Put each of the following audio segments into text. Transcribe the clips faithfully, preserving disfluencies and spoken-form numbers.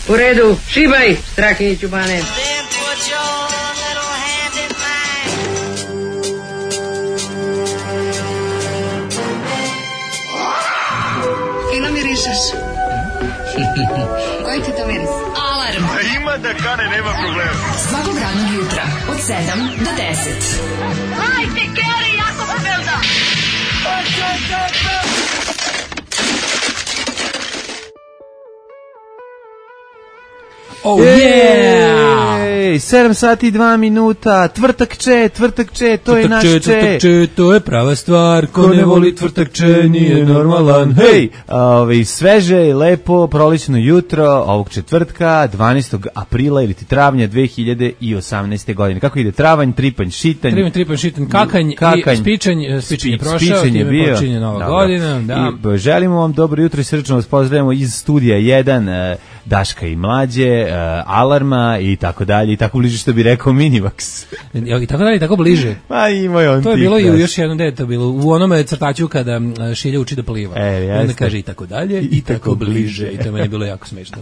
U redu, šibaj, Strahinjiću bane. Fino mirišeš. Koji ti to miris? Alarm. A ima da kane, nema problema. Svakog radnog jutra, od sedam do deset. Hajde, Geri, jako se velda. Oh yeah! Ej, sedam sati i dva minuta, tvrtak če, tvrtak če, to je naš če. Tvrtak če, to je prava stvar, ko ne voli tvrtak če, nije normalan. Hej, ovaj, sveže i lepo, prolećno jutro ovog četvrtka, dvanaestog aprila ili ti travnja dve hiljade osamnaeste. godine. Kako ide travanj, tripanj, šitanj? Tripanj, tripanj, šitanj, kakanj, kakanj i spičanj, spičanj je prošao, spičanj je bio. Počinje nova Dobro. godina. Da. I želimo vam dobro jutro i srčno vas pozdravljamo iz studija jedan, Daška i Mlađe, Alarma i tako dalje i tako bliže što bi rekao Minivax. I tako dalje, tako bliže. Ma ima je on. To je bilo i u još jednom delu, to je bilo u onome crtaču kada Šilja uči da pliva. E, onda kaže i tako dalje i, i tako, tako bliže. I to meni je bilo jako smešno.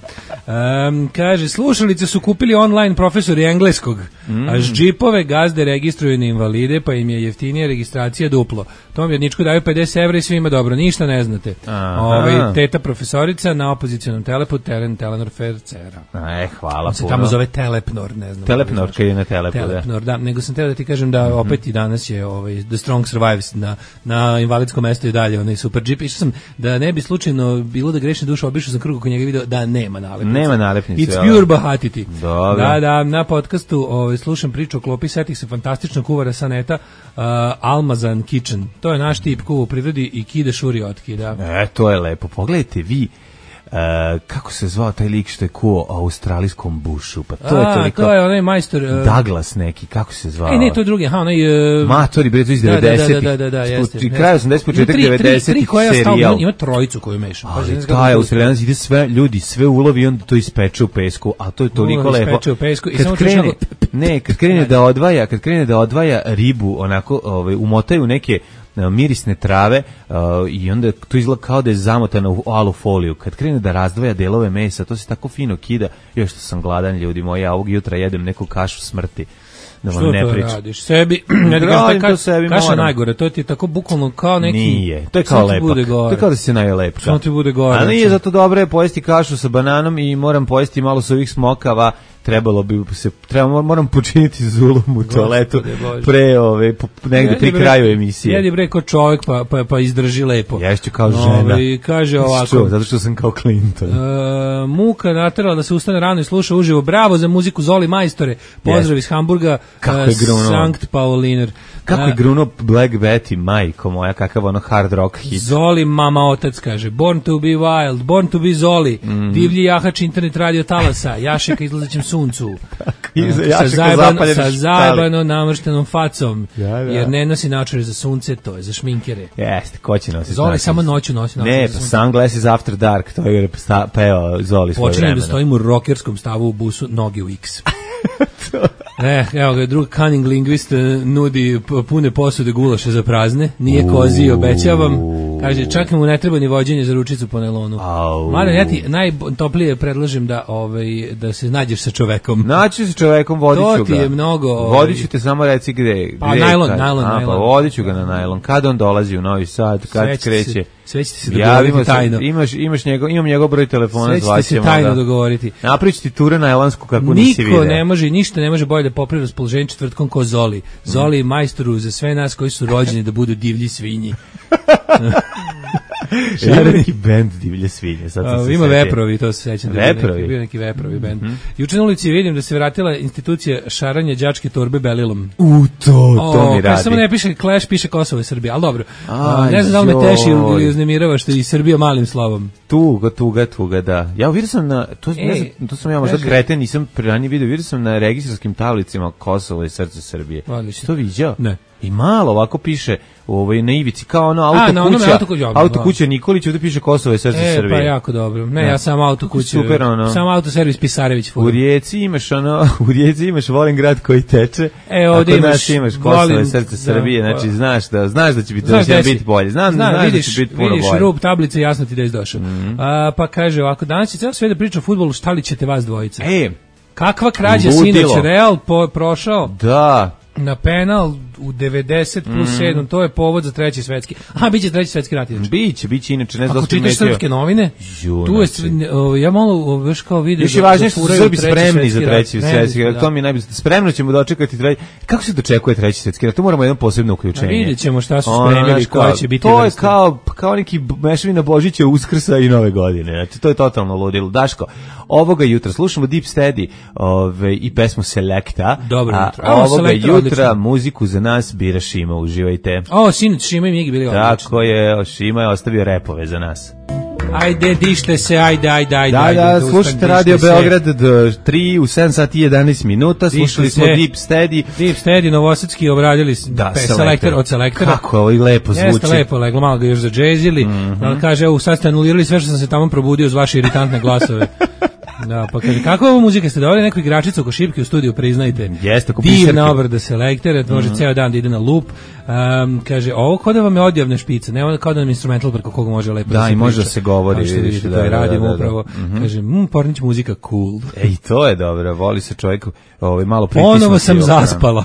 Um, kaže, slušalice su kupili online profesori engleskog, mm. a džipove gazde registruju na invalide, pa im je jeftinija registracija duplo. Tom jedničku daju pedeset evra i svima dobro, ništa ne znate. Ove, teta profesorica na opozicionom telepu, teren Telenor Fercera. E, hvala on se puno. Tamo zove Telepnor, ne znam. Telepnor, kad je na Telepu, Telepnor, da. da. Nego sam teo da ti kažem da opet i danas je ovaj, The Strong Survives na, na invalidskom mestu i dalje, onaj super džip. Išao sam da ne bi slučajno bilo da grešne duše, obišao sam krug oko njega video da nema nalepnice. Nema nalepnice. It's pure bahatiti. Dobro. Da, da, na podcastu ovaj, slušam priču o klopi, setih se fantastična kuvara sa neta, uh, Almazan Kitchen. To je naš tip kuva u prirodi i kide šuri otkida. E, to je lepo. Pogledajte vi, Uh, kako se zvao taj lik što je kuo o australijskom bušu, pa to A, je toliko... to je onaj majstor... Uh, Douglas neki, kako se zvao? E, ne, to je drugi, aha, onaj... Uh, Matori, bre, to iz devedesetih. Da, da, da, da, da, jeste. Pri kraju osamdesetih, početak devedesetih serijal. Ima trojicu koju meša. Ali taj australijanac ide sve, ljudi, sve ulovi i onda to ispeče u pesku, a to je toliko lepo. Ispeče u pesku i kad samo krene, ne, kad krene da odvaja, kad krene da odvaja ribu, onako, ovaj, umotaju neke mirisne trave uh, i onda to izgleda kao da je zamotano u alu foliju. Kad krene da razdvaja delove mesa, to se tako fino kida. Još što sam gladan, ljudi moji, ja ovog jutra jedem neku kašu smrti. Da vam što ne to pričam. Radiš? Sebi, ne radim ka, to sebi, kaša moram. najgore, to ti je tako bukvalno kao neki... Nije, to je kao lepak. To je kao da se naje lepka. Samo ti bude gore. A nije zato dobro je pojesti kašu sa bananom i moram pojesti malo s ovih smokava. Trebalo bi se, treba, moram počiniti zulum u toaletu pre, ove, negde pri kraju emisije. Jedi bre ko čovjek pa, pa, pa izdrži lepo. Ješću kao žena. I kaže ovako. Što, zato što sam kao Clinton. Uh, muka naterala da se ustane rano i sluša uživo. Bravo za muziku Zoli majstore. Pozdrav yes. iz Hamburga. Kako je gruno. Sankt Pauliner. Kako je gruno Black Betty, majko moja, kakav ono hard rock hit. Zoli mama otac kaže. Born to be wild, born to be Zoli. Mm. Divlji jahač internet radio talasa. Jašeka izlazećem suncu. sa, zajeban, sa zajebano namrštenom facom. Ja, ja. Jer ne nosi naočare za sunce, to je za šminkere. Jeste, ko će nositi? Zoli samo noću nosi naočare. Ne, za sunce. Sunglasses After Dark, to je peo Zoli svoje vremena. Počinjem da stojim u rockerskom stavu u busu, noge u X. E, evo ga, drug cunning linguist nudi pune posude gulaša za prazne, nije kozi, obećavam. Kaže, čak mu ne treba ni vođenje za ručicu po nelonu. Mladen, ja ti najtoplije predlažem da, ovaj, da se nađeš sa čovekom. Naći se čovekom, vodit ću ga. To ti je mnogo... Ovaj... Vodit ću te, samo reci gde. Pa gde, najlon, kad, najlon, a, najlon. Pa vodit ću ga na najlon. Kad on dolazi u Novi Sad, kad sve kreće. Se, sve ćete se dogovoriti tajno. Imaš, imaš njegov, imam njegov broj telefona, sve zvaćemo. Sve ćete se tajno da dogovoriti. Naprič ti ture najlonsku kako nisi vidio. Niko ne može, ništa ne može bolje da popravi raspoloženje četvrtkom ko Zoli. Zoli je majstoru za sve nas koji su rođeni da budu divlji svinji. Ima neki bend divlje svinje. Sad A, ima veprovi, to se sećam. Veprovi? Da bio neki veprovi bend. Mm -hmm. Juče na ulici vidim da se vratila institucija šaranja đačke torbe belilom. U, to, to o, mi radi. Samo ne piše Clash, piše Kosovo i Srbija, ali dobro. A, ne znam da li me teši ili uznemirava što je i Srbija malim slovom. Tuga, tuga, tuga, da. Ja vidio sam na, to, Ej, ne znam, to sam ja možda kreten, nisam ranije vidio, vidio sam na registarskim tablicima Kosovo i srce Srbije. Odlično. To viđao? Ne. i malo ovako piše ovaj na ivici kao ono auto A, na onome kuća, auto kuća, auto kuća Nikolić, ovde piše Kosovo je srce E, Srbije. pa jako dobro. Ne, Da. ja sam auto kuće. Super, ono. Sam auto servis Pisarević. U Rijeci imaš ono, u Rijeci imaš volim grad koji teče. E, ovde a kod imaš, nas imaš Kosovo je volim- srce da, Srbije, pa- znači znaš da znaš da će biti, Znaš da će gde si? biti bolje. Znam, Znam, znaš vidiš, da će biti puno vidiš bolje. rub tablice, jasno ti da je došao. Mhm. A, pa kaže ovako, danas će ceo sve da priča o fudbalu, šta li ćete vas dvojica? E, Kakva krađa ludilo. sinoć, Real po, prošao da, na penal u devedeset plus Mhm. sedam, to je povod za treći svetski. Aha, biće treći svetski rat. inače. biće, biće inače, ne znam da Ako ste čitaš primetio. srpske novine, Ju, tu je, znači. sve- o, ja malo veš kao vidim. Još je da- važnije da što su furaju Srbi treći spremni za svetski treći rat. svetski Ne, rat. da. To mi je najbolje. Spremno ćemo dočekati treći. Kako se dočekuje treći svetski rat? To moramo jedno posebno uključenje. A vidjet ćemo šta su Ono, spremili, znaš, koja kao, će biti To je vrsta. kao, kao neki b- mešavina Božića, Uskrsa i Nove godine. Znači, to je totalno ludilo. Daško, ovoga jutra slušamo Deep Steady ove, i pesmu Selecta. Dobro a jutro. O, ovoga Selecta, jutra odlično. muziku za nas bira Šima. Uživajte. O, sinoć Šima i Migi bili odlični. Tako je, Šima je ostavio repove za nas. Ajde, dište se, ajde, ajde, ajde. Da, ajde, da, ustan, slušajte dište Radio se. Beograd do tri u sedam sati i jedanaest minuta, slušali Dište smo se. Deep Steady. Deep Steady, Novosadski obradili s- Da, pe- Selektor. selektor od selektora. Kako ovo i lepo zvuči. Jeste lepo, leglo, malo ga još zadžezili. Da kaže, evo, sad ste anulirali sve što sam se tamo probudio uz vaše iritantne glasove. Da, pa kaže, kako ovo muzika ste doveli neku igračicu oko šipke u studiju, priznajte. Jeste, oko Divna pišarke. obrada selektera, može ceo dan da ide na loop. Um, kaže, ovo kod da vam je odjavne špice, ne ono kao da nam instrumental preko koga može lepo Da, da se i može priča. da se govori, Kao što vidiš, vidite, da, to i da, radimo da, da. upravo. Kaže, mm, Pornić muzika cool. Ej, to je dobro, voli se čovjek ovaj, malo pritisnuti. Ponovo sam oko- zaspala.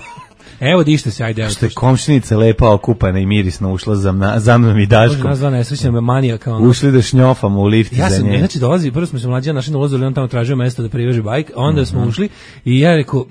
Evo, dište se, ajde. Evo, Što je komšinica lepa okupana i mirisno ušla za, mna, za mnom i Može Daškom. nas dva nesrećna manijaka. Ono. Ušli da šnjofamo u lift Ja za sam, nje. znači dolazi, prvo smo se mlađi našli na ulazu, on tamo tražio mesto da priveže bajk, a onda Mhm. smo ušli i ja rekao,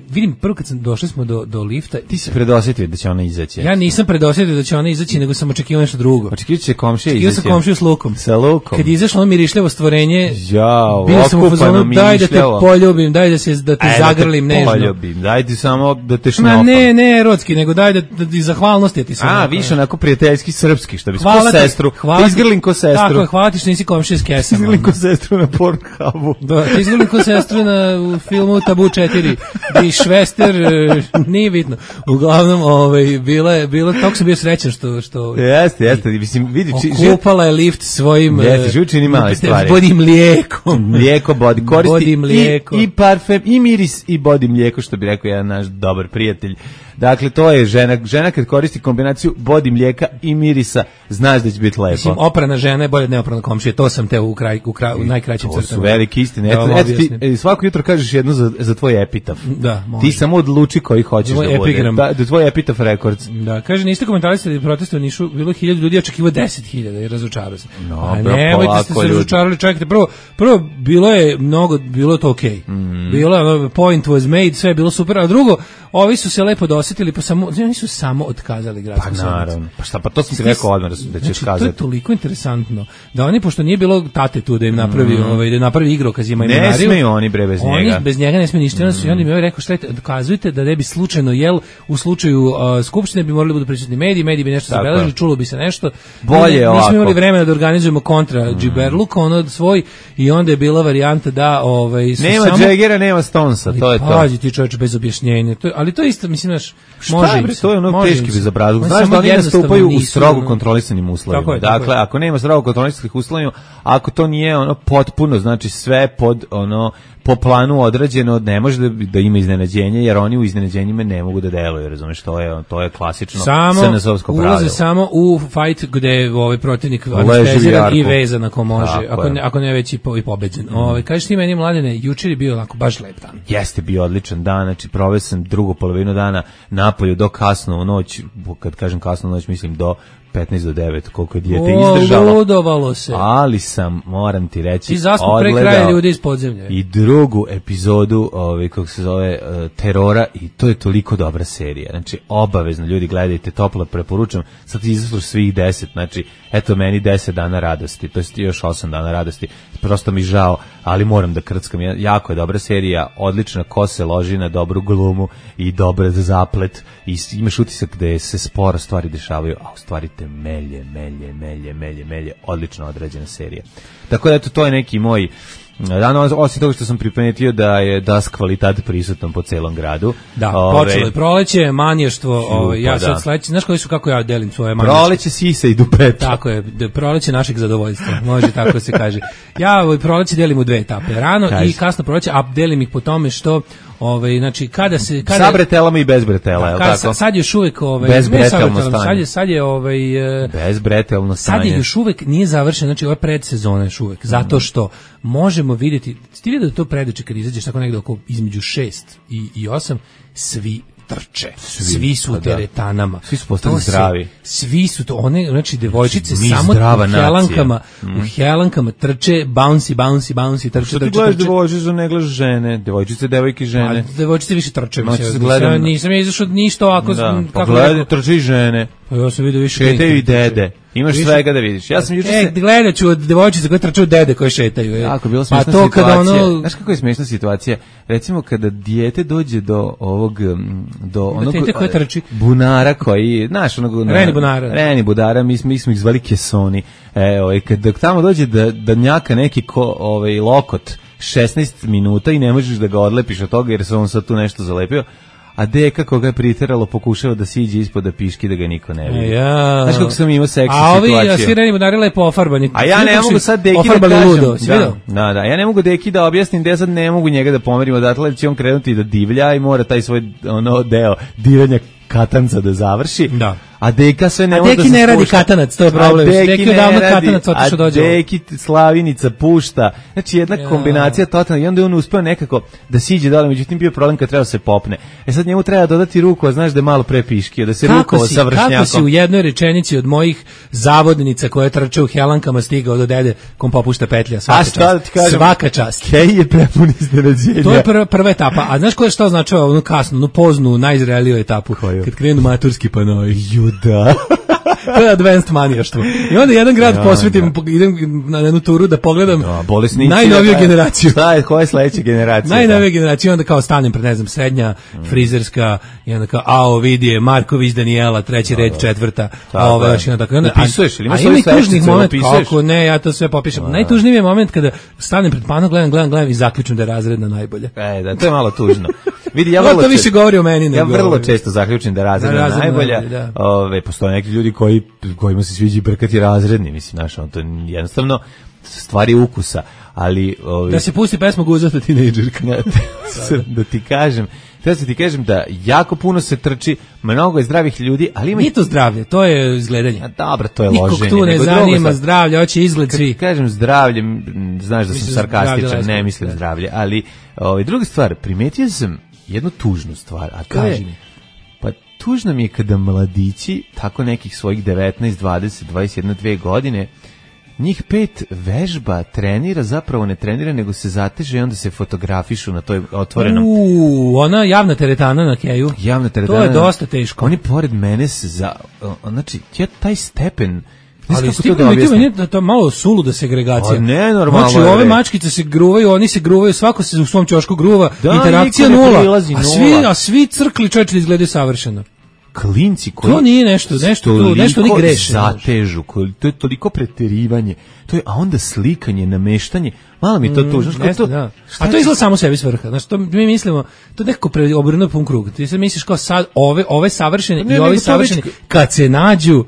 vidim, prvo kad sam došli smo do, do lifta, Ti si predosjetio da će ona izaći. ja nisam predosjetio da će ona izaći, nego sam očekivao nešto drugo. Očekivit će komšija Očekivao izaći. sam komšiju s lukom. Sa lukom. Kad je izašlo ono mirišljavo stvorenje, Jao, bio sam u okupano fazonu, daj da te mišljavo. poljubim, daj da, se, da te E, zagrlim da te nežno. poljubim, daj ti samo da te Ma šnjofam. ne, ne erotski, nego daj da, da, da zahvalnosti ti sam. A, onako, više onako prijateljski srpski, što bi ko Hvala ti, sestru. hvala Ti ti. izgrlim ko sestru. Tako je, hvala ti što nisi komšija s kesama. Izgrlim ko sestru na Pornhubu. Da, ti izgledali ko sestra na u filmu Tabu četiri. I Švester, e, nije bitno. Uglavnom, ovaj, bila je, bila, tako sam bio srećan što... što Jeste, jeste, mislim, vidi, či, život, okupala je lift svojim... Jeste, e, život čini male stvari. Bodi mlijekom. mlijeko, body, koristi Body mlijeko. i, i parfem, i miris, i body mlijeko, što bi rekao jedan naš dobar prijatelj. Dakle, to je žena, žena kad koristi kombinaciju body mlijeka i mirisa, znaš da će biti lepo. Mislim, oprana žena je bolje od neoprana komšije, to sam te u, kraj, u, kraj, u najkraćim To crtama. su velike istine. Da Eto, vam eto ti, objasnim. e, svako jutro kažeš jedno za, za tvoj epitaf. Da, može. Ti samo odluči koji hoćeš Tvoj da bude. epigram. Da, da tvoj epitaf rekords. Da, kaže, niste komentarisali proteste u Nišu, bilo hiljadu ljudi, očekivo deset hiljada i razočarao se. No, A bro, nemojte polako, ste se ljudi. razočarali, čekajte, prvo, prvo, bilo je mnogo, bilo je to okej. Mhm. Bilo je, ono, point was made, sve je bilo super, a drugo, ovi su se lepo dosetili, pa samo, oni su samo otkazali gradsku Pa sednicu. naravno. Pa šta, pa to sam ti rekao odmah da, su- da ćeš Znači, to je kazati. toliko interesantno da oni, pošto nije bilo tate tu da im napravi, ovaj, da im napravi igrokaz, ima Mm. Ne imenariju, smeju oni bre bez oni njega. bez njega ne smije ništa. Onda su i oni mi ovaj rekao, šta je, dokazujte da ne bi slučajno jel u slučaju uh, skupštine bi morali da budu prisutni mediji, mediji bi nešto Tako zabeležili, je. čulo bi se nešto. Bolje Mi ne- ovako. Nismo imali vremena da organizujemo kontra džiberluk, ono svoj, i onda je bila varijanta da ovaj su Nema samo Jaggera, nema Stonesa, to je to. Pazi ti čoveče bez objašnjenja. To je, ali to je isto, mislim, znaš, Šta može je, im bre, se, to je ono može im teški se. bezobrazluk. Oni Znaš samo da oni jednostavno nastupaju u nisu, strogo ono- kontrolisanim uslovima. Tako je, tako Dakle, je. ako nema strogo kontrolisanih uslovima, ako to nije ono potpuno, znači sve pod ono po planu odrađeno, ne može da, da ima iznenađenje, jer oni u iznenađenjima ne mogu da deluju, razumeš, to je, to je klasično Samo S N S-ovsko pravilo. ulaze samo u fight gde je ovaj protivnik Leži u anesteziran i jarku. vezan ako može, Tako ako je. ne, ako ne već i, po, i pobeđen. Mm. Ovaj kažeš ti meni, Mladene, jučer je bio onako baš lep dan. Jeste bio odličan dan, znači proveo sam drugu polovinu dana napolju do kasno u noć, kad kažem kasno u noć mislim do petnaest do devet, koliko je dijete O, izdržalo. ludovalo se. Ali sam, moram ti reći, Ti zaspao pre odgledao kraja ljudi iz podzemlja. i drugu epizodu, ovaj, kako se zove, uh, Terora, i to je toliko dobra serija. Znači, obavezno, ljudi, gledajte, toplo preporučam. Sad izašlo svih deset, znači, eto meni deset dana radosti, to je još osam dana radosti. Prosto mi žao, ali moram da krckam. Ja- Jako je dobra serija, odlična, ko se loži na dobru glumu i dobar zaplet, i s- imaš utisak da se sporo stvari dešavaju, a u stvari te melje, melje, melje, melje, melje, odlično odrađena serija. Tako da, eto, to je neki moj Danas, osim toga što sam primetio da je das kvalitat prisutan po celom gradu. Da, Ove, počelo je proleće, manještvo, ovaj, ja pa sad da. sledeći, znaš koji su, kako ja delim svoje manještvo? Proleće, sisa i dupeta. Tako je, da, proleće našeg zadovoljstva, može tako se kaže. Ja ovaj, proleće delim u dve etape, rano Kaži. i kasno proleće, a delim ih po tome što, ovaj, znači, kada se... Kada, sa bretelama i bez bretela, je li kada, tako? Sad još uvek... Ovaj, Bez ne sa bretelno bretelom, stanje. Sad je, sad je ovaj... Bez bretelno stanje. Sad je još uvek nije završen, znači ovo je predsezona još uvek, zato što možemo vidjeti, ti vidio da to predeče kad izađeš tako negde oko između šest i, i osam, svi trče, svi, svi su pa u da. teretanama. Svi su postali To se- zdravi. Svi su to, one, znači devojčice Mi samo zdrava u nacija. helankama, u helankama trče, bouncy, bouncy, bouncy, trče, Što ti trče, gledaš trče. devojčice, ne gledaš žene, devojčice, devojke, žene. A devojčice više trče, Noći mislim, se gledam- nisam, nisam ja izašao ništa ovako, Da, pa kako gledaj, rekao, trči žene, pa ja sam vidio više šetaju i klinke trče. dede. Imaš Više- svega da vidiš. Ja sam juče E, se... gledat ću od devojčice koje trče od dede koje šetaju. Je. Jako je bila Pa smiješna to situacija. kada ono... Znaš kako je smiješna situacija? Recimo kada dijete dođe do ovog mm, do onog dijete koje trči. bunara koji, znaš, onog Reni bunara. Reni bunara, mi smo mi smo ih zvali kesoni. E, ovaj kad dok tamo dođe da da njaka neki ko, ovaj lokot šesnaest minuta i ne možeš da ga odlepiš od toga jer se on sad tu nešto zalepio. A deka koga je priteralo pokušava da siđe ispod da piški da ga niko ne vidi. Ja. Znaš kako sam imao seksi A ovi situaciju? a svi reni bunari lepo ofarbani. A ja ne Vidio mogu si sad deki da ofarbali kažem. ludo, si Da, vidio? da, da, ja ne mogu deki da objasnim da ja sad ne mogu njega da pomerim odatle, jer će on krenuti da divlja i mora taj svoj ono deo divljanja katanca da završi. Da. A deka sve ne A može da Deki se ne radi spušta. katanac, to je A problem. Deki Deki ne odavno radi, katanac otišao dođe A ovo. Deki Slavinica pušta. Znači jedna Ja. kombinacija totalna i onda je on uspeo nekako da siđe dole, međutim bio problem kad treba se popne. E sad njemu treba dodati ruku, a znaš da je malo prepiškio, da se Kako rukovao si, sa kako si u vršnjakom. jednoj rečenici od mojih zavodnica koje trče u helankama stigao do dede kom popušta petlja, svaka A šta čast. da ti kažem? Svaka čast. Kej je prepun iznenađenja. To je prva, prva etapa. A znaš ko je šta označava onu kasnu, onu poznu, najzreliju etapu? Koju? Kad krenu maturski panoi. Juda. To je advanced manijaštvo. I onda jedan grad Ja, posvetim, idem na jednu turu da pogledam Da, bolesnici. najnoviju da, generaciju. Šta je, koja je sledeća generacija? Najnovija generacija, onda kao stanem pred, ne znam, srednja, frizerska, i onda kao, ao, vidi je, Marković, Daniela, treći red, četvrta, a ovo još jedna tako. I onda- Upisuješ ili imaš a svoje ima i tužnih sveštice, moment, upisuješ? kako ne, ja to sve popišem. Najtužniji je moment kada stanem pred panom, gledam, gledam, gledam i zaključim da je razredna najbolja. E, da, to je malo tužno. Vidi, ja To, vrlo to više često- govori o meni Ja nego... vrlo često zaključim da razredna Da, razredna najbolja. najbolja, da. Ove, postoje neki ljudi koji, kojima se sviđa brkati razredni, mislim, znaš, on to je jednostavno stvari ukusa, ali... Ove, Da se pusti pesma Guzata tinejdžerka. da ti kažem, treba se ti kažem da jako puno se trči, mnogo je zdravih ljudi, ali ima... Nije to zdravlje, to je izgledanje. A dobro, to je Nikog loženje. tu ne nego drugo zanima sad. zdravlje, hoće izgled Kad ti svi. kažem zdravlje, m, znaš da sam Mislim, sarkastičan, zdravlje ne lesko, mislim da. zdravlje, ali ovaj, druga stvar, primetio sam jednu tužnu stvar, a to Kaži je, mi. pa tužno mi je kada mladići, tako nekih svojih devetnaest, dvadeset, dvadeset jedna, dve godine, njih pet vežba, trenira, zapravo ne trenira, nego se zateže i onda se fotografišu na toj otvorenom. Uuu, ona javna teretana na keju. Javna teretana. To je dosta teško. Oni pored mene se za... o, znači, ja taj stepen... Ne znam Ali kako to stiglo da mi to objasnim. meni da to je malo suluda segregacija. A ne, normalno Znači, je, ove bre. mačkice se gruvaju, oni se gruvaju, svako se u svom ćošku gruva, Da, interakcija niko ne nula, prilazi, a svi, nula. a svi crkli čovječe izgledaju savršeno. Klinci koji... To nije nešto, nešto tu, nešto oni toliko greše. zatežu, koji- to je toliko preterivanje, to je, a onda slikanje, nameštanje, malo mi to tužno. Mm, jeste, da. A to izgleda samo sebi svrha. Znači, to mi mislimo, to nekako pre obrnuo pun krug. Ti se misliš kao sad ove, ove savršene Ne, i ovi nego to savršeni, već- kad se nađu,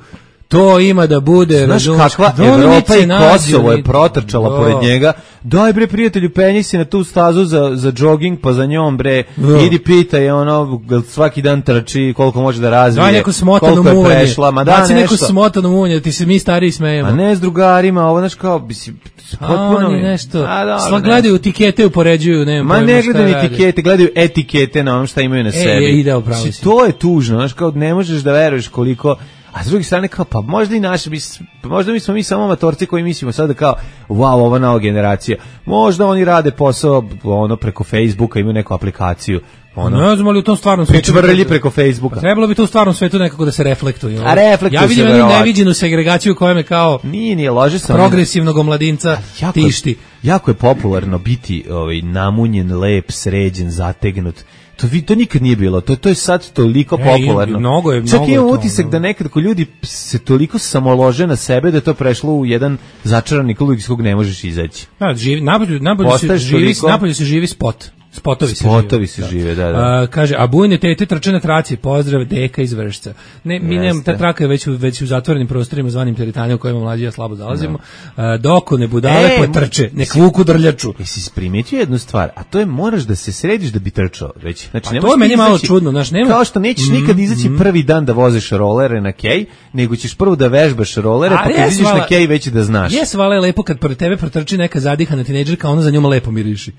to ima da bude, Znaš razumeš, kakva kad oni Evropa se i nađu, Kosovo je oni- protrčala Da. pored njega. Daj bre prijatelju, penji se na tu stazu za, za jogging, pa za njom bre, Da. idi pitaj ono, jel svaki dan trči, koliko može da razvije, Daj neko smotano koliko je muvanje. prešla, ma da Baci neko nešto. smotano muvanje, da ti se mi stariji smejemo. A ne s drugarima, ovo znaš kao, mislim, A potpuno oni mi- nešto, A, dobro, sva ne. gledaju etikete, upoređuju, nema Ma pojma ne šta gledaju rade. etikete, gledaju etikete na onom šta imaju na sebi. je, ide, upravo Znači, si. to je tužno, znaš, kao ne možeš da veruješ koliko, a s druge strane kao, pa možda i naše, mis- možda mi smo mi samo amatorci koji mislimo sada kao, wow, ova nova generacija, možda oni rade posao ono preko Facebooka, imaju neku aplikaciju, Ono, ne znam ali u tom stvarnom svetu pričvrlji preko Facebooka. Trebalo bi to u stvarnom svetu nekako da se reflektuje. A reflektuje ja vidim se, jednu verovatno. neviđenu segregaciju koja me kao Nije, nije, lože sam. progresivnog omladinca jako je- tišti. Jako je popularno biti ovaj, namunjen, lep, sređen, zategnut. To, vi, to nikad nije bilo, to, to je sad toliko E, popularno. i mnogo je- Čak mnogo je imam to, utisak no. da nekad ko ljudi se toliko samolože na sebe da je to prešlo u jedan začarani klub iz kog ne možeš izaći. Da, živi, napolju, napolju, se Postaješ živi, toliko- napolju se živi spot. Spotovi se Spotovi žive. se žive, da, da. A, kaže, a bujne tete trče na traci, pozdrav deka iz Vršca. Ne, mi nemamo, Jeste. ta traka je već u, već u zatvorenim prostorima zvanim teretane u kojima mlađi ja slabo zalazimo. A, doko ne budale E, potrče, nek vuku drljaču. Jesi primetio jednu stvar, a to je moraš da se središ da bi trčao već. Znači, Pa ne to možeš je meni ti malo izaći- čudno, znaš, nema- Kao što nećeš nikad izaći prvi dan da voziš rolere na kej, nego ćeš prvo da vežbaš rolere, Ali pa kad jes, izađeš na vala- kej već da znaš. Jes, vale lepo kad pored tebe protrči neka zadihana tinejdžerka, ona za njom lepo miriši.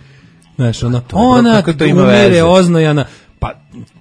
Znaš, ona, ona kako to ima umire, veze? oznojana. Pa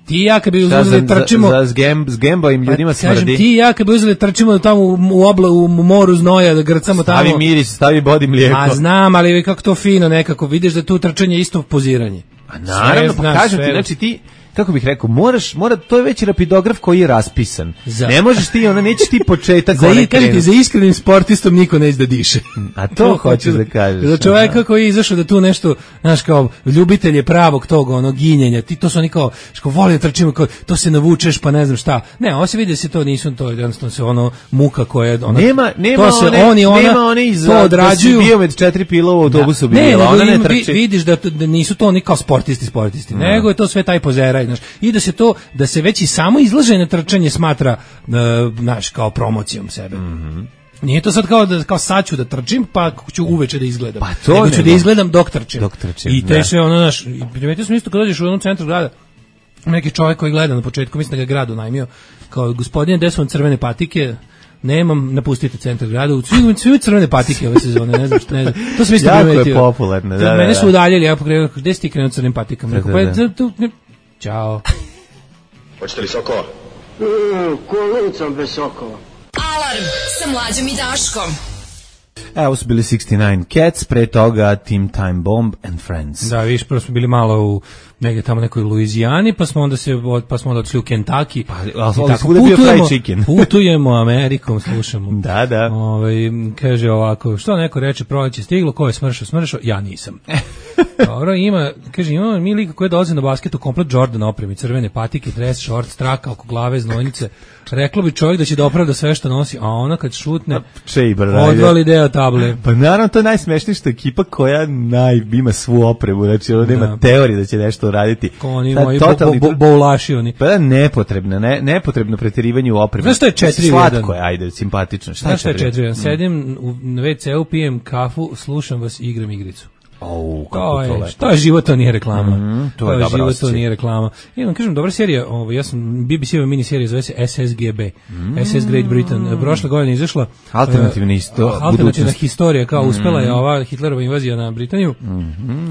ti i ja kad bi Šta, uzeli za, trčimo... za, za, zgem, zgembavim ljudima Pa, kažem, smrdi. ti i ja kad bi uzeli trčimo tamo u, u, obla, u moru znoja da grcamo tamo. Stavi miris, stavi bodi mlijeko. A znam, ali kako to fino nekako, vidiš da tu trčanje je isto poziranje. A naravno, Sve, pa znaš, kažem ti, sve. znači ti, kako bih rekao, moraš, mora, to je već rapidograf koji je raspisan. Za- Ne možeš ti, ona nećeš ti početak Za, one i, kažem ti, krenuti. za iskrenim sportistom niko neće da diše. A to hoćeš da kažeš. Za čoveka koji je izašao da tu nešto, znaš, kao ljubitelj je pravog tog onog ginjenja, ti to su oni kao, što voli da trčimo, kao, to se navučeš pa ne znam šta. Ne, ovo se vidi da se to nisu, to je jednostavno se ono muka koja je, ona, Nema, nema to se one, oni, ona, nema one iz, to odrađuju. da si bio med četiri pila u autobusu, Da. Ne, bila, nego ona ne im vi- trči. vidiš da, to- da nisu to oni kao sportisti, sportisti, nego je to sve taj pozeraj, znaš, i da se to, da se već i samo izlaženje trčanje smatra, uh, znaš, kao promocijom sebe. Nije to sad kao da kao sad ću da trčim, pa ću uveče da izgledam. Pa to nego ću nego. da izgledam dok trčim. Dok trčim, I te da. sve ono, znaš, i primetio sam isto kad dođeš u onom centru grada, neki čovjek koji gleda na početku, mislim da ga je grad unajmio, kao gospodine, gde su vam crvene patike? Nemam, napustite centar grada. Svi imaju svi imaju crvene patike ove sezone, ne znam šta, ne znam. To sam isto Jako je primetio. popularno, da, da, Mene da. su udaljili, ja pokrenuo, gde si ti krenuo crvenim patikama? Rekao, Da, da, pa da. je, tu, ne, ćao. Hoćete li sokova? Kolicom bez sokova. Alarm sa mlađom i Daškom. E, ovo su bili šezdeset devet Cats, pre toga Team Time Bomb and Friends. Da, viš, prvo smo bili malo u negdje tamo nekoj Luizijani, pa smo onda se od- pa smo onda odšli u Kentucky. Pa, ali- I ali tako svuda je bio putujemo- fried chicken. Putujemo Amerikom, slušamo. Da, da. Ovaj, kaže ovako, što neko reče, proleće stiglo, ko je smršao, smršao, ja nisam. Dobro, ima, kaže, imamo mi lika koji dolaze na basketu, komplet Jordan opremi, crvene patike, dres, šort, straka oko glave, znojnice. Reklo bi čovjek da će da opravda sve što nosi, a ona kad šutne, Chamber, odvali deo table. Pa naravno, to je najsmešnije što je ekipa koja naj, ima svu opremu, znači ono nema Da. teorije da će nešto uraditi. Ko oni Ta moji bo, totalni bo, tr- boulaši oni. Pa da, nepotrebno, ne, nepotrebno preterivanje u opremi. Znaš šta je četiri u Slatko jedan? je, ajde, simpatično. Šta Znaš šta je četiri? četiri? Sedim u, na ve ce u, pijem kafu, slušam vas i igram igricu. Au, To kako to je, lepo. to je život, to nije reklama. Mhm, to je dobar život, to osjećaj. nije reklama. I vam kažem, dobra serija, ovaj, ja sam B B C-ova mini serija, zove se S S G B, S S Great Britain. Prošle godine izašla Alternativna eh, isto- alternativna budućnost. historija, kao uspela je ova Hitlerova invazija na Britaniju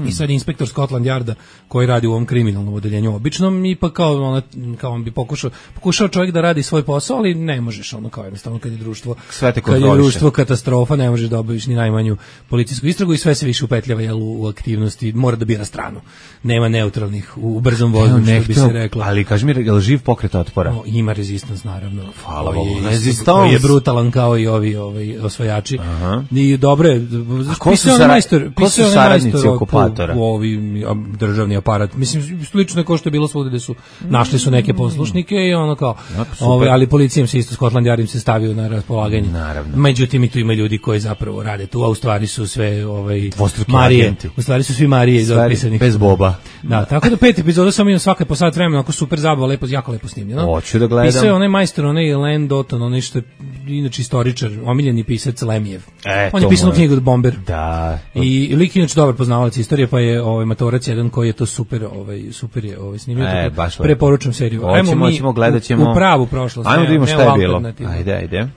i sad je inspektor Scotland Yarda koji radi u ovom kriminalnom odeljenju običnom i pa kao, ona, kao on bi pokušao, pokušao čovjek da radi svoj posao, ali ne možeš, ono kao jednostavno kad je društvo, Sve te kad je kontroliše. društvo katastrofa, ne možeš da obaviš ni najmanju policijsku istragu i sve se više upetljava jel, u, u aktivnosti, mora da bira stranu. Nema neutralnih u, u brzom vozu, Evo, ne što bi se hteo, reklo. ali kaži mi, je li živ pokret otpora? O, ima rezistans naravno. Hvala Koji je Bogu. isto- Resistance. koji je brutalan kao i ovi ovaj osvajači. Aha. I dobro je. A ko su pisao je sara- majstor, ko su pisao je saradnici majstor oko- okupatora? u ovi a, državni aparat. Mislim slično je kao što je bilo svugde da su našli su neke poslušnike i ono kao Ja, super. ovaj ali policijom se isto Scotland Yard im se stavio na raspolaganje. Naravno. Međutim i tu ima ljudi koji zapravo rade tu, a u stvari su sve ovaj Dvostruki Marije. agenti. U stvari su svi Marije iz Stvari, otpisanih. bez Boba. Da, tako da pet epizoda sam imao svaka po sat vremena, onako super zabava, lepo, jako lepo snimljeno. Hoću da gledam. Pisao je onaj majstor, onaj Len Dotton, onaj što je inače istoričar, omiljeni pisac Lemijev. E, On to je pisao mora. knjigu od Bomber. Da. I lik je inače dobar poznavalac istorije, pa je ovaj matorac jedan koji je to super, ovaj super je ovaj snimio. E, tako da baš lepo. preporučujem seriju. Hoćemo, mi hoćemo, gledat ćemo. U, u pravu prošlost. Ajmo ne- da vidimo ne šta u je bilo. alternativnu. Ajde, ajde.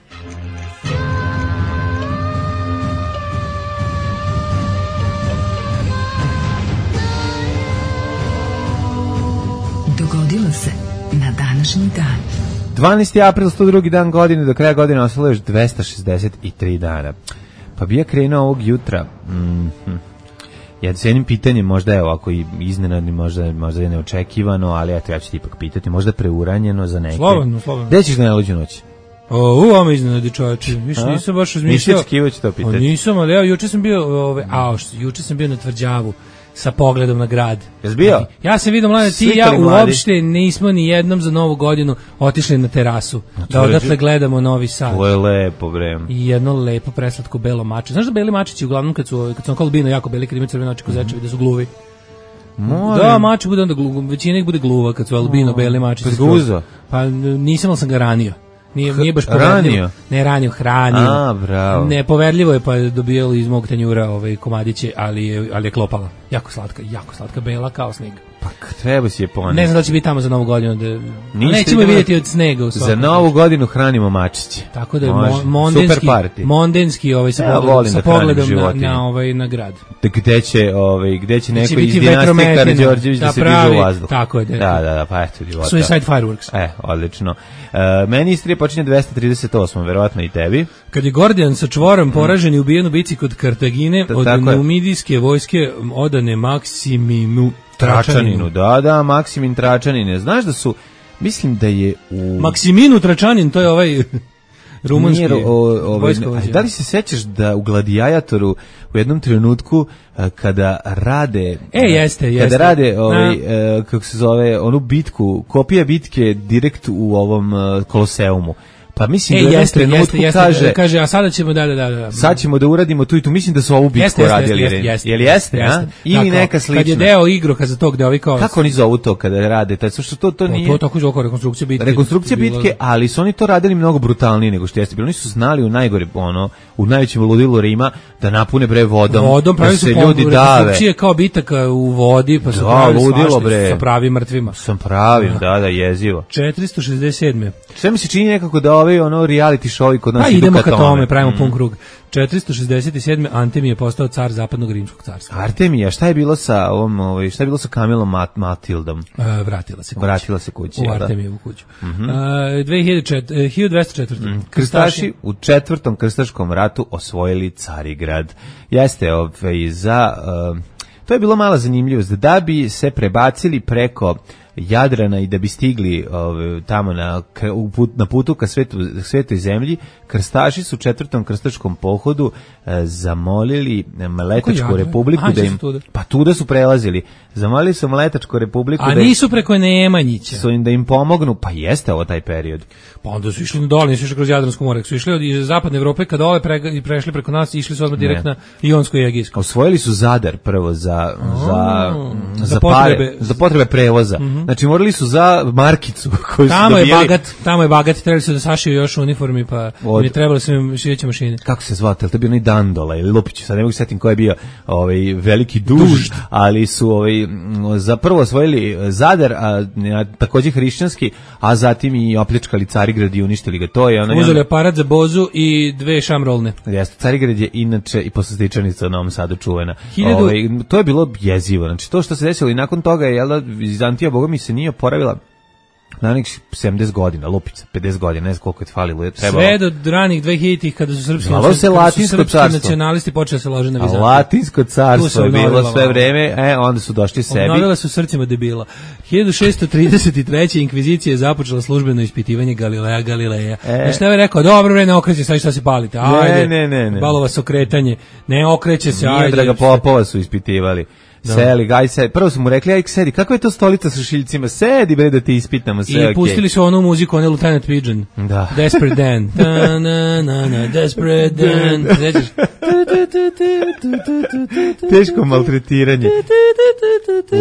Dogodilo se na današnji dan. dvanaesti april, sto drugi dan godine, do kraja godine ostalo još dvesta šezdeset tri dana. Pa bi ja krenuo ovog jutra. Mhm. Ja s jednim pitanjem, možda je ovako i iznenadni, možda, možda je neočekivano, ali eto, ja ću ti ipak pitati, možda preuranjeno za neke. Slobodno, slobodno. Gde ćeš da najluđu noć? O, u ovo iznenadi čovječe, više nisam baš razmišljao. Nisi očekivao ću to pitati. O, nisam, ali evo, juče sam bio, ove, a, što, juče sam bio na Tvrđavu sa pogledom na grad. Jesi bio? Ja sam vidio, mlade, ti i ja uopšte nismo ni jednom za Novu godinu otišli na terasu, da odatle gledamo Novi Sad. To je lepo, bre. I jedno lepo preslatko belo mače. Znaš da beli mačići uglavnom kad su, kad su on albino jako beli, kad imaju crvene oči kozečevi, da su gluvi. Moram. Da, mači bude onda gluva, većina ih bude gluva kad su albino beli mačići. Zguzo? Pa nisam, ali sam ga ranio. Nije, nije baš poverljivo. Ne ranio, hranio. A, bravo. Nepoverljivo je, pa je dobijalo iz mog tanjura ovaj komadiće, ali je, ali je klopala. Jako slatka, jako slatka, bela kao sneg. Pa treba si je ponesti. Ne znam da će biti tamo za Novu godinu. Da, nećemo je vidjeti od snega. U za Novu godinu hranimo mačiće. Tako da je mo, mondenski, mondenski ovaj, sa, ja pogledom, sa pogledom na, na, ovaj, na grad. Gde će, ovaj, gde će neko iz dinastije Karađorđević da, da se diže u vazduh. Tako je. Da, da, da, da, pa eto. Divota. Suicide Fireworks. E, odlično. Uh, meni Istrija počinje dvesta trideset osam, verovatno i tebi. Kad je Gordijan sa čvorom poražen i ubijen u bici kod Kartagine, da, od numidijske vojske odane Maksimimu Tračaninu. Da, da, Maksimin Tračanine. Znaš da su, mislim da je u... Maksiminu Tračanin, to je ovaj... rumunski vojskovođa. Da li se sećaš da u Gladiatoru u jednom trenutku kada rade e jeste jeste kada rade ovaj kako se zove onu bitku, kopija bitke direkt u ovom Koloseumu. Pa mislim e, da jeste, jeste, jeste, kaže, kaže, a sada ćemo, da, da, da, da. Sad ćemo da uradimo tu i tu, mislim da su ovu bitku jeste, radili. Jeste, jeste, jeste, Jel jeste, jeste, a? Ili tako, neka slična. Kad je deo igroka za tog deo kao... Kako oni zovu to kada rade? Taj, što to, to nije... To tako zove rekonstrukcija bitke. Rekonstrukcija bitke, ali su oni to radili mnogo brutalnije nego što jeste bilo. Oni su znali u najgore, ono, u najvećem ludilu Rima da napune bre vodom, vodom da se ljudi dave. Rekonstrukcije kao bitaka u vodi, pa su pravili svašta sa pravim mrtvima. Sam pravim, da, da, jezivo. četiristo šezdeset sedme Sve mi se čini nekako da ovaj ono reality show kod nas pa idu idemo ka tome. tome, pravimo mm. pun krug. četiristo šezdeset sedme Antemije je postao car zapadnog rimskog carstva. Artemija, šta je bilo sa ovom, ovaj, šta je bilo sa Kamilom Mat Matildom? E, vratila se kući. Vratila se kući, u Artemijevu kuću. Mm -hmm. e, dve hiljade dvesta četvrte Mm. Krstaši u četvrtom krstaškom ratu osvojili Carigrad. Jeste ovaj za uh, to je bilo mala zanimljivost da bi se prebacili preko Jadrana i da bi stigli ove, tamo na, na putu ka svetu, svetoj zemlji, krstaši su u četvrtom krstaškom pohodu e, zamolili Mletačku republiku Aha, da im, tuda. pa tuda su prelazili, zamolili su Mletačku republiku a da nisu im, preko Nemanjića su im da im pomognu, pa jeste ovo taj period. Pa onda su išli dole, nisu išli kroz Jadransko more, su išli od iz zapadne Evrope kad dole pre, prešli preko nas, išli su odmah direkt na Ionsko i Egejsko. Osvojili su Zadar prvo za, za, za, za, potrebe, pare, za potrebe prevoza. Mm-hmm. Znači morali su za markicu koju tamo su dobijali. Je bagat, tamo je bagat, trebali su da sašiju još u uniformi, pa od, mi trebali su im šijeće mašine. Kako se zvao, to je bio onaj Dandola ili Lupić, sad ne mogu setim ko je bio ovaj, veliki duž, duž, ali su ovaj, za prvo osvojili Zadar, a, a takođe hrišćanski, a zatim i opljačkali Carigrad i uništili ga. To je ono, uzeli aparat za bozu i dve šamrolne. Jeste, Carigrad je inače i poslastičanica u Novom Sadu čuvena. Hiljadu... Ovaj, to je bilo jezivo. Znači, to što se desilo i nakon toga je, jel da, Vizantija, boga mi se nije oporavila na nekih sedamdeset godina, lupica, pedeset godina, ne znam koliko je falilo. Je trebalo. Sve do ranih dvehiljaditih kada su srpski, kada se su srpski nacionalisti počeli se lože na Vizantiju. Latinsko carstvo je bilo sve vreme, e, onda su došli sebi. Obnovila su srcima debila. hiljadu šessto trideset treće inkvizicija je započela službeno ispitivanje Galileja Galileja. E. Znači, ne je rekao, dobro, bre, ne okreće, sad šta se palite, ajde, ne, ne, ne. Balo vas okretanje, ne okreće se, Nije ajde. Draga Popova su ispitivali. Da. Seli, gaj se. Prvo su mu rekli, aj sedi, kakva je to stolica sa šiljcima? Sedi, bre, da ti ispitamo sve. I okay. Pustili su onu muziku, onu Lieutenant Pigeon. Da. Desperate Dan. Da, na, na, na, Desperate Dan. Nećeš? Teško maltretiranje.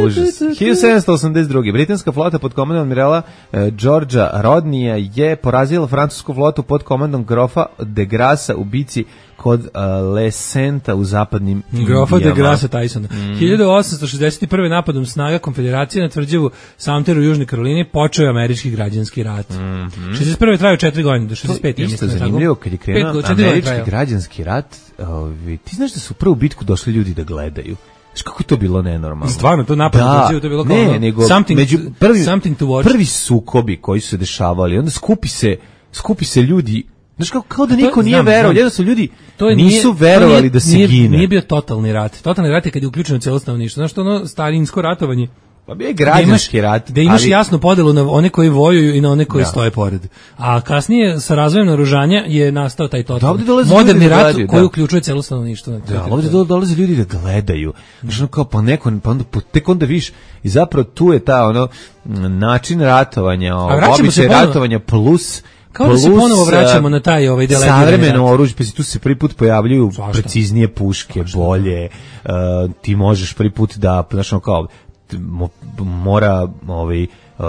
Užas. hiljadu sedamsto osamdeset druge britanska flota pod komandom admirala eh, Georgea Rodneya je porazila francusku flotu pod komandom grofa de Grassa u bici kod uh, Lesenta u zapadnim Indijama. Grofa de Grassa Tysona. Mm. hiljadu osamsto šezdeset prve napadom snaga konfederacije na tvrđavu Sumter u Južnoj Karolini počeo je američki građanski rat. Mm-hmm. šezdeset prve trajao četiri godine, do šezdeset pete. To isto zanimljivo, kad je krenuo američki građanski rat, ovi, ti znaš da su u prvu bitku došli ljudi da gledaju. Znaš kako je to bilo nenormalno? Stvarno, to napad da, tvrđavu, to je bilo kao ne, nego something, među prvi, something to watch. Prvi sukobi koji su se dešavali, onda skupi se, skupi se ljudi Znaš, kao, kao da niko To- nije znam, verovao, znam. jednostavno ljudi To je- nisu nije- to verovali nije- da se nije, gine. Nije bio totalni rat. Totalni rat je kad je uključeno celo stanovništvo. Znaš, to ono starinsko ratovanje. Pa bio je Da građanski imaš, rat. da imaš ali- jasnu podelu na one koji vojuju i na one koji Da. stoje pored. A kasnije sa razvojem naoružanja je nastao taj Da, totalni ovdje dolaze moderni ljudi da rat gledaju, koji da. uključuje celo stanovništvo. na toj Da, ali ovdje teritoriji. dole- dolaze ljudi da gledaju. Znaš, ono kao, pa neko, pa onda, pa tek onda viš, i zapravo tu je ta, ono, m, način ratovanja, o, vraćamo se običaj ponovo- ratovanja plus Kao da se plus, ponovo vraćamo a, na taj ovaj delegirani savremeno rat. oružje, pa se tu se prvi put pojavljuju Svašta. preciznije puške, bolje, uh, ti možeš prvi put da, znaš, ono kao, t- mo- mora, ovaj, Uh,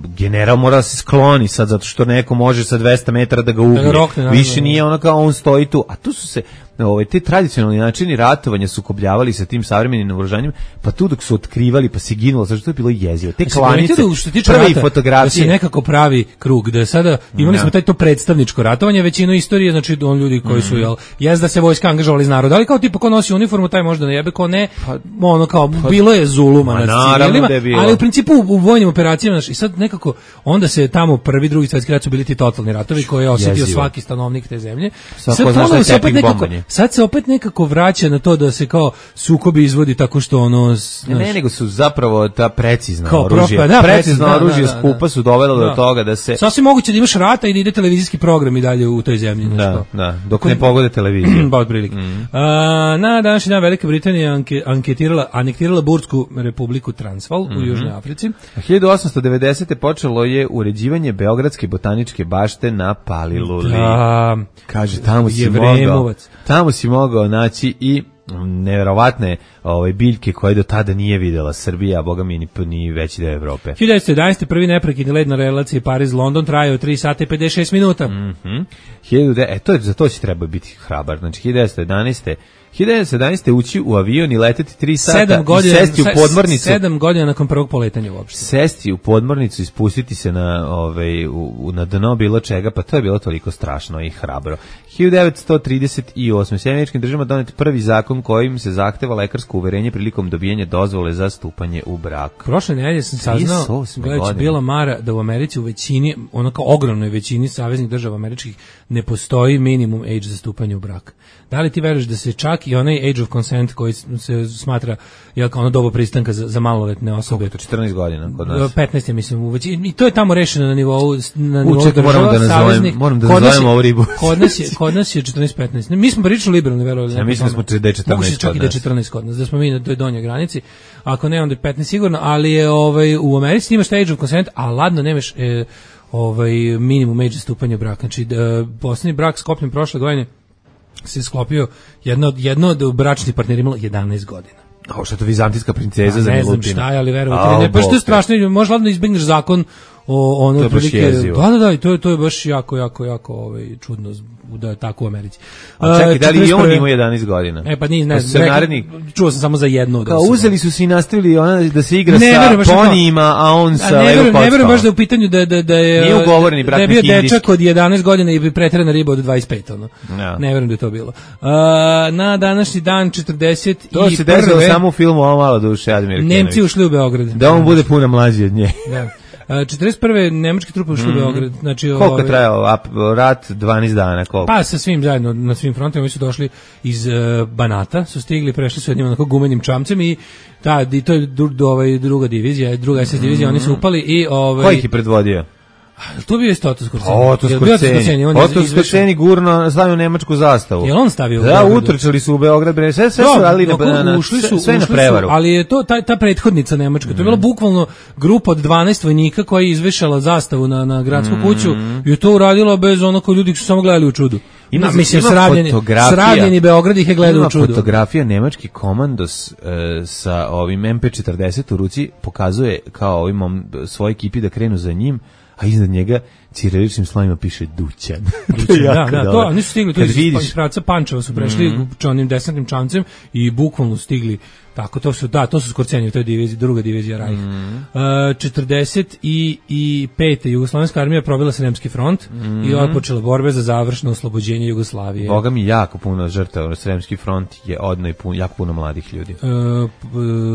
general mora da se skloni sad zato što neko može sa dvesta metara da ga ubije. rokne, naravno. Više nije ono kao on stoji tu, a tu su se ovaj te tradicionalni načini ratovanja sukobljavali sa tim savremenim naoružanjem, pa tu dok su otkrivali pa se ginulo, zato što je bilo jezivo. Te Jesi klanice, primetio da što se tiče prve rata, da se fotografije. nekako pravi krug, da je sada imali Da. smo taj to predstavničko ratovanje, većinu istorije, znači on ljudi koji Mhm. su jel jest da se vojska angažovali iz naroda, ali kao tipa ko nosi uniformu taj možda ne jebe, ko ne, ono kao bilo je zuluma Ma nad naravno civilima, da je bilo. ali u principu u, u vojnim operacijama, znači, i sad nekako onda se tamo prvi, drugi svetski rat su bili ti totalni ratovi koje je osetio Jezivo. svaki stanovnik te zemlje. Svako Sad zna šta je ponovo se opet tepih nekako, bombanje. sad se opet nekako vraća na to da se kao sukobi izvodi tako što ono Ne, znaš, ne, nego su zapravo ta precizna Kao oružja. propa- da, precizno precizno, da, oružje da, da, skupa da. su dovela do Da. toga da se sasvim moguće da imaš rata i da ide televizijski program i dalje u toj zemlji. znaš da, kao. da, dok ne pogode televiziju. Ba otprilike. A, na današnji dan Velika Britanija anke, anketirala, anektirala Burtsku republiku Transvaal u Južnoj Africi. hiljadu osamsto devedesete počelo je uređivanje Beogradske botaničke bašte na Paliluli. Da, Kaže, tamo si Jevremovac. mogao, tamo si mogao naći i neverovatne ovaj biljke koje do tada nije videla Srbija, a boga mi ni, ni veći deo Evrope. hiljadu devetsto jedanaeste. prvi neprekidni let na relaciji Pariz-London trajao tri sata i pedeset šest minuta. Mhm. hiljadu de- E, to je, za to si trebao biti hrabar. Znači, hiljadu devetsto jedanaeste. hiljadu devetsto jedanaeste ući u avion i leteti tri sata Sedam i godina, sesti u se- podmornicu. sedam godina nakon prvog poletanja uopšte. Sesti u podmornicu i spustiti se na, ovaj, u, u- na dno bilo čega, pa to je bilo toliko strašno i hrabro. hiljadu devetsto trideset osme. U Sjedinjenim Američkim Državama donet prvi zakon kojim se zahteva lekarsko uverenje prilikom dobijanja dozvole za stupanje u brak. Prošle nedelje sam trideset saznao, osme gledajući godine. bila Mara, da u Americi u većini, ono kao ogromnoj većini saveznih država američkih ne postoji minimum age za stupanje u brak. Da li ti veruješ da se čak i onaj age of consent koji se smatra jel, kao ono doba pristanka za, za maloletne osobe, To četrnaest godina kod nas. petnaest je mislim u većini, i to je tamo rešeno na nivou na nivou čekaj, država, moram da nazovem- saveznih. moram da Kod nas nazovem je- ovu ribu. Kod nas je, kod nas je četrnaest petnaest. Mi smo pričali liberalni, verovali. Ja mislim da smo da je četrnaest Moguće čak kod i da je nas. četrnaest kod nas, da smo mi na toj donjoj granici. Ako ne, onda je petnaest sigurno, ali je ovaj u Americi imaš taj age of consent, a ladno nemaš e, ovaj minimum age za stupanje u brak. Znači, da, poslednji brak sklopljen prošle godine se sklopio jedno, jedno od bračnih partnera imalo jedanaest godina. Kao što je to vizantijska princeza za Pa ne znam Milutina. šta je, ali verovati Au, ili ne, baš to Bog je strašno, možeš ladno izbegneš zakon o ono To je baš otprilike- jezivo. da da da i to je to je baš jako jako jako ovaj čudno da je tako u Americi. A čekaj, da li i on četrnaest prve. ima jedanaest godina? E pa ni ne, Pa su se rekao- naredni- čuo sam samo za jednu od Kao osoba. uzeli su se i nastavili ona da se igra Ne, sa verujem, baš je to. ponijima, a on A sa ne levo verujem, ne kockama. verujem baš da je u pitanju da da da je Nije ugovoreni brak da je bio neki indijski. dečak od jedanaest godina i preterana riba od dvadeset pet ono. Ja. Ne verujem da je to bilo. Uh, na današnji dan četrdeset To se desilo samo u filmu Ovo malo duše Admir Nemci ušli u Beograd. Da on bude puno mlađi od nje. Da. A, četrdeset prve nemačke trupe ušle u Beograd. Znači, Koliko ovaj, je trajao ap- rat? dvanaest dana, koliko? Pa sa svim zajedno, na svim frontima, oni su došli iz uh, Banata, su stigli, prešli su jednim onako gumenim čamcem i ta, i to je dru, do, ovaj, druga divizija, druga es es divizija, oni su upali i... Ovaj, Ko ih je predvodio? tu bio isto Oto Skorceni. Oto Jel bio Skorceni. on je Oto izvešao- Skorceni gurno stavio nemačku zastavu. Jel on stavio u Da, Beogradu? utrčali su u Beograd, bre, sve, sve su Da, radili na, oko- na, na, ušli su, sve, sve na ušli su, prevaru. ali je to ta, ta prethodnica Nemačka. To je bila bukvalno grupa od dvanaest vojnika koja je izvešala zastavu na, na gradsku kuću i je to uradila bez ono ko ljudi su samo gledali u čudu. Ima- Na, mislim, ima sravljeni, fotografija. sravljeni Beograd ih je gledao Ima u čudu. fotografija nemački komandos e, sa ovim em pe četrdeset u ruci pokazuje kao ovim mom- svoj ekipi da krenu za njim, a iznad njega ciriličnim slovima piše Dućan. To je Da, jako da, to, dobro. oni su stigli tu Kad iz, vidiš- iz pravca Pančeva su prešli mm -hmm. onim desantnim čamcem i bukvalno stigli tako, to su, da, to su Skorceni u toj diviziji, druga divizija Rajh. Mm -hmm. uh, četrdeset pete Jugoslovenska armija probila Sremski front mm -hmm. i otpočela borbe za završno oslobođenje Jugoslavije. Boga mi jako puno žrtava, Sremski front je odno i pun, jako puno mladih ljudi. Uh, p-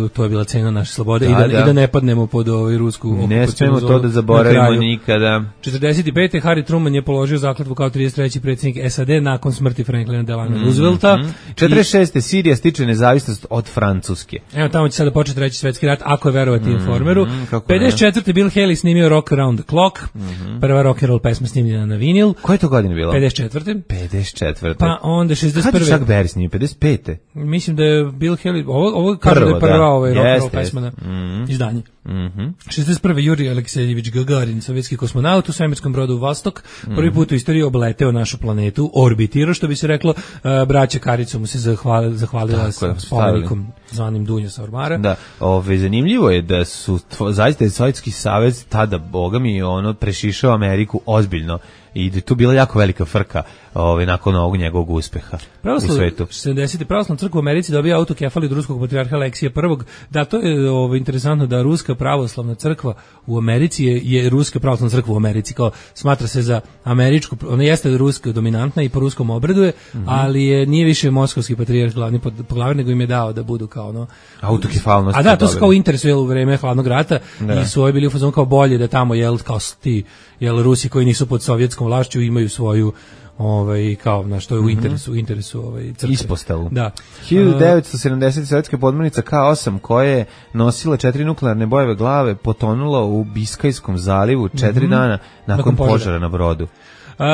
to je bila cena naše slobode Da, i, da, da. i da ne padnemo pod ovaj rusku Ne okupacionu smemo to zonu da na zaboravimo kraju. nikada. četrdeset pete. Harry Truman je položio zakletvu kao trideset treći predsjednik S A D nakon smrti Franklina Delano mm, Roosevelta. Mm. četrdeset šeste. Sirija stiče nezavisnost od Francuske. Evo tamo će sada početi treći svetski rat, ako je verovati mm, Informeru. Mm, pedeset četvrte. Bill Haley snimio Rock Around the Clock, mm-hmm. prva rock and roll pesma snimljena na vinil. Koje to godine bilo? pedeset četvrte. pedeset četvrte. Pa onda šezdeset prve. Kad je Chuck Berry snimio? pedeset pete. Mislim da je Bill Haley, ovo, ovo kaže da je prva da. ovaj rock and roll Yes, pesma na mm-hmm. izdanje. Mm-hmm. šezdeset prve. Jurij Aleksejević Gagarin, sovjetski kosmonaut u svemirskom brodu Vostok, prvi put u istoriji obleteo našu planetu, orbitirao, što bi se reklo, uh, braća Karicu mu se zahvalila, zahvalila sa spomenikom zvanim Dunja sa ormara. Da, ove, zanimljivo je da su tvo, zaista Sovjetski savez tada, boga mi, ono, prešišao Ameriku ozbiljno i da je tu bila jako velika frka ovaj, nakon ovog njegovog uspeha Pravoslav, u svetu. sedamdesete. Pravoslavna crkva u Americi dobija autokefal od ruskog patrijarha Aleksija prvog. Da, to je ovaj, interesantno da ruska pravoslavna crkva u Americi je, je ruska pravoslavna crkva u Americi, kao smatra se za američku, ona jeste ruska dominantna i po ruskom obreduje, mm-hmm. ali je, nije više moskovski patrijarh glavni poglavar, nego im je dao da budu kao ono... Autokefalnost. A da, to su kao interes u vreme hladnog rata da. I su ovi bili u fazonu kao bolje da tamo, jel, kao ti, jel, Rusi koji nisu pod sovjetskom vlašću imaju svoju ovaj kao na što je u interesu u interesu ovaj crkve. Ispostavu. Da. hiljadu devetsto sedamdesete. sovjetska podmornica K osam koja je nosila četiri nuklearne bojeve glave potonula u Biskajskom zalivu četiri mm-hmm. dana nakon, nakon požara. požara na brodu. Uh,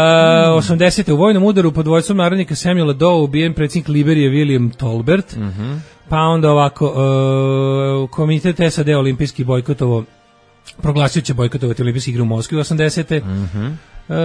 osamdesete. u vojnom udaru pod vojstvom narodnika Samuela Doe ubijen predsjednik Liberije William Tolbert. Mm-hmm. Pa onda ovako uh, komitet S A D olimpijski bojkotovo proglasio će bojkotovati olimpijske igre u Moskvi u osamdesete. Mhm. Uh,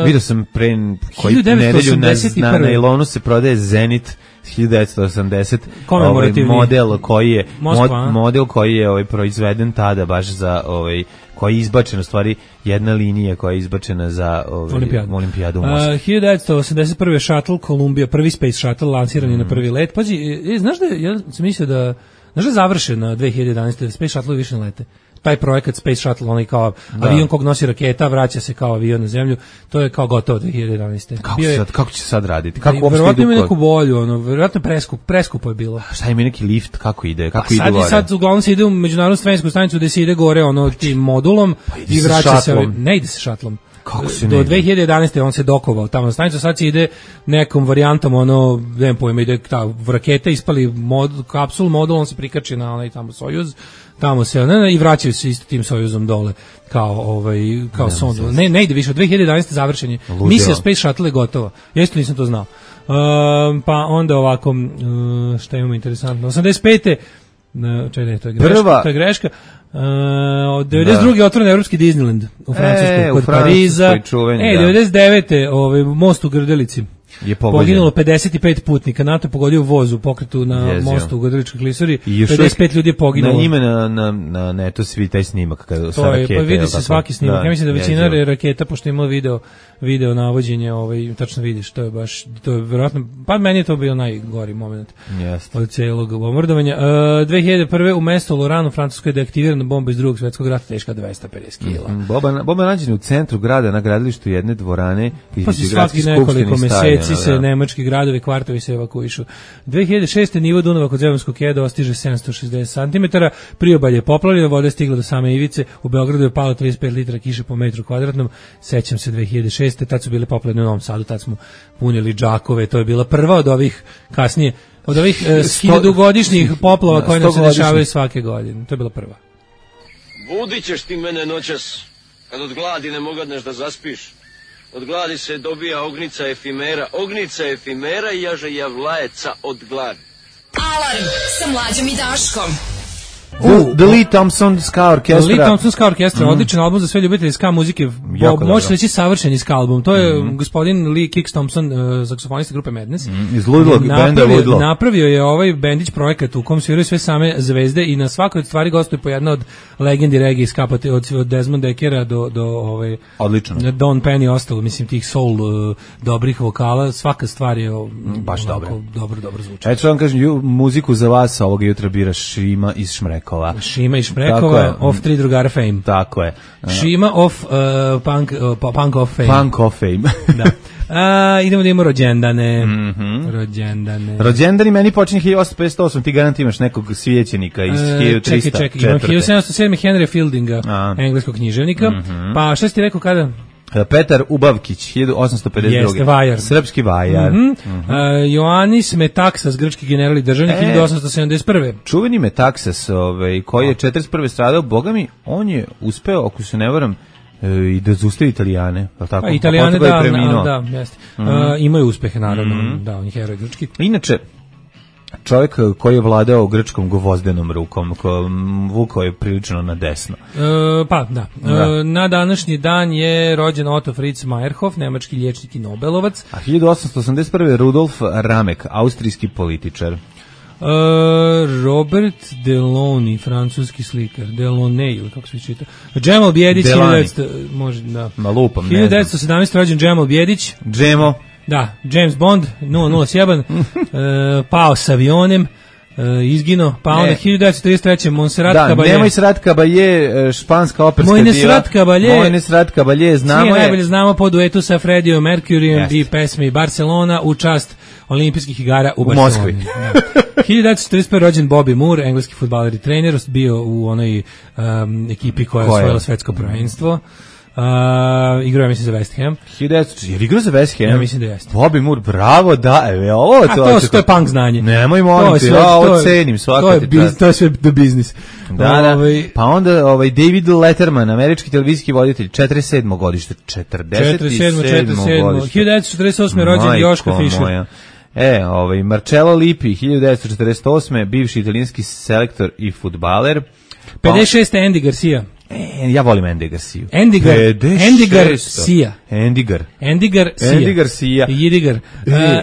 Vidio sam pre koji nedelju na, na nailonu se prodaje Zenit hiljadu devetsto osamdeset ovaj model koji je Moskva, mod, model koji je ovaj proizveden tada baš za ovaj koji je izbačen u stvari jedna linija koja je izbačena za ovaj olimpijadu, olimpijadu u Moskvi. Uh, hiljadu devetsto osamdeset prve. Shuttle Columbia, prvi Space Shuttle lansiran je mm. na prvi let. Pazi, e, znaš da ja sam mislio da znaš da je završen na dve hiljade jedanaeste. da Space Shuttle više ne lete. Taj projekat Space Shuttle, onaj kao da. avion kog nosi raketa, vraća se kao avion na zemlju, to je kao gotovo dve hiljade jedanaeste. Kako, je, sad, kako će sad raditi? Kako uopšte verovatno idu? Ima neku bolju, ono, verovatno preskup, preskupo je bilo. Šta ima neki lift, kako ide? Kako pa ide sad gore? Sad uglavnom se ide u međunarodnu svemirsku stanicu gde se ide gore ono tim modulom pa i vraća se, ne ide se šatlom. Kako se do dve hiljade jedanaeste. on se dokovao tamo na stanicu, sad se ide nekom varijantom, ono, nemam pojma, ide ta raketa, ispali mod, kapsul, modul, on se prikači na onaj tamo Sojuz, tamo se, ne, ne, i vraćaju se isto tim Sojuzom dole, kao, ovaj, kao ne, sondu. Ne, ne ide više, od dve hiljade jedanaeste. završenje. Misija Space Shuttle je gotova. Ja isto nisam to znao. Um, pa onda ovako, um, šta imamo interesantno, osamdeset pete. Uh, čekaj, to je greška, Prva. to je greška. Uh, od devedeset druge. Da. otvoren evropski Disneyland u Francuskoj, e, kod u Pariza. Čuveni, e, da. devedeset devete. Ovaj, most u Grdelici. Je pogođen. Poginulo pedeset pet putnika, NATO je pogodio voz u pokretu na Jezio. mostu u Grdeličkoj klisuri, pedeset pet ljudi je poginulo. Na ime na, na, na netu svi taj snimak kada sa rakete. Pa vidi se svaki snimak, da, ja mislim da većina Jezio. raketa, pošto ima video, video navođenje, ovaj, tačno vidiš, to je baš, to je vjerojatno, pa meni je to bio najgori moment Jeste. od cijelog bombardovanja. Uh, dve hiljade prve. u mestu Loranu u Francuskoj je deaktivirana bomba iz drugog svjetskog rata, teška dvesta pedeset kila. Mm, bomba, bomba nađena u centru grada na gradilištu jedne dvorane. Pa si svaki nekoliko meseci se nemački gradovi, kvartovi se evakuišu. dve hiljade šeste. nivo Dunava kod Zemunskog keda dostiže sedamsto šezdeset centimetara, priobalje je poplavljeno, voda je stigla do same ivice, u Beogradu je palo trideset pet litara kiše po metru kvadratnom, sećam se dve hiljade šeste. tad su bile poplavljene u Novom Sadu, tad smo punili džakove, to je bila prva od ovih kasnije, od ovih e, hiljadugodišnjih poplava koje nam se dešavaju svake godine, to je bila prva. Budit ćeš ti mene noćas, kad od gladi ne mogadneš da zaspiš. Od gladi se dobija ognica efimera, ognica efimera i jaže javlajeca od gladi. Alarm sa Mlađom i Daškom. The, the Lee Thompson Ska Orkestra. Lee Thompson Ska Orkestra, mm. odličan album za sve ljubitelje ska muzike. Može reći savršeni ska album. To je mm. gospodin Lee Kix Thompson, uh, saksofonista grupe Madness. Mm. Iz Ludlog, benda Ludlog. Napravio je ovaj bendić projekat u kom sviraju sve same zvezde i na svakoj stvari gostuje po jedna od legendi reggae ska, od, od Desmond Deckera do, do ovaj, odlično. Don Penny i ostalo, mislim, tih soul uh, dobrih vokala. Svaka stvar je uh, baš dobro. Dobro, dobro zvuči. Eto vam kažem, ju, muziku za vas ovoga jutra bira Šima iz Šmreka. Šima i Šmrekova of Tri drugara Fame. Tako je. Šima of uh, punk, uh, punk of Fame. Punk of Fame. Da. A, idemo da imamo rođendane. Mhm. Rođendane. Rođendani meni počinje hiljadu osamsto pedeset osam, ti garant imaš nekog svećenika iz E, hiljadu trista čekaj, čekaj, četvrte. imam hiljadu sedamsto sedam. Henry Fieldinga, A. engleskog književnika. Mhm. Pa šta si ti rekao kada? Petar Ubavkić, hiljadu osamsto pedeset druge. Jeste, vajar. Srpski vajar. Mhm. A, Ioannis Metaksas, grčki general i državnik, E. hiljadu osamsto sedamdeset prve. Čuveni Metaksas, ovaj, koji je četrdeset prve stradao, boga mi, on je uspeo, ako se ne varam, e, i da zaustavi Italijane, je li tako? Pa Italijane, A potom ga da, je preminuo. da, jeste. A, imaju uspehe, naravno, Mhm. da, on je heroj grčki. Inače, čovjek koji je vladao grčkom gvozdenom rukom, ko, m, vukao je prilično na desno. E, pa, da. Da. E, na današnji dan je rođen Otto Fritz Meyerhoff, nemački liječnik i Nobelovac. A hiljadu osamsto osamdeset prve. Rudolf Ramek, austrijski političar. E, Robert Delaunay, francuski slikar. Delaunay, ili kako se čita. Džemal Bjedić, Delany. hiljadu devetsto može, da. Ma lupam, ne hiljadu znam. devetsto sedamnaeste. rođen Džemal Bjedić. Džemo. Da, James Bond, nula nula sedam, e, pao s avionem, e, izgino, pa onda Ne. hiljadu devetsto trideset treće. Montserrat Da, Caballé. nemoj Srat Caballé, e, španska operska Moj diva. Nesrat Caballé. Moj Nesrat Caballé, znamo Svi je je. najbolje znamo po duetu sa Freddie Mercuryjem Jeste. i pesmi Barcelona u čast olimpijskih igara u, U Barceloni. Moskvi. Da. hiljadu devetsto četrdeset prve. rođen Bobby Moore, engleski fudbaler i trener, bio u onoj um, ekipi koja je Koja? osvojila svetsko prvenstvo. Uh, igrao je, mislim, za West Ham. hiljadu devetsto Je li igrao za West Ham? Ja mislim da jeste. Bobby Moore, bravo, da, evo, ovo A to, to je punk znanje. Nemoj To molim je ti, sve- ja to ovo je- cenim, svaka to je ti biz- čast. To je sve do biznis. Da, da. Ovaj, Pa onda ovaj David Letterman, američki televizijski voditelj, četrdeset sedmo godište, četrdeset četrdeset sedmo. četrdeset sedmo. godište. hiljadu devetsto četrdeset osme. rođen Majko Joško Fischer. moja. E, ovaj Marcello Lippi, hiljadu devetsto četrdeset osme. bivši italijanski selektor i fudbaler. pedeset šeste. Andy Garcia. E, ja volim Andy Garcia. Endigar, pedeset Endigar šesto. Sia. Endigar. Endigar Sia. Andy Garcia. Jidigar. E,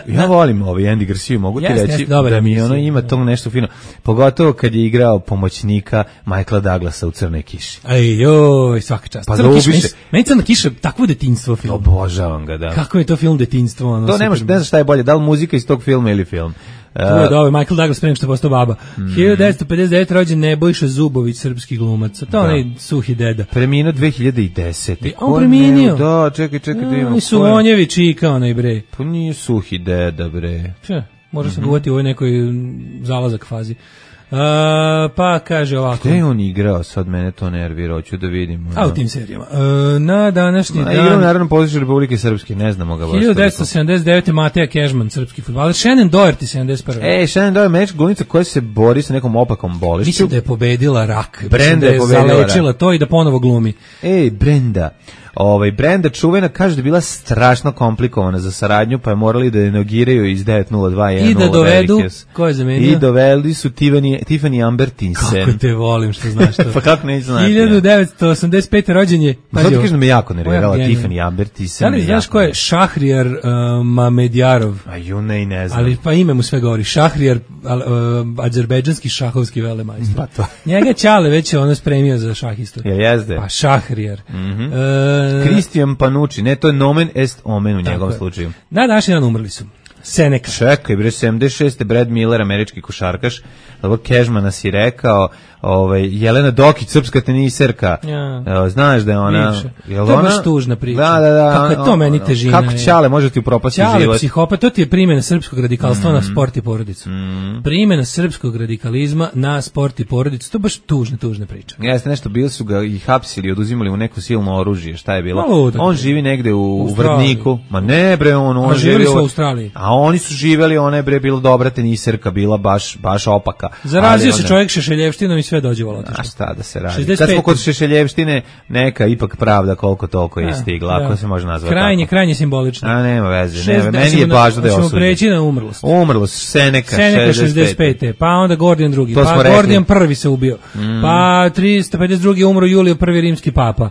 Uh, ja volim ovaj Andy Garcia, mogu ti Jeste, reći jeste, dobar da mi Andy ono Garcia, ima da. to nešto fino. Pogotovo kad je igrao pomoćnika Michaela Douglasa u Crnoj kiši. Aj, joj, svaka čast. Pa Crna da kiša, ubiše. meni- Meni Crna kiša, takvo detinjstvo film. Obožavam ga, da. Kako je to film detinjstvo? Ono, To ne može, super. ne znaš šta je bolje, da li muzika iz tog filma ili film. To je Uh, da, ovaj Michael Douglas pre nego što je postao baba. Mm. hiljadu devetsto pedeset devete. rođen Nebojša Zubović, srpski glumac. To je onaj suhi deda. preminuo dve hiljade desete. E, on Ko preminuo? ne- Da, čekaj, čekaj da imamo. Oni su ko je. Vonjevi čika, onaj bre. Pa nije suhi deda, bre. Če, može Mhm. se guvati u ovoj nekoj mm, zalazak fazi. Uh, pa kaže ovako. Gde je on igrao? Sad mene to nervira, hoću da vidim. ono. A u tim serijama. Uh, na današnji A igrao u dan... Narodnom pozorištu Republike Srpske, ne znamo ga baš. hiljadu devetsto sedamdeset devete. Mateja Kežman, srpski fudbaler. Shannon Doherty, sedamdeset prve. E, Shannon Doherty, američka glumica koja se bori sa nekom opakom bolešću. Mislim da je pobedila rak. Mislim Brenda da je je pobedila zalečila to i da ponovo glumi. Ej, Brenda. Ovaj Brenda čuvena kaže da je bila strašno komplikovana za saradnju, pa je morali da je negiraju iz devet nula dva jedan I da nula dovedu, Velikes. ko je zamenio? I doveli su Tiffany, Tiffany Amber Thyssen. Kako te volim što znaš to. Pa kako neću znati, hiljadu devetsto osamdeset pete. rođen je. Ma zato ti ovo. kažem da me jako nervirala Ovo je Tiffany genijalno. Amber Thyssen. Da li me znaš jako ko je nervirala. Šahrijar uh, Mamedjarov? A ju ne, i ne znam. Ali pa ime mu sve govori. Šahrijar, al, uh, azerbejdžanski šahovski velemajstor. Pa to. Njega Ćale već je ono spremio za šahistu. Jel jezde? Pa Šahrijar. Mhm. E, Kristijan Panucci, ne, to je nomen est omen u njegovom je. slučaju. Na današnji dan umrli su. Seneca. Čekaj, bre, sedamdeset šeste. Brad Miller, američki košarkaš, dobro, Kežmana si rekao, ovaj, Jelena Dokić, srpska teniserka, Ja. Evo, znaš da je ona... Bivša. Jel To je ona- baš tužna priča. Da, da, da. Kako je to on- meni ono, težina, Kako je. Ćale može ti upropasti Ćale život? psihopat, to ti je primjena srpskog radikalstva Mm. na sport i porodicu. Primjena srpskog radikalizma na sport i porodicu, to je baš tužna, tužna priča. Jeste nešto, bili su ga i hapsili, oduzimali mu neko silno oružje, šta je bilo? Malo ludak. On živi negde u, u Australiji. Vrdniku. Ma ne bre, on, on A živjeli živi su u Australiji. A oni su živjeli, ona je bre bila dobra teniserka, bila baš, baš opaka. Zarazio Ali se onda- čovjek šešeljevštinom i sve dođevalo. A šta da se radi? šezdeset Kad smo pete. kod Šešeljevštine, neka ipak pravda koliko toliko je stigla, ako se može nazvati Krajnje, tako. krajnje simbolično. A nema veze, Šest- nema, meni hoćemo je na- važno da je hoćemo osuđen. preći na umrlost. Umrlo, Seneka, Seneca šezdeset šezdeset pete. Pa onda Gordijan drugi. To smo Pa rekli. Gordijan prvi se ubio. Pa tristo pedeset drugi umro Julio prvi rimski papa.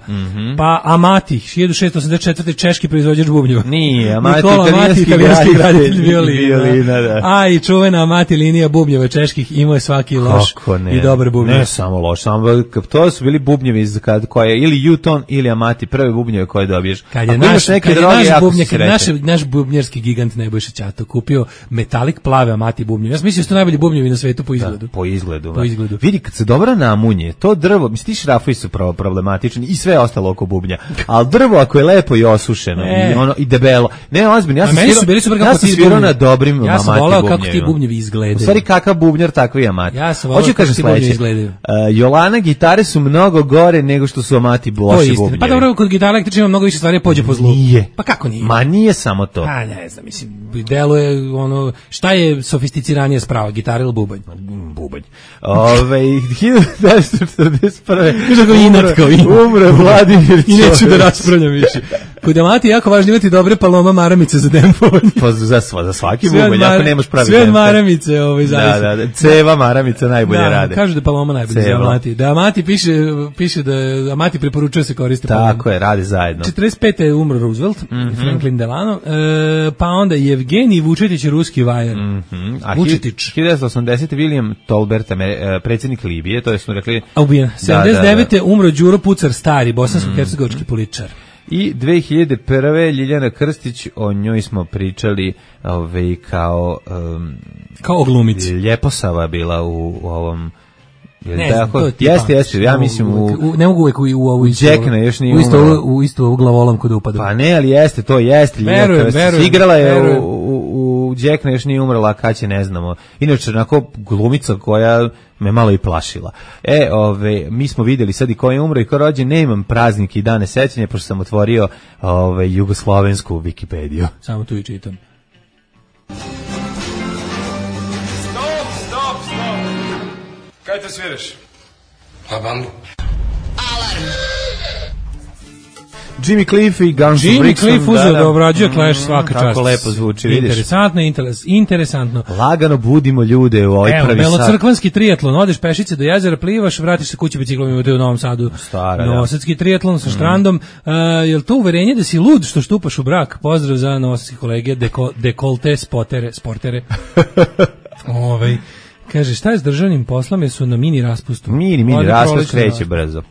Pa Amati, hiljadu šessto osamdeset četvrte. češki proizvođač bubnjeva. Nije, Amati, Nikola Amati, italijanski italijanski graditelj graditelj violina. violina, da. A i čuvena Amati linija bubnjeva čeških imao je svaki loš Kako ne. i dobar bubnjev. bubnje. Ne samo loš, samo to su bili bubnjevi iz kad koje ili Juton ili Amati, prve bubnjeve koje dobiješ. Kad je naš, kad je naš bubnjer, kad naš, naš bubnjerski gigant Nebojša Ćato kupio metalik plave Amati bubnjevi. Ja mislim da su to najbolji bubnjevi na svetu po izgledu. Da, po izgledu. Po izgledu. Vidi kad se dobro namunje, to drvo, misli ti šrafovi su problematični i sve ostalo oko bubnja. Al drvo ako je lepo i osušeno e. i ono i debelo. Ne, ozbiljno, ja sam svirao, bili super kako ja sam svirao na dobrim ja sam voleo kako ti bubnjevi izgledaju. U stvari kakav bubnjar takvi Amati. Ja sam voleo kako ti bubnjevi izgledaju. Uh, Jolana gitare su mnogo gore nego što su Amati loši bubnjevi. Pa dobro, kod gitara električne ima mnogo više stvari pođe po zlu. Nije. Pa kako nije? Ma nije samo to. Pa ne znam, mislim, deluje ono, šta je sofisticiranije sprava, gitara ili bubanj? Bubanj. Ove, hiljadu devetsto četrdeset prve umre Vladimir Ćović. I neću da raspravljam više. Kod Amati je jako važno imati dobre paloma maramice za dempovanje. Pa za, za svaki bubanj, ako nemaš pravi sve maramice, ovaj, zaista. Da, da, da, ceva maramice najbolje da, rade. Kažu da paloma najbolje za Amati. Da Amati piše, piše da Amati preporučuje se koriste paloma. Tako je, radi zajedno. četrdeset pete je umro Roosevelt, mm -hmm. Franklin Delano, e, pa onda Evgenij Vučetić, ruski vajar. Mm -hmm. A Vučetić. hiljadu devetsto osamdesete William Tolbert, predsjednik Libije, to je smo rekli... A ubijen. sedamdeset devete Da, da, da. umro Đuro Pucar stari, bosansko-hercegovački mm. političar. I dve hiljade prve Ljiljana Krstić, o njoj smo pričali ove, kao... Um, kao oglumici. Ljeposava bila u, u ovom... Ne znam, tako, jeste, jeste, ja mislim u, u... Ne mogu uvek u, u ovu istu... Jackna još nije u isto, u isto ovu glavolamku da upada. Pa ne, ali jeste, to jeste. Verujem, verujem. Igrala je verujem. u, u, u Jackna još nije umrla, kad će ne znamo. Inače, onako glumica koja me malo i plašila. E, ove, mi smo vidjeli sad i ko je umro i ko rođen, nemam praznike i dane sećanja, pošto sam otvorio ove, jugoslovensku Wikipediju. Samo tu i čitam. Kaj te sviraš? Pa bambu. Alarm. Jimmy Cliff i Guns N' Jimmy Cliff uzeo da obrađuje Clash, svaka čast. Tako lepo zvuči, vidiš. Interesantno, interes, interesantno. Lagano budimo ljude u ovoj Evo, prvi sat. Evo, belocrkvanski triatlon, odeš pešice do jezera, plivaš, vratiš se kući biciklom i u Novom Sadu. Stara, Novosadski triatlon sa štrandom. Mm. Uh, je li to uverenje da si lud što štupaš u brak? Pozdrav za novosadske kolege, deko, dekolte spotere, sportere. Ovej. Kaže, šta je s državnim poslom, jer su na mini raspustu? Mini, mini raspust kreće brzo.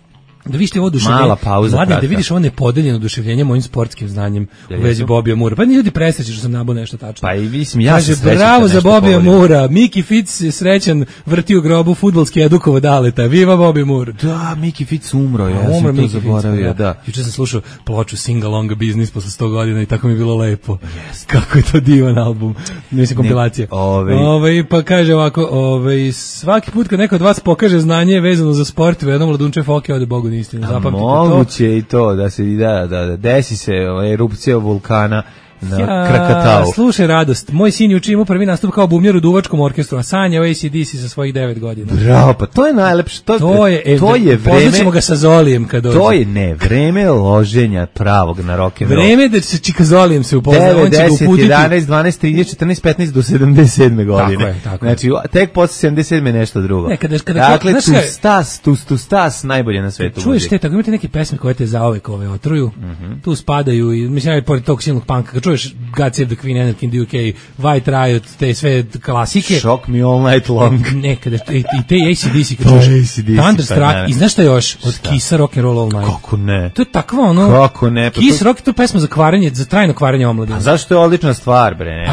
Da vidiš ti ovo oduševljenje. Mala pauza. Mladen, da vidiš ovo nepodeljeno oduševljenje mojim sportskim znanjem u vezi Bobija Mura. Pa ni ljudi presreći što sam nabao nešto tačno. Pa i mislim, ja Kaže, sam srećan. Bravo za Bobija Mura. Miki Fitz je srećan, vrti u grobu fudbalski edukovo daleta. Viva Bobby Moore. Da, Miki Fitz umro, ja umro sam to zaboravio. Da. Da. Juče sam slušao ploču Sing Along Business posle sto godina i tako mi je bilo lepo. Yes. Kako je to divan album. Mislim, kompilacija. Ove. Ove, pa kaže ovako, ove, svaki put kad neko od vas pokaže znanje vezano za sport, u jednom ladunče foke ode Bogu na istinu. Zapamtite. Moguće i to da se da da, da desi se erupcija vulkana na ja, Krakatau. Slušaj radost, moj sin juče imao prvi nastup kao bubnjar u duvačkom orkestru, a sanja u A C D C sa svojih devet godina. Bravo, pa to je najlepše. To, to je, to je vreme. Poznaćemo ga sa Zolijem kad dođe. To je ne, vreme loženja pravog na rock and roll. Vreme da se čika Zolijem se upozna, on će ga uputiti. jedanaest, dvanaest, trinaest, četrnaest, petnaest do sedamdeset sedme godine. Tako je, tako znači, tek posle sedamdeset sedme nešto drugo. Ne, kada, kada, dakle, tu stas, tu, tu stas najbolje na svetu. Čuješ te, tako imate neke pesme koje te zaovek ove otruju, mm -hmm. tu spadaju, i mislim, ja pored tog silnog panka, kad čuješ God Save the Queen, Anarchy in the U K, White Riot, te sve klasike. Shock Me All Night Long. Nekada, i, i te A C D C, kad čuješ Thunderstruck, i znaš šta još? Od Kissa Rock and Roll All Night. Kako ne? To je takva ono... Kako ne? Pa Kiss to... Rock je to pesma za kvarenje, za trajno kvarenje omladine. A zašto je odlična stvar, bre? Ne?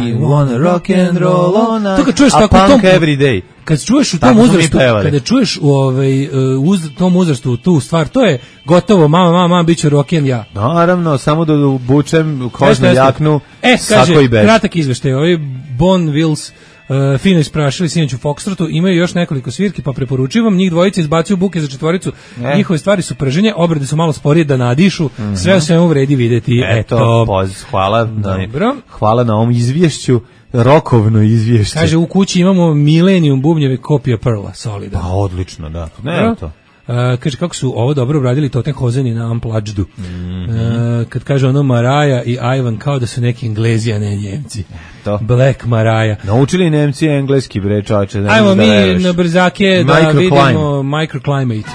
I wanna rock and roll all night. To kad čuješ a tako punk tom, every day. Kad čuješ u tom uzrastu, kada čuješ u ovaj uz tom uzrastu tu stvar, to je gotovo, mama, mama, mama, biće rock'n'roll ja. Naravno, samo da obučem kožnu jaknu. E, kaže, kratak izveštaj, ovaj Bon Wills Uh, fino isprašili sinoć u Foxtrotu, imaju još nekoliko svirki, pa preporučivam, njih dvojice izbacuju buke za četvoricu, e. njihove stvari su prženje, obrade su malo sporije da nadišu, mm -hmm. sve o svemu vredi videti. Eto, eto. Poz, hvala, Dobro. hvala na ovom izvješću, rokovno izvješće. Kaže, u kući imamo Millennium bubnjeve kopija Pearla, solidan. Pa, odlično, da. Ne, to. Uh, kaže, kako su ovo dobro obradili Totem Hozeni na Unplugged-u. Mm -hmm. uh, kad kaže ono Maraja i Ivan kao da su neki Englezi, a ne Njemci. To. Black Maraja. Naučili Nemci engleski, bre, čoče. Da ajmo mi da na brzake da vidimo Microclimate.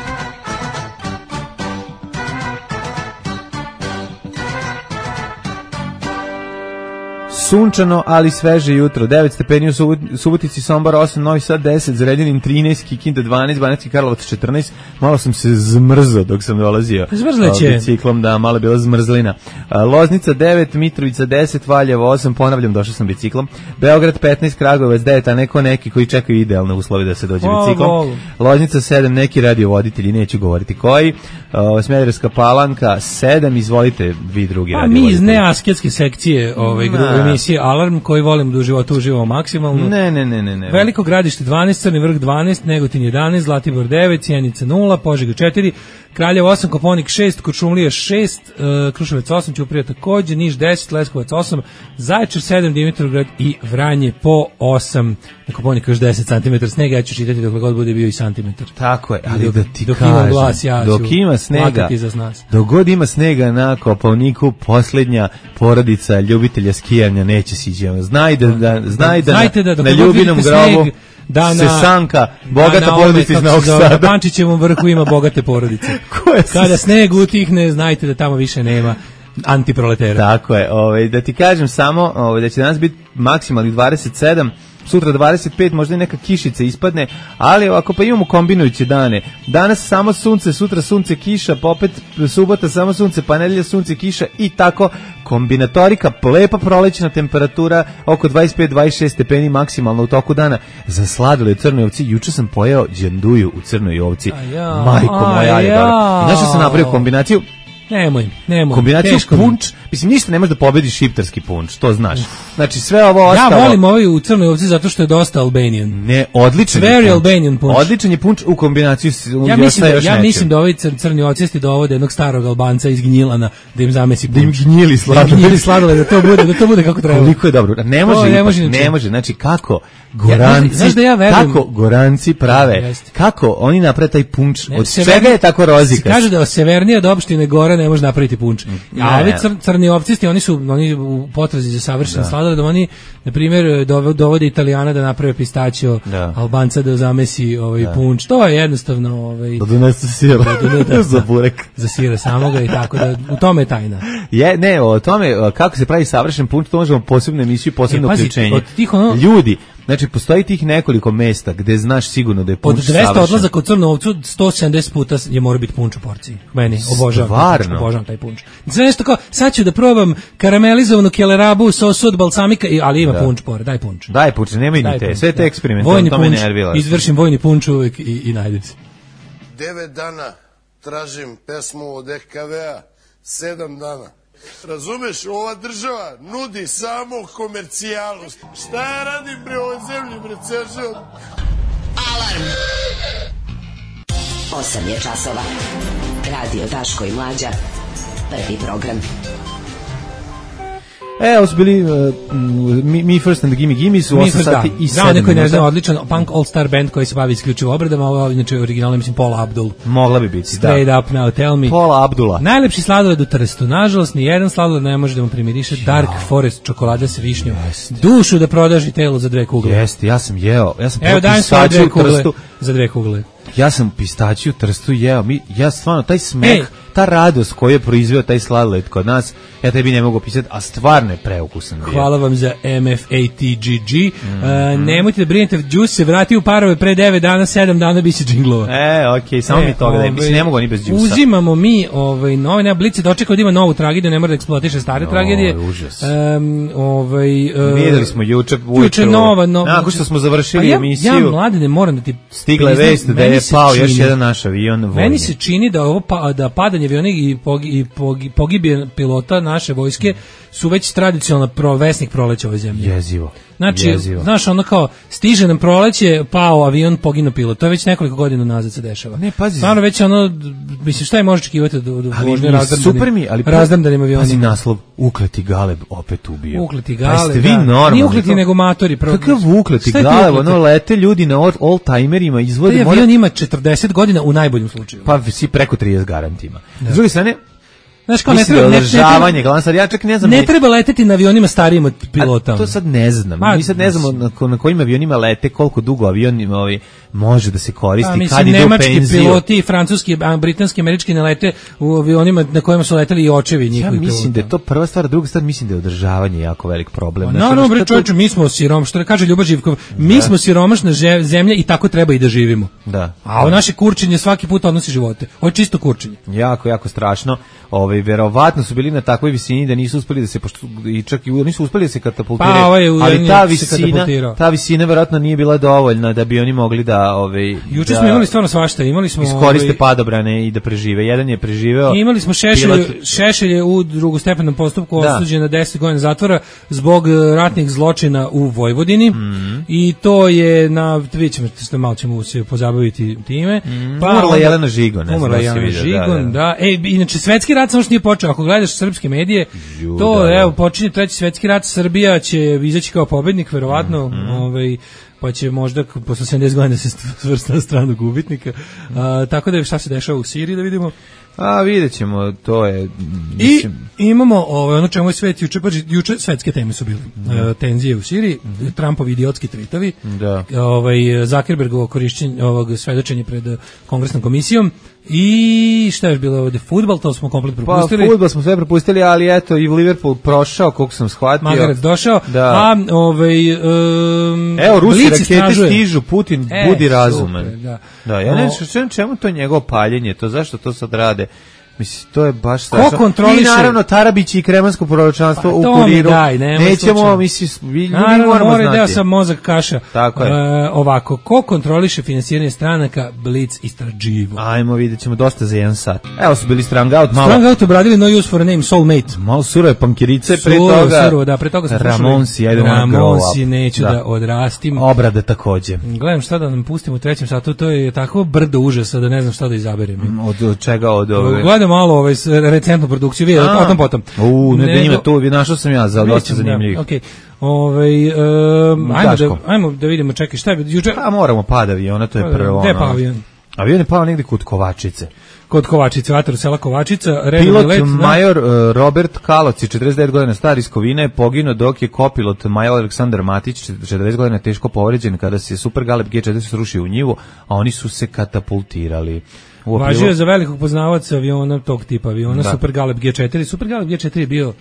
sunčano, ali sveže jutro. devet stepeni u Subotici, Sombor osam, Novi Sad deset, Zrenjanin trinaest, Kikinda dvanaest, Banatski Karlovac četrnaest. Malo sam se zmrzao dok sam dolazio biciklom, da, malo je bila zmrzlina. Loznica devet, Mitrovica deset, Valjevo osam, ponavljam, došao sam biciklom. Beograd petnaest, Kragujevac devet, a neko neki koji čekaju idealne uslove da se dođe biciklom. Loznica sedam, neki radiovoditelji, neću govoriti koji. Smederevska Palanka sedam, izvolite vi drugi radiovoditelji. Mi iz neasketske sekcije ovaj, emisije Alarm, koji volimo da u životu uživamo maksimalno. Ne, ne, ne, ne, ne. Veliko Gradište dvanaest, Crni Vrh dvanaest, Negotin jedanaest, Zlatibor devet, Sjenica nula, Požega četiri, Kraljevo osam, Koponik šest, Kuršumlija šest, uh, Kruševac osam, Ćuprija takođe, Niš deset, Leskovac osam, Zaječar sedam, Dimitrovgrad i Vranje po osam. Na Koponiku još deset centimetara snega, ja ću čitati dok god bude bio i santimetar. Tako je, ali dok, da ti dok kažem, ima glas, ja dok ima snega, dok god ima snega na Koponiku, posljednja porodica ljubitelja skijanja neće siđe. Znaj da, da, znaj da, Znajte da, na, na ljubinom grobu da se sanka bogata da porodica iz Novog Sada. Na Pančićevom vrhu ima bogate porodice. Kada sneg utihne, znajte da tamo više nema antiproletera. Tako je, ovaj, da ti kažem samo ovaj, da će danas biti maksimalnih dvadeset sedam, sutra dvadeset pet, možda i neka kišica ispadne, ali ovako pa imamo kombinujuće dane. Danas samo sunce, sutra sunce, kiša, pa opet subota samo sunce, pa nedelja sunce, kiša i tako kombinatorika, lepa prolećna temperatura, oko dvadeset pet do dvadeset šest stepeni maksimalno u toku dana. Za sladole u Crnoj Ovci, juče sam pojeo đanduju u Crnoj Ovci. Ja, majko moja, je dobro. I znaš što sam napravio kombinaciju? Nemoj, nemoj. Kombinaciju punč, mislim ništa ne može da pobedi šiptarski punč, to znaš. Znači sve ovo ostalo. Ja volim ovaj u Crnoj Ovci zato što je dosta Albanian. Ne, odličan. Very Albanian punč. Odličan je punč u kombinaciji s ja mislim, da, ja mislim da ovi cr, crni ocesti dovode jednog starog Albanca iz Gnjilana da im zamesi punč. Da im gnjili sladole. Da im gnjili sladole, da to bude, da to bude kako treba. Koliko je dobro. Ne može, to, ne, ipak, može ne može. Znači kako Goranci, ja, znaš da ja verujem, kako Goranci prave, jeste. Kako oni naprave taj punč, ne, od sever, čega je tako rozikas? Kaže da severnije od opštine Gora ne može napraviti punč. A ovi cr, crni opcisti, oni su oni u potrazi za savršen sladoled, da oni, na primjer, dovode Italijana da naprave pistaćio, da. Albanca da zamesi ovaj da. punč. To je jednostavno... Ovaj, da donesu sira da, za burek. Za sira samoga i tako da, u tome je tajna. Je, ne, o tome, kako se pravi savršen punč, to možemo posebnu emisiju, posebno uključenje. Ono, ljudi, znači, postoji tih nekoliko mesta gde znaš sigurno da je punč savršen. Od dvesta odlazaka u Crnu Ovcu, sto sedamdeset puta je mora biti punč u porciji. Meni, obožavam, obožavam taj punč. Znači, nešto kao, sad ću da probam karamelizovanu kelerabu, sosu od balsamika, ali ima da. punč pored, daj punč. Daj punč, nema i ni te, sve te eksperimentalno, to me nervila. Izvršim vojni punč uvek i, i najdem se. Devet dana tražim pesmu od E K V-a, sedam dana. Razumeš, ova država nudi samo komercijalu. Šta ja radim bre ovoj zemlji, bre, ceo život? Alarm! Osam je časova. Radio Daško i Mlađa. Prvi program. E, ovo su bili uh, Me, Me First and the Gimme Gimme su osam sati i sedam minuta. Neko je ne znam, odličan punk all-star band koji se bavi isključivo obradama, ovo inače originalno mislim Paula Abdul. Mogla bi biti, Straight da. Up Now Tell Me. Paula Abdula. Najlepši sladoled u Trstu. Nažalost, ni jedan sladoled ne može da mu primiriše Dark Forest čokolada sa višnjom. Dušu da prodaži telo za dve kugle. Jeste, ja sam jeo. Ja sam Evo dajem svoje dve kugle za dve kugle. Ja sam pistaćiju Trstu jeo. Mi, ja stvarno, taj smek, Ej. ta radost koju je proizveo taj sladoled kod nas, ja tebi ne mogu opisati, a stvarno je preukusan bio. Hvala vam za M F A T G G. Mm -hmm. uh, nemojte da brinete, Đus se vrati u parove pre devet dana, sedam dana biće džinglova. E, okej, okay, samo e, mi toga da mislim, ne mogu ni bez Đusa. Uzimamo mi ovaj, nove nema Blici, dočekao da ima novu tragediju, ne mora da eksploatiše stare no, tragedije. Užas. Um, ovaj, uh, Videli smo juče ujutru. Juče nova, no, nakon što smo završili pa ja, emisiju. Ja, mladine, moram da ti... Stigla je vest da je pao čini, još jedan naš avion vojni. Meni se čini da, ovo pa, da padanje aviona i, pogi, i pogi, pogibije pilota naše vojske su već tradicionalna provesnik proleća ove zemlje. Jezivo. Znači, Jezivo. znaš, ono kao, stiže nam proleće, pao avion, poginuo pilot. To je već nekoliko godina nazad se dešava. Ne, pazi. Stvarno već ono, mislim, šta je može očekivati do, do vožnje razdrmdanim, ali razdrmdanim avionima. Pazi naslov, ukleti Galeb opet ubio. Ukleti Galeb, vi da. Nije ukleti nego matori. Kakav ukleti Galeb, ono lete ljudi na all-timerima, izvode... Taj avion ima četrdeset godina u najboljem slučaju. Pa si preko trideset garantima. S druge strane, Znaš, kao ne mislim treba, da ne, je ne, održavanje, glavno sad, ja čak ne znam. ne ni- treba leteti na avionima starijim od pilota. A to sad ne znam. Ma, Mi sad ne znamo na, ko- na kojim avionima lete, koliko dugo avion ovaj, može da se koristi, A, kad mislim, ide u nemački penziju. piloti, francuski, a, britanski, američki ne lete u avionima na kojima su leteli i očevi Ja njihovih pilota. mislim da je to prva stvar, druga stvar mislim da je održavanje jako velik problem. Pa Znaš, naravno, ono bre, šta to- čovječe, mi smo sirom, što kaže Ljuba Živkov, mi smo siromašna že- zemlja i tako treba i da živimo. Da. A u naše kurčenje svaki put odnosi živote. Ovo je čisto kurčenje. Jako, jako strašno. Ovaj verovatno su bili na takvoj visini da nisu uspeli da se pošto i čak i nisu uspeli da se katapultiraju. Pa, ovaj u- ali ta se visina, katapultirao. ta visina verovatno nije bila dovoljna da bi oni mogli da ovaj Juče da smo imali stvarno svašta, imali smo iskoriste ovaj, padobrane i da prežive. Jedan je preživeo. imali smo Šešelj, pilot- Šešelj je u drugostepenom postupku Da. osuđen na deset godina zatvora zbog e, ratnih zločina u Vojvodini Mhm. i to je na, vidjet ćemo, što malo ćemo se pozabaviti time. Pa Umrla onda- je Jelena Žigon, ne znam Umrla da je li si Jelena vidio, Žigon, da, da, da. E, inače, svetski rat samo što nije počeo. Ako gledaš srpske medije, Ju, to, da, da. evo, počinje treći svetski rat, Srbija će izaći kao pobednik, verovatno, Mhm. ovaj, pa će možda k- posle sedamdeset godina se svrsta na stranu gubitnika. A, tako da je šta se dešava u Siriji, da vidimo. A vidjet ćemo, to je I mislim, imamo ovaj, ono čemu je svet juče, paži, juče svetske teme su bile. E, tenzije u Siriji, Trumpovi idiotski tvitovi, Da. ovaj, Zuckerbergovo korišćenje ovog svedočenja pred eh, kongresnom komisijom i šta je još bilo ovde, fudbal, to smo komplet pa propustili. fudbal smo sve propustili, ali eto i Liverpool prošao, koliko sam shvatio. Magarac došao, Da. a ovaj um, Evo, Rusi Blic rakete istražuje. stižu, Putin E, budi super, razuman. da. Da, ja ne O- znam čemu to njegovo paljenje, to zašto to sad rade. Mislim, to je baš strašno. kontroliše? I naravno Tarabić i kremansko proročanstvo Pa, u to mi kuriru. daj, nemoj Nećemo, slučajno. mislim, mi ljudi Naravno, moramo mora deo znati. sam mozak kaša. Tako je. E, ovako, ko kontroliše finansiranje stranaka, Blic istraživo. Ajmo, vidjet ćemo dosta za jedan sat. Evo su bili Strang Out, malo, Strong Out obradili No Use for a Name, Soulmate. malo surove pankirice, pre Surovo, toga surovo, da, pre toga smo slušali Ramonsi, I don't wanna grow Ramonsi, up. neću da, odrastim. Obrade takođe. Gledam šta da nam pustimo u trećem satu, to je tako brdo užasa da ne znam šta da izaberem. Od, od čega od ove? Gledam malo ovaj, s- recentnu produkciju, vidjeti, A. o tom potom. U, ne da Nego- ima tu, našao sam ja za dosta Vidjet ćemo, zanimljivih. da, okej. Ovaj, um, ajmo, da, Daško. ajmo da vidimo, čekaj, šta je, juče, A moramo pad aviona, to je prvo. gde je ono. pao avion? Avion je pao negde kod Kovačice. Kod Kovačice, vatar sela Kovačica, redovni Pilot let, da. major uh, Robert Kaloc, četrdeset devet godina star iz Kovina, je poginuo dok je kopilot major Aleksandar Matić, četrdeset godina teško povređen kada se Super Galeb G četiri srušio u njivu, a oni su se katapultirali. U aprilu- Važio je za velikog poznavaca aviona, tog tipa aviona, Da. Super Galeb G četiri. Super Galeb G četiri je bio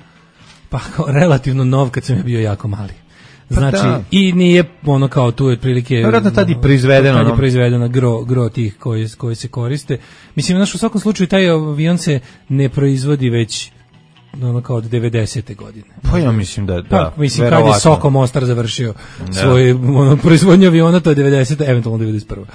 pa kao relativno nov kad sam je bio jako mali. Znači, da. i nije ono kao tu je otprilike... Vjerojatno tad i ono, proizvedeno, Tad je ono. proizvedeno gro, gro tih koji, koji se koriste. Mislim, znaš, u svakom slučaju taj avion se ne proizvodi već ono kao od devedesete godine. Pa ja mislim da, da. Pa, mislim, kad je verovatno. Soko Mostar završio svoj ono, proizvodnju aviona, to je devedesete, eventualno devedeset prva.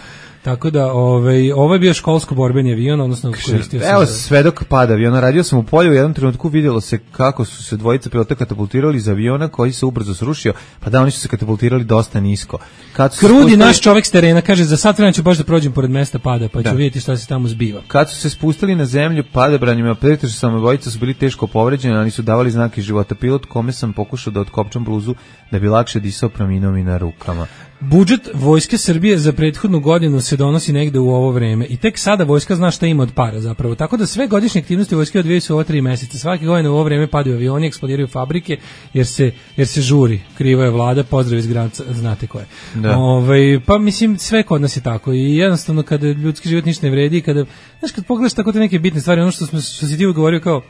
Tako da, ovaj, ovo je bio školsko borbeni avion, odnosno koristio se Evo za- svedok pada aviona, radio sam u polju, u jednom trenutku vidjelo se kako su se dvojica pilota katapultirali iz aviona koji se ubrzo srušio, pa da, oni su se katapultirali dosta nisko. Kad su se Krudi spustili- naš čovek s terena, kaže, za sat vremena ću baš da prođem pored mesta pada, pa ću Da. vidjeti šta se tamo zbiva. Kad su se spustili na zemlju, padobranima pretežno samo dvojica su bili teško povređeni, ali su davali znake života. Pilot kome sam pokušao da otkopčam bluzu da bi lakše disao preminuo mi na rukama. Budžet Vojske Srbije za prethodnu godinu se donosi negde u ovo vreme i tek sada vojska zna šta ima od para zapravo. Tako da sve godišnje aktivnosti vojske odvijaju se u ova tri meseca. Svake godine u ovo vreme padaju avioni, eksplodiraju fabrike jer se, jer se žuri. Kriva je vlada, pozdrav iz Granca, znate ko je. Da. Ovaj, pa mislim sve kod nas je tako i jednostavno kada ljudski život ništa ne vredi, kada, znaš, kad pogledaš tako te neke bitne stvari, ono što, smo, što si ti govorio kao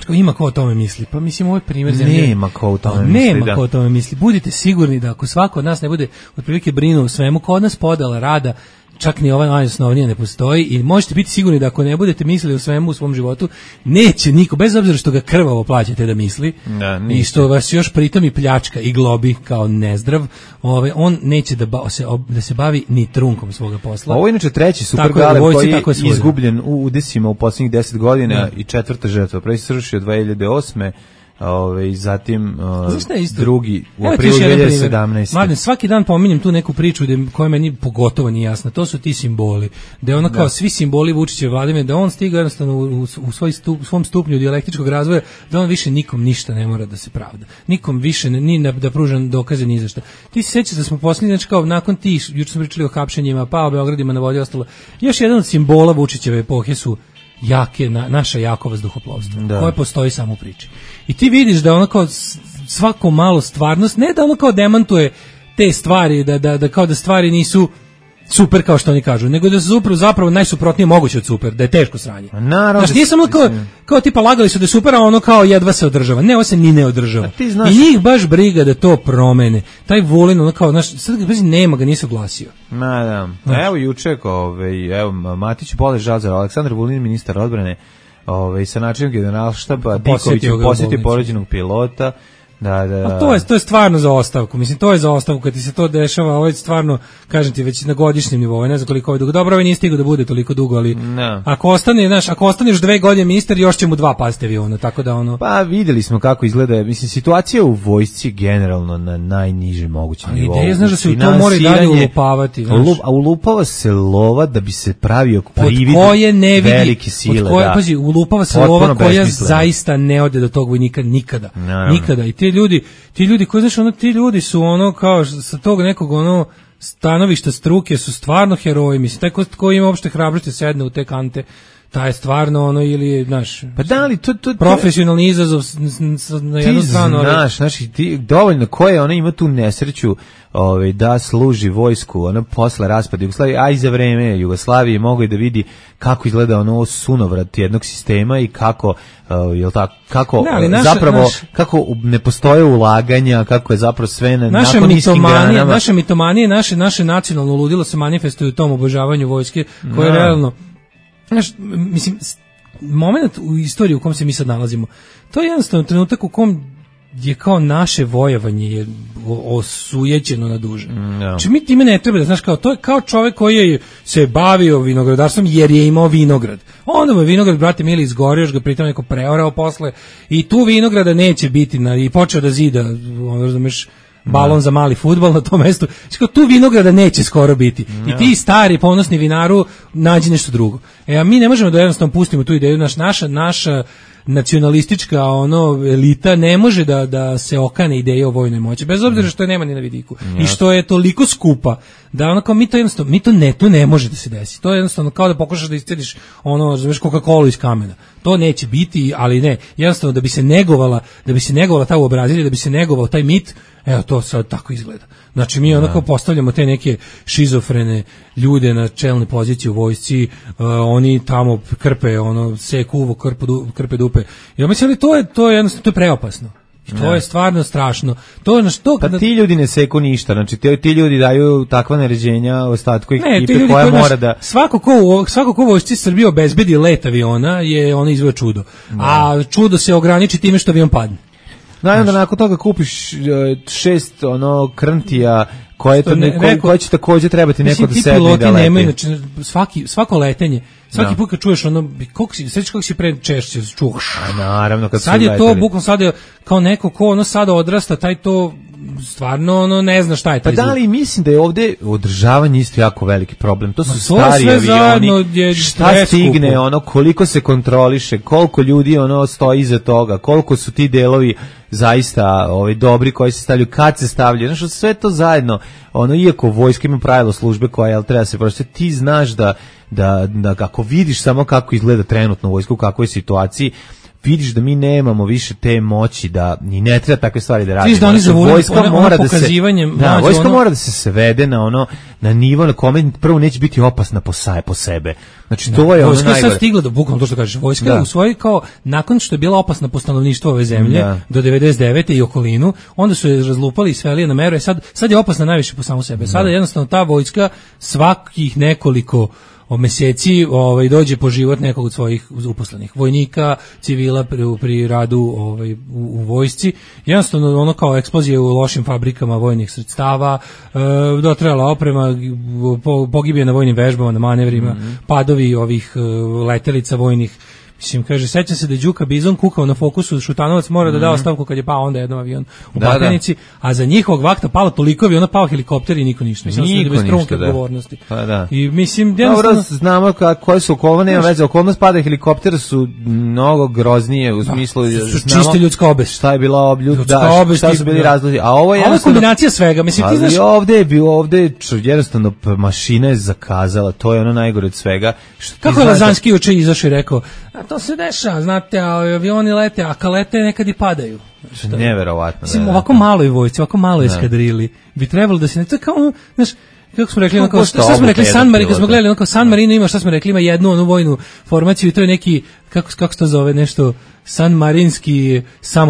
Kao, ima ko o tome misli. Pa mislim, ovo je primjer zemlje. Nema ko o tome Pa, misli, Nema da. ko o tome misli. Budite sigurni da ako svako od nas ne bude otprilike brinuo o svemu, ko od nas podala rada, čak ni ova najosnovnija ne postoji i možete biti sigurni da ako ne budete mislili o svemu u svom životu, neće niko, bez obzira što ga krvavo plaćate da misli Da, i neće. što vas još pritom i pljačka i globi kao nezdrav, ovaj, on neće da, ba, se, ob- da se bavi ni trunkom svoga posla. Ovo je inače treći Super Tako je, u Galeb vojci koji je tako je svuda. izgubljen u udesima u posljednjih deset godina Da. i četvrta žrtva. Prvi se srušio dve hiljade osme. Ove, i zatim uh, Znaš šta je isto? drugi u Evo ti aprilu još jedan dve primjer. hiljade sedamnaeste. Mladen, svaki dan pominjem tu neku priču gde, koja meni pogotovo nije jasna. To su ti simboli. Da je ono kao svi simboli Vučićeve vladavine, da on stiga jednostavno u, u, svoj stup, u svom stupnju dijalektičkog razvoja, da on više nikom ništa ne mora da se pravda. Nikom više ne, ni na, da pruža dokaze ni za šta. Ti se sećaš da smo posljednji, znači kao nakon tih, juče smo pričali o hapšenjima, pa o Beogradima na vodi ostalo. Još jedan od simbola Vučićeve epohe su jake, na, naša jako vazduhoplovstvo, Da. koje postoji samo u priči. I ti vidiš da ono kao svako malo stvarnost, ne da ono kao demantuje te stvari, da, da, da kao da stvari nisu super kao što oni kažu, nego da su zapravo, zapravo najsuprotnije moguće od super, da je teško sranje. Naravno. Znaš, nije samo kao, kao tipa lagali su da je super, a ono kao jedva se održava. Ne, ovo se ni ne održava. ti znaš- I njih baš briga da to promene. Taj Vulin, ono kao, znaš, sad ga baš nema, ga nisi oglasio. Ma da. Evo juče, ovaj, evo Matić Poleš Žazar, Aleksandar Vulin, ministar odbrane, ovaj sa načinom generalštaba Diković ga u posjeti bolnici. povređenog pilota. Da, da. A to je to je stvarno za ostavku. Mislim, to je za ostavku kad ti se to dešava, ovo je stvarno, kažem ti, već na godišnjem nivou, ne znam koliko je dugo. Dobro, ovo nije stigao da bude toliko dugo, ali No. ako ostane, znaš, ako ostaneš dve godine ministar, još će mu dva pasti aviona, tako da ono. Pa videli smo kako izgleda, mislim, situacija u vojsci generalno na najnižem mogućem Ali nivou. ideja, znaš da se u to mora i dalje ulupavati, znaš. Lup, a ulupava se lova da bi se pravio Od privid koje ne vidi, velike sile. od koje, da. pazi, ulupava se Potpuno lova koja besmisleno. zaista ne ode do tog vojnika nikada. Naravno. Nikada. I ti ljudi, ti ljudi koji, znaš, ono, ti ljudi su ono, kao, sa tog nekog, ono, stanovišta struke su stvarno heroji, mislim, taj ko, ko ima uopšte hrabrosti sedne u te kante, taj je stvarno ono, ili, znaš, Pa da li to... to, to profesionalni izazov s- s- s- na ti jednu stranu, ali- znaš, znači, ti, dovoljno ko je, ona ima tu nesreću ovaj, da služi vojsku, ono posle raspada Jugoslavije, a i za vreme Jugoslavije mogo je da vidi kako izgleda ono sunovrat jednog sistema i kako, uh, jel tako, kako Ne, ali uh, naša- zapravo, naš- kako u- ne postoje ulaganja, kako je zapravo sve na Naša jako niskim mitomanija, granama. naše mitomanije, naše naše nacionalno ludilo se manifestuje u tom obožavanju vojske, koje je Da. realno, znaš, m- mislim, s- moment u istoriji u kom se mi sad nalazimo, to je jednostavno trenutak u kom je kao naše vojevanje je o- osujećeno na duže. Znači mi time ne treba da, znaš, kao, to je kao čovek koji je se bavio vinogradarstvom jer je imao vinograd. Onda mu je vinograd, brate mili, izgorio, još ga pritom neko preorao posle i tu vinograda neće biti na, i počeo da zida, ono, razumeš, balon za mali fudbal na tom mestu. Znači, kao, tu vinograda neće skoro biti. I ti stari ponosni vinaru nađi nešto drugo. E, a mi ne možemo da jednostavno pustimo tu ideju, naš, naša, naša nacionalistička ono elita ne može da da se okane ideje o vojnoj moći, bez obzira što je nema ni na vidiku i što je toliko skupa da ono kao mi to jednostavno, mi to ne, to ne može da se desi. To je jednostavno kao da pokušaš da iscediš ono, znaš, Coca-Cola iz kamena. To neće biti, ali ne. Jednostavno da bi se negovala, da bi se negovala ta uobrazilja, da bi se negovao taj mit, evo to sad tako izgleda. Znači mi onako postavljamo te neke šizofrene ljude na čelne pozicije u vojsci, uh, oni tamo krpe, ono, seku uvo, krpe, du, krpe dupe. I ja mislim, ali to je, to je jednostavno, to je preopasno. I to je stvarno strašno. To je na što... Pa ti ljudi ne seku ništa, znači ti, ti ljudi daju takva naređenja ostatku Ne, ti ekipe ljudi koja koji, mora znaš, da... svako ko u svako ko u vojsci Srbije obezbedi let aviona je ono izveo čudo. A čudo se ograniči time što avion padne. No, i onda nakon toga kupiš e, šest ono krntija koje, to Što ne- neko, neko- koje će takođe trebati neko Mislim, da ti sedne i piloti da leti. nemaju, znači, svaki, svako letenje, svaki Da. put kad čuješ ono, koliko si, sveći kako si pre češće čuš. A naravno, kad Sad su je to, leteli. bukvalno sad je kao neko ko ono sada odrasta, taj to stvarno ono ne zna šta je Pa taj da zvuk. li mislim da je ovde održavanje isto jako veliki problem. To su Ma to stari sve zajedno avioni. je Šta preskupo. stigne, ono koliko se kontroliše, koliko ljudi ono stoji iza toga, koliko su ti delovi zaista ovaj dobri koji se stavljaju, kad se stavljaju. Znači sve to zajedno, ono iako vojska ima pravilo službe koja jel treba se prosto ti znaš da da da kako vidiš samo kako izgleda trenutno vojska u kakvoj je situaciji, vidiš da mi nemamo više te moći da ni ne treba takve stvari da radimo. Vidiš da oni Znači, zavolili vojska ono- ono mora da se pokazivanjem, da, mlađe, vojska ono- mora da se svede na ono na nivo na kome prvo neće biti opasna po saje po sebe. Znači to je ono Vojska je sad najgore. stigla do, bukvalno to što kažeš, vojska Da. u svojoj kao, nakon što je bila opasna po stanovništvo ove zemlje, Da. do devedeset devete i okolinu, onda su je razlupali i sveli je na meru, e sad, sad je opasna najviše po samu sebe. Sada jednostavno ta vojska svakih nekoliko o meseci ovaj dođe po život nekog od svojih uposlenih vojnika, civila pri, pri radu ovaj u, u vojsci. Jednostavno ono kao eksplozije u lošim fabrikama vojnih sredstava, e, dotrajala oprema, po, pogibije na vojnim vežbama, na manevrima, padovi ovih e, letelica vojnih. Mislim, kaže, sećam se da je Đuka Bizon kukao na Fokusu, Šutanovac mora da da ostavku kad je pao onda jednom avion u Da, Batajnici, a za njihovog vakta palo toliko aviona, pao helikopter i niko ništa. Mislim, Niko da bez ništa, da. odgovornosti. Pa da. I mislim, Dobro, jednostavno... znamo ka, koje su okolnosti, nema veze, okolnost pada helikoptera su mnogo groznije u smislu... su znamo čiste ljudska obest. Šta je bila obljud, Ljudska da, obest šta i- su bili da. razlozi, a ovo je Ovo je jednostavno... kombinacija svega, mislim, ti Ali znaš... ovde je bio, ovde je č- jednostavno p- mašina je zakazala, to je ono najgore od svega. Što ti Kako je znaš da- Lazanski juče izašao i rekao, a to se dešava, znate, a avioni lete, a kad lete nekad i padaju. Šta? Neverovatno. Mislim, da, da. ovako maloj vojsci, ovako malo eskadrili, bi trebalo da se ne, to je kao, ono, znaš, kako smo rekli, Koliko onako, košta šta smo obuka rekli, jednog San Marino, kad pilota? smo gledali, onako, San Marino ima, šta smo rekli, ima jednu onu vojnu formaciju i to je neki, kako, kako se to zove, nešto, San Marinski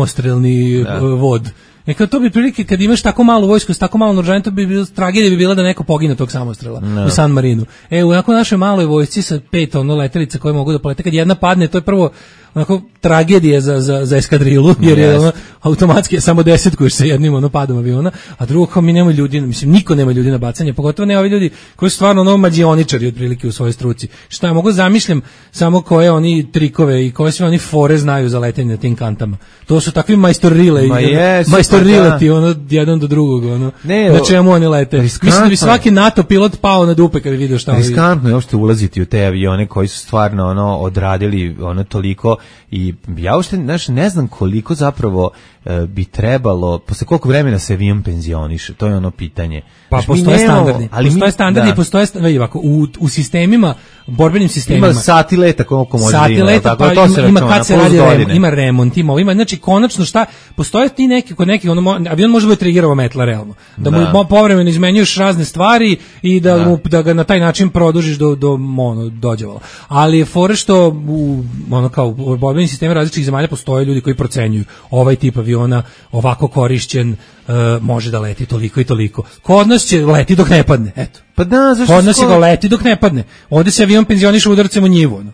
samostrelni Da. uh, vod. E kao to bi prilike, kad imaš tako malu vojsku, s tako malo naoružanja, to bi bilo, tragedija bi bila da neko pogine tog samostrela No. u San Marinu. E, u onako našoj maloj vojsci sa pet ono letelica koje mogu da polete, kad jedna padne, to je prvo onako tragedija za, za, za eskadrilu, jer je Jest. ono, automatski samo desetkuješ sa jednim ono padom aviona, a drugo kao mi nemamo ljudi, mislim, niko nema ljudi na bacanje, pogotovo ne ovi ljudi koji su stvarno ono mađioničari otprilike u svojoj struci. Šta ja mogu zamišljam samo koje oni trikove i koje sve oni fore znaju za letenje na tim kantama. To su takvi majstorrile, Ma i jesu, majstorileti, pa da. ono, jedan do drugog, ono, Ne, na o- čemu oni lete. riskantno Mislim da bi je. svaki NATO pilot pao na dupe kad bi vidio šta ovi... Riskantno je uopšte ulaziti u te avione koji su stvarno ono odradili ono toliko i ja uopšte znaš, ne znam koliko zapravo e, bi trebalo, posle koliko vremena se avion penzioniše, to je ono pitanje. Pa Znaš, mi postoje nemamo- standardi, ali postoje mi- standardi, da. i postoje sta- vidi ovako, u, u sistemima, borbenim sistemima. Ima sati leta koliko može da Sati ima, leta, tako, pa to se ima, ima računa, kad se plus radi remont, godine. ima remont, ima, ovo, ima, znači konačno šta, postoje ti neki, kod neki, ono, mo- avion može biti triggerova metla realno, da, mu Da. mo- povremeno izmenjuješ razne stvari i da, Da. Mu, da ga na taj način produžiš do, do ono, dođevala. Ali je fore što u, ono, kao, u borbenim sistemima različitih zemalja postoje ljudi koji procenjuju ovaj tip aviona ovako korišćen, e, može da leti toliko i toliko. Kod nas će leti dok ne padne, eto. Pa da, zašto Kod nas skoro- ga leti dok ne padne. Ovde se avion penzioniše udarcem u njivu. Ono.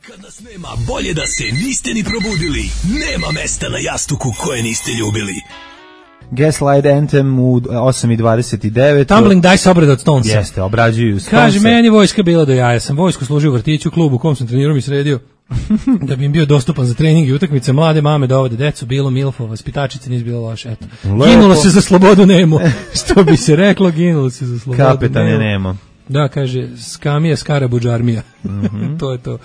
Kad nas nema, bolje da se niste ni probudili. Nema mesta na jastuku koje niste ljubili. Gaslight Anthem u osam i dvadeset devet. Tumbling Dice obrada od Stonesa. Jeste, obrađuju Stonese. Kaže, meni vojska bila do jaja. Sam vojsku služio u vrtiću, klubu u kom sam trenirao i sredio. Da bi im bio dostupan za trening i utakmice, mlade mame dovode decu, bilo milfo, vaspitačice, nije bilo loše, eto. Lepo. Ginulo se za slobodu Nemo. Što bi se reklo, ginulo se za slobodu Kapetan je Nemo. Da, kaže, skamija, skarabuđ armija. Mhm. To je to.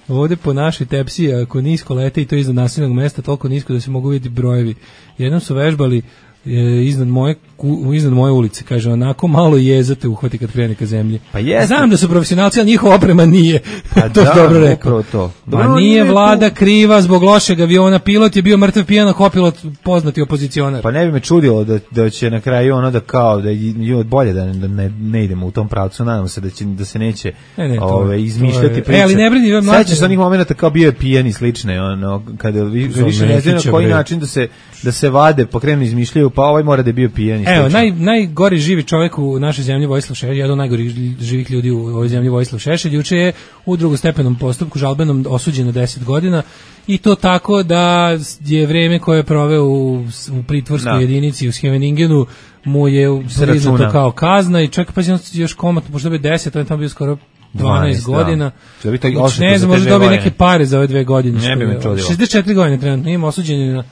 Ovde po našoj tepsiji, ako nisko lete i to iznad naseljenog mesta, toliko nisko da se mogu vidjeti brojevi. Jednom su vežbali e, iznad moje ku- iznad moje ulice, kaže, onako malo jezate uhvati kad krene ka zemlji. Pa jeste. Znam da su profesionalci, ali njihova oprema nije. Pa to je da, dobro rekao. upravo to. Ma Dobro, nije nije vlada tu- kriva zbog lošeg aviona, pilot je bio mrtav pijan, a kopilot poznati opozicionar. Pa ne bi me čudilo da, da će na kraju ono da kao da je bolje da, da ne, ne idemo u tom pravcu, nadam se da će da se neće Ne, ne, to je- ove, izmišljati to je- priče. E, ali ne brini, ove mlađe- Sećaš se onih momenata kao bio je pijan i slične, ono kada vi, Za više ne znaju na Nekića, koji bre. način da se da se vade, pokrenu izmišljaju, pa ovaj mora da je bio pijan i Evo, slično. naj, najgori živi čovjek u našoj zemlji Vojislav Šešelj, jedan od najgorih živih ljudi u ovoj zemlji Vojislav Šešelj, juče je u drugostepenom postupku žalbenom osuđen na deset godina i to tako da je vreme koje je proveo u, u pritvorskoj Da. jedinici u Scheveningenu mu je Se priznato računa. kao kazna i čak pa će on još komat, možda bi deset, on je tamo bio skoro dvanaest dvanaest, da. godina. Će biti Znači, odštetu ne za znam, te možda dve dobije godine. neke pare za ove dve godine. Ne što bi me je- čudilo. šezdeset četiri godine trenutno, ima osuđen je na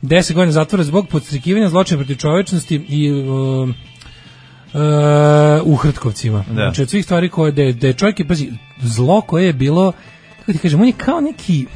deset godina zatvora zbog podstrikivanja zločina protiv čovečnosti i um, uh, u Hrtkovcima. Da. Znači od svih stvari koje da je, da je čovjek je, pazi, zlo koje je bilo, kako ti kažem, on je kao neki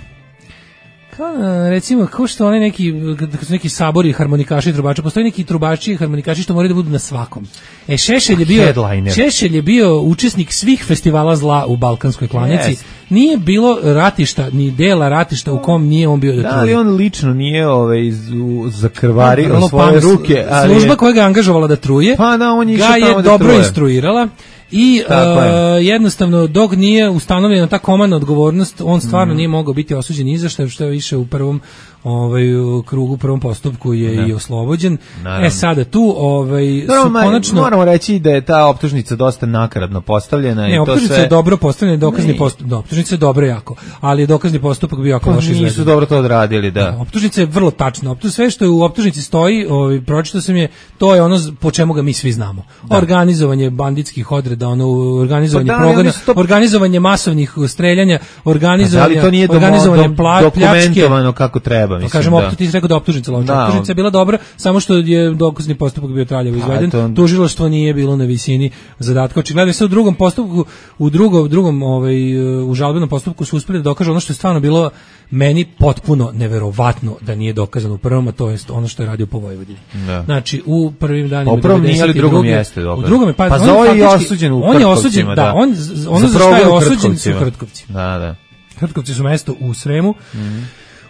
kao uh, recimo kao što oni neki kad su neki sabori harmonikaši i trubači, postoji neki trubači i harmonikaši što moraju da budu na svakom. E Šešelj je bio Headliner. Šešelj je bio učesnik svih festivala zla u Balkanskoj klanici. Yes. Nije bilo ratišta, ni dela ratišta u kom nije on bio da Da, truje. ali on lično nije ovaj z- zakrvario Vrlo svoje pametno. ruke, ali Služba je- koja ga je angažovala da truje, Pa da, on je ga išao je tamo da dobro truje. instruirala i Tako je. uh, jednostavno dok nije ustanovljena ta komandna odgovornost, on stvarno Mhm. nije mogao biti osuđen ni za što, što je više u prvom ovaj u krugu prvom postupku je Da. i oslobođen. Naravno. E sada tu ovaj No, su ma, konačno moramo reći da je ta optužnica dosta nakaradno postavljena. Ne, i to optužnica sve... je dobro postavljena, dokazni Ne. postupak, da, optužnica je dobro jako, ali je dokazni postupak bio jako Pa loše izveden. nisu dobro to odradili, da. Optužnica je vrlo tačna. Optuž, sve što je u optužnici stoji, ovaj, pročitao sam je, to je ono z- po čemu ga mi svi znamo. Organizovanje banditskih odreda, ono, organizovanje Pa da, ali progona, oni su to- organizovanje masovnih streljanja, Da organizovanje, li to nije domo- organizovanje dom- pla- pljačke. dokumentovano kako treba, Pa mislim, kažemo, da. optu, ti si rekao da je optužnica loša. Da, Optužnica je bila dobra, samo što je dokazni postupak bio traljavo izveden. to- Tužilaštvo nije bilo na visini zadatka. Očigledno se u drugom postupku, u drugom, drugom ovaj, u žalbenom postupku su uspeli da dokažu ono što je stvarno bilo meni potpuno neverovatno da nije dokazano u prvom, a to je ono što je radio po Vojvodini. Da. Znači, u prvim danima U prvom nije, ali devedeset druge drugom jeste dokazano. U drugom je, pa, Pa on za ovo je i faktički- osuđen u on je osuđen, Hrtkovcima, da, da. on, z- ono Za za šta je progon u osuđen su Hrtkovcima. Hrtkovci. Da, da. Hrtkovci su mesto u Sremu,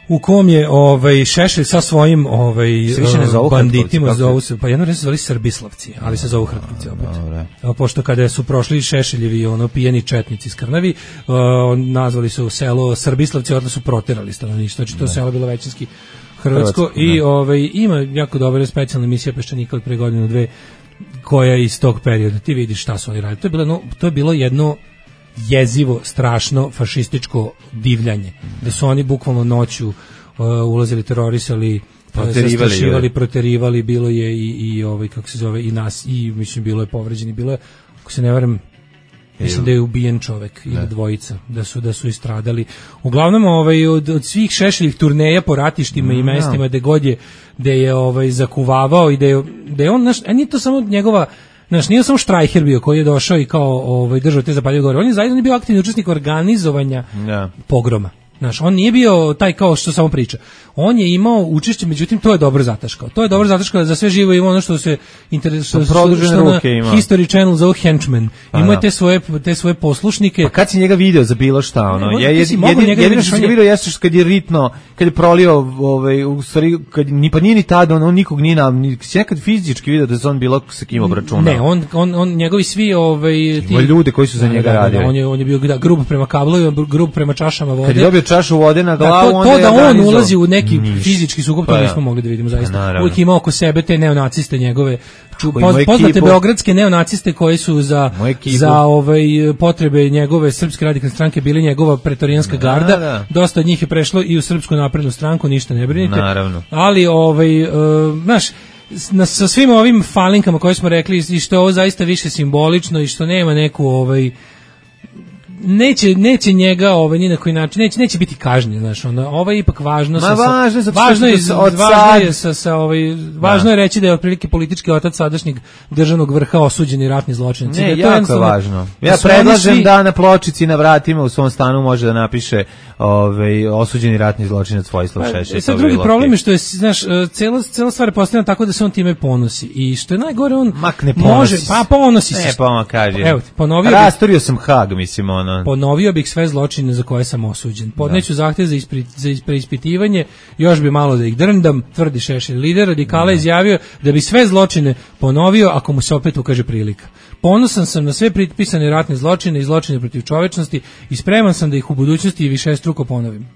u kom je ovaj Šešelj sa svojim ovaj Se više ne zovu banditima Hrtkovci, zovu se, pa jedno vreme se zvali Srbislavci, ali se zovu Hrtkovci opet. Dobro. A pošto kada su prošli Šešeljevi ono pijeni četnici iz Krnavi, uh, nazvali su selo Srbislavci, odnosno su proterali stanovništvo, znači to selo bilo većinski hrvatsko Hrvatsko, i da. ovaj ima jako dobra specijalna emisija Peščanika od pre godinu dve koja je iz tog perioda. Ti vidiš šta su oni radili. To je bilo no, to je bilo jedno jezivo, strašno fašističko divljanje. Da su oni bukvalno noću uh, ulazili, terorisali, Proterivali, zastrašivali, joj. proterivali, bilo je i, i ovaj kako se zove i nas i mislim bilo je povređeni, bilo je, ako se ne varam, mislim da je ubijen čovek ili dvojica, da su da su istradali. Uglavnom ovaj od, od svih Šešeljih turneja po ratištima i mestima gde god je gde je ovaj zakuvavao i da je da je on naš, a nije to samo njegova. Znaš, nije samo Štrajher bio koji je došao i kao ovaj, držao te zapaljive gore. On je zaista bio aktivni učesnik organizovanja Da. pogroma. Znaš, on nije bio taj kao što samo priča. On je imao učešće, međutim, to je dobro zataškao. To je dobro zataškao za sve živo ima ono što se interesuje. produžene ruke ima. History Channel zove Henchmen. Pa Ima da. te svoje, te svoje poslušnike. Pa kad si njega video za bilo šta, ono? Ne, Ja ti je, si mogao jedin, njega jedino vidiš, što on sam ga je- video jeste što kad je ritno, kad je prolio, ovaj, u stvari, kad, ni, pa nije ni tada, on, on nikog nije nam, ni, si nekad fizički video da se on bilo sa kim obračunao. Ne, on, on, on njegovi svi ovaj ti Ima ljude koji su za njega radili. on je on je bio da, grub prema kablu, i grub prema čašama vode. Kad je dobio čašu vode na Da, glavu, to, onda to je da on organizovao. ulazi u neki Ništa. fizički sukob, Pa to da. nismo mogli da vidimo zaista. Pa naravno. Uvijek ima oko sebe te neonaciste njegove, ču, Ako ima poz, poznate ekipu- beogradske neonaciste koji su za, Moju ekipu. za ovaj, potrebe njegove srpske radikalne stranke bili njegova pretorijanska garda. da. Dosta od njih je prešlo i u Srpsku naprednu stranku, ništa ne brinite. Naravno. Ali, ovaj, uh, znaš, s- na, sa svim ovim falinkama koje smo rekli i što je ovo zaista više simbolično i što nema neku ovaj neće neće njega ovaj ni na koji način neće neće biti kažnjen, znaš, onda ovo je ipak važno. Ma važno je, zato što važno je, se od važno sad- je sa, sa ovaj važno je reći da je otprilike politički otac sadašnjeg državnog vrha osuđeni ratni zločinac. I da Ne, to jako je jednostavno- važno. da Ja su oni predlažem svi- da na pločici na vratima u svom stanu može da napiše ovaj, osuđeni ratni zločinac Vojislav Šešelj. E, sad to bi drugi bilo problem okej. je što je, znaš, e, cela, cela stvar je postavljena tako da se on time ponosi. I što je najgore, on Mak ne može, ponosi se. pa ponosi se. Ne, pa on kaže. Evo ti, ponovio bih, Rasturio sam Hag, mislim, ono. ponovio bih sve zločine za koje sam osuđen. Podneću zahtev za, ispri, za is- preispitivanje, još bi malo da ih drndam, tvrdi Šešelj. Lider radikala izjavio da bi sve zločine ponovio ako mu se opet ukaže prilika. Ponosan sam na sve pripisane ratne zločine i zločine protiv čovečnosti i spreman sam da ih u budućnosti višestruko ponovim. To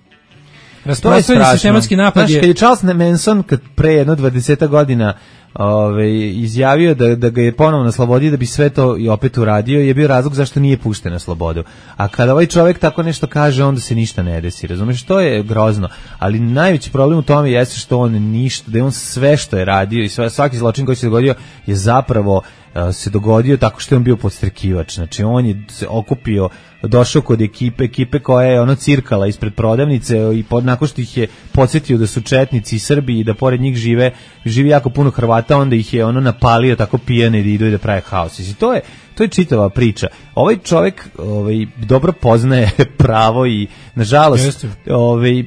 je Rasprostranjen strašno. sistematski napad Znaš, je... kad je Charles Manson kad pre jedno dvadeseta godina ovaj, izjavio da, da ga je ponovno na slobodi da bi sve to i opet uradio, je bio razlog zašto nije pušten na slobodu. A kada ovaj čovjek tako nešto kaže, onda se ništa ne desi, razumeš? To je grozno. Ali najveći problem u tome jeste što on ništa, da je on sve što je radio i sve, svaki zločin koji se dogodio je zapravo uh, se dogodio tako što je on bio podstrekivač. Znači on je se okupio, došao kod ekipe, ekipe koja je ono cirkala ispred prodavnice i pod, nakon što ih je podsjetio da su četnici i Srbi i da pored njih žive, živi jako puno Hrvata, onda ih je ono napalio tako pijane da idu i da prave haos. I to je, to je čitava priča. Ovaj čovjek ovaj, dobro poznaje pravo i nažalost Jeste. ovaj,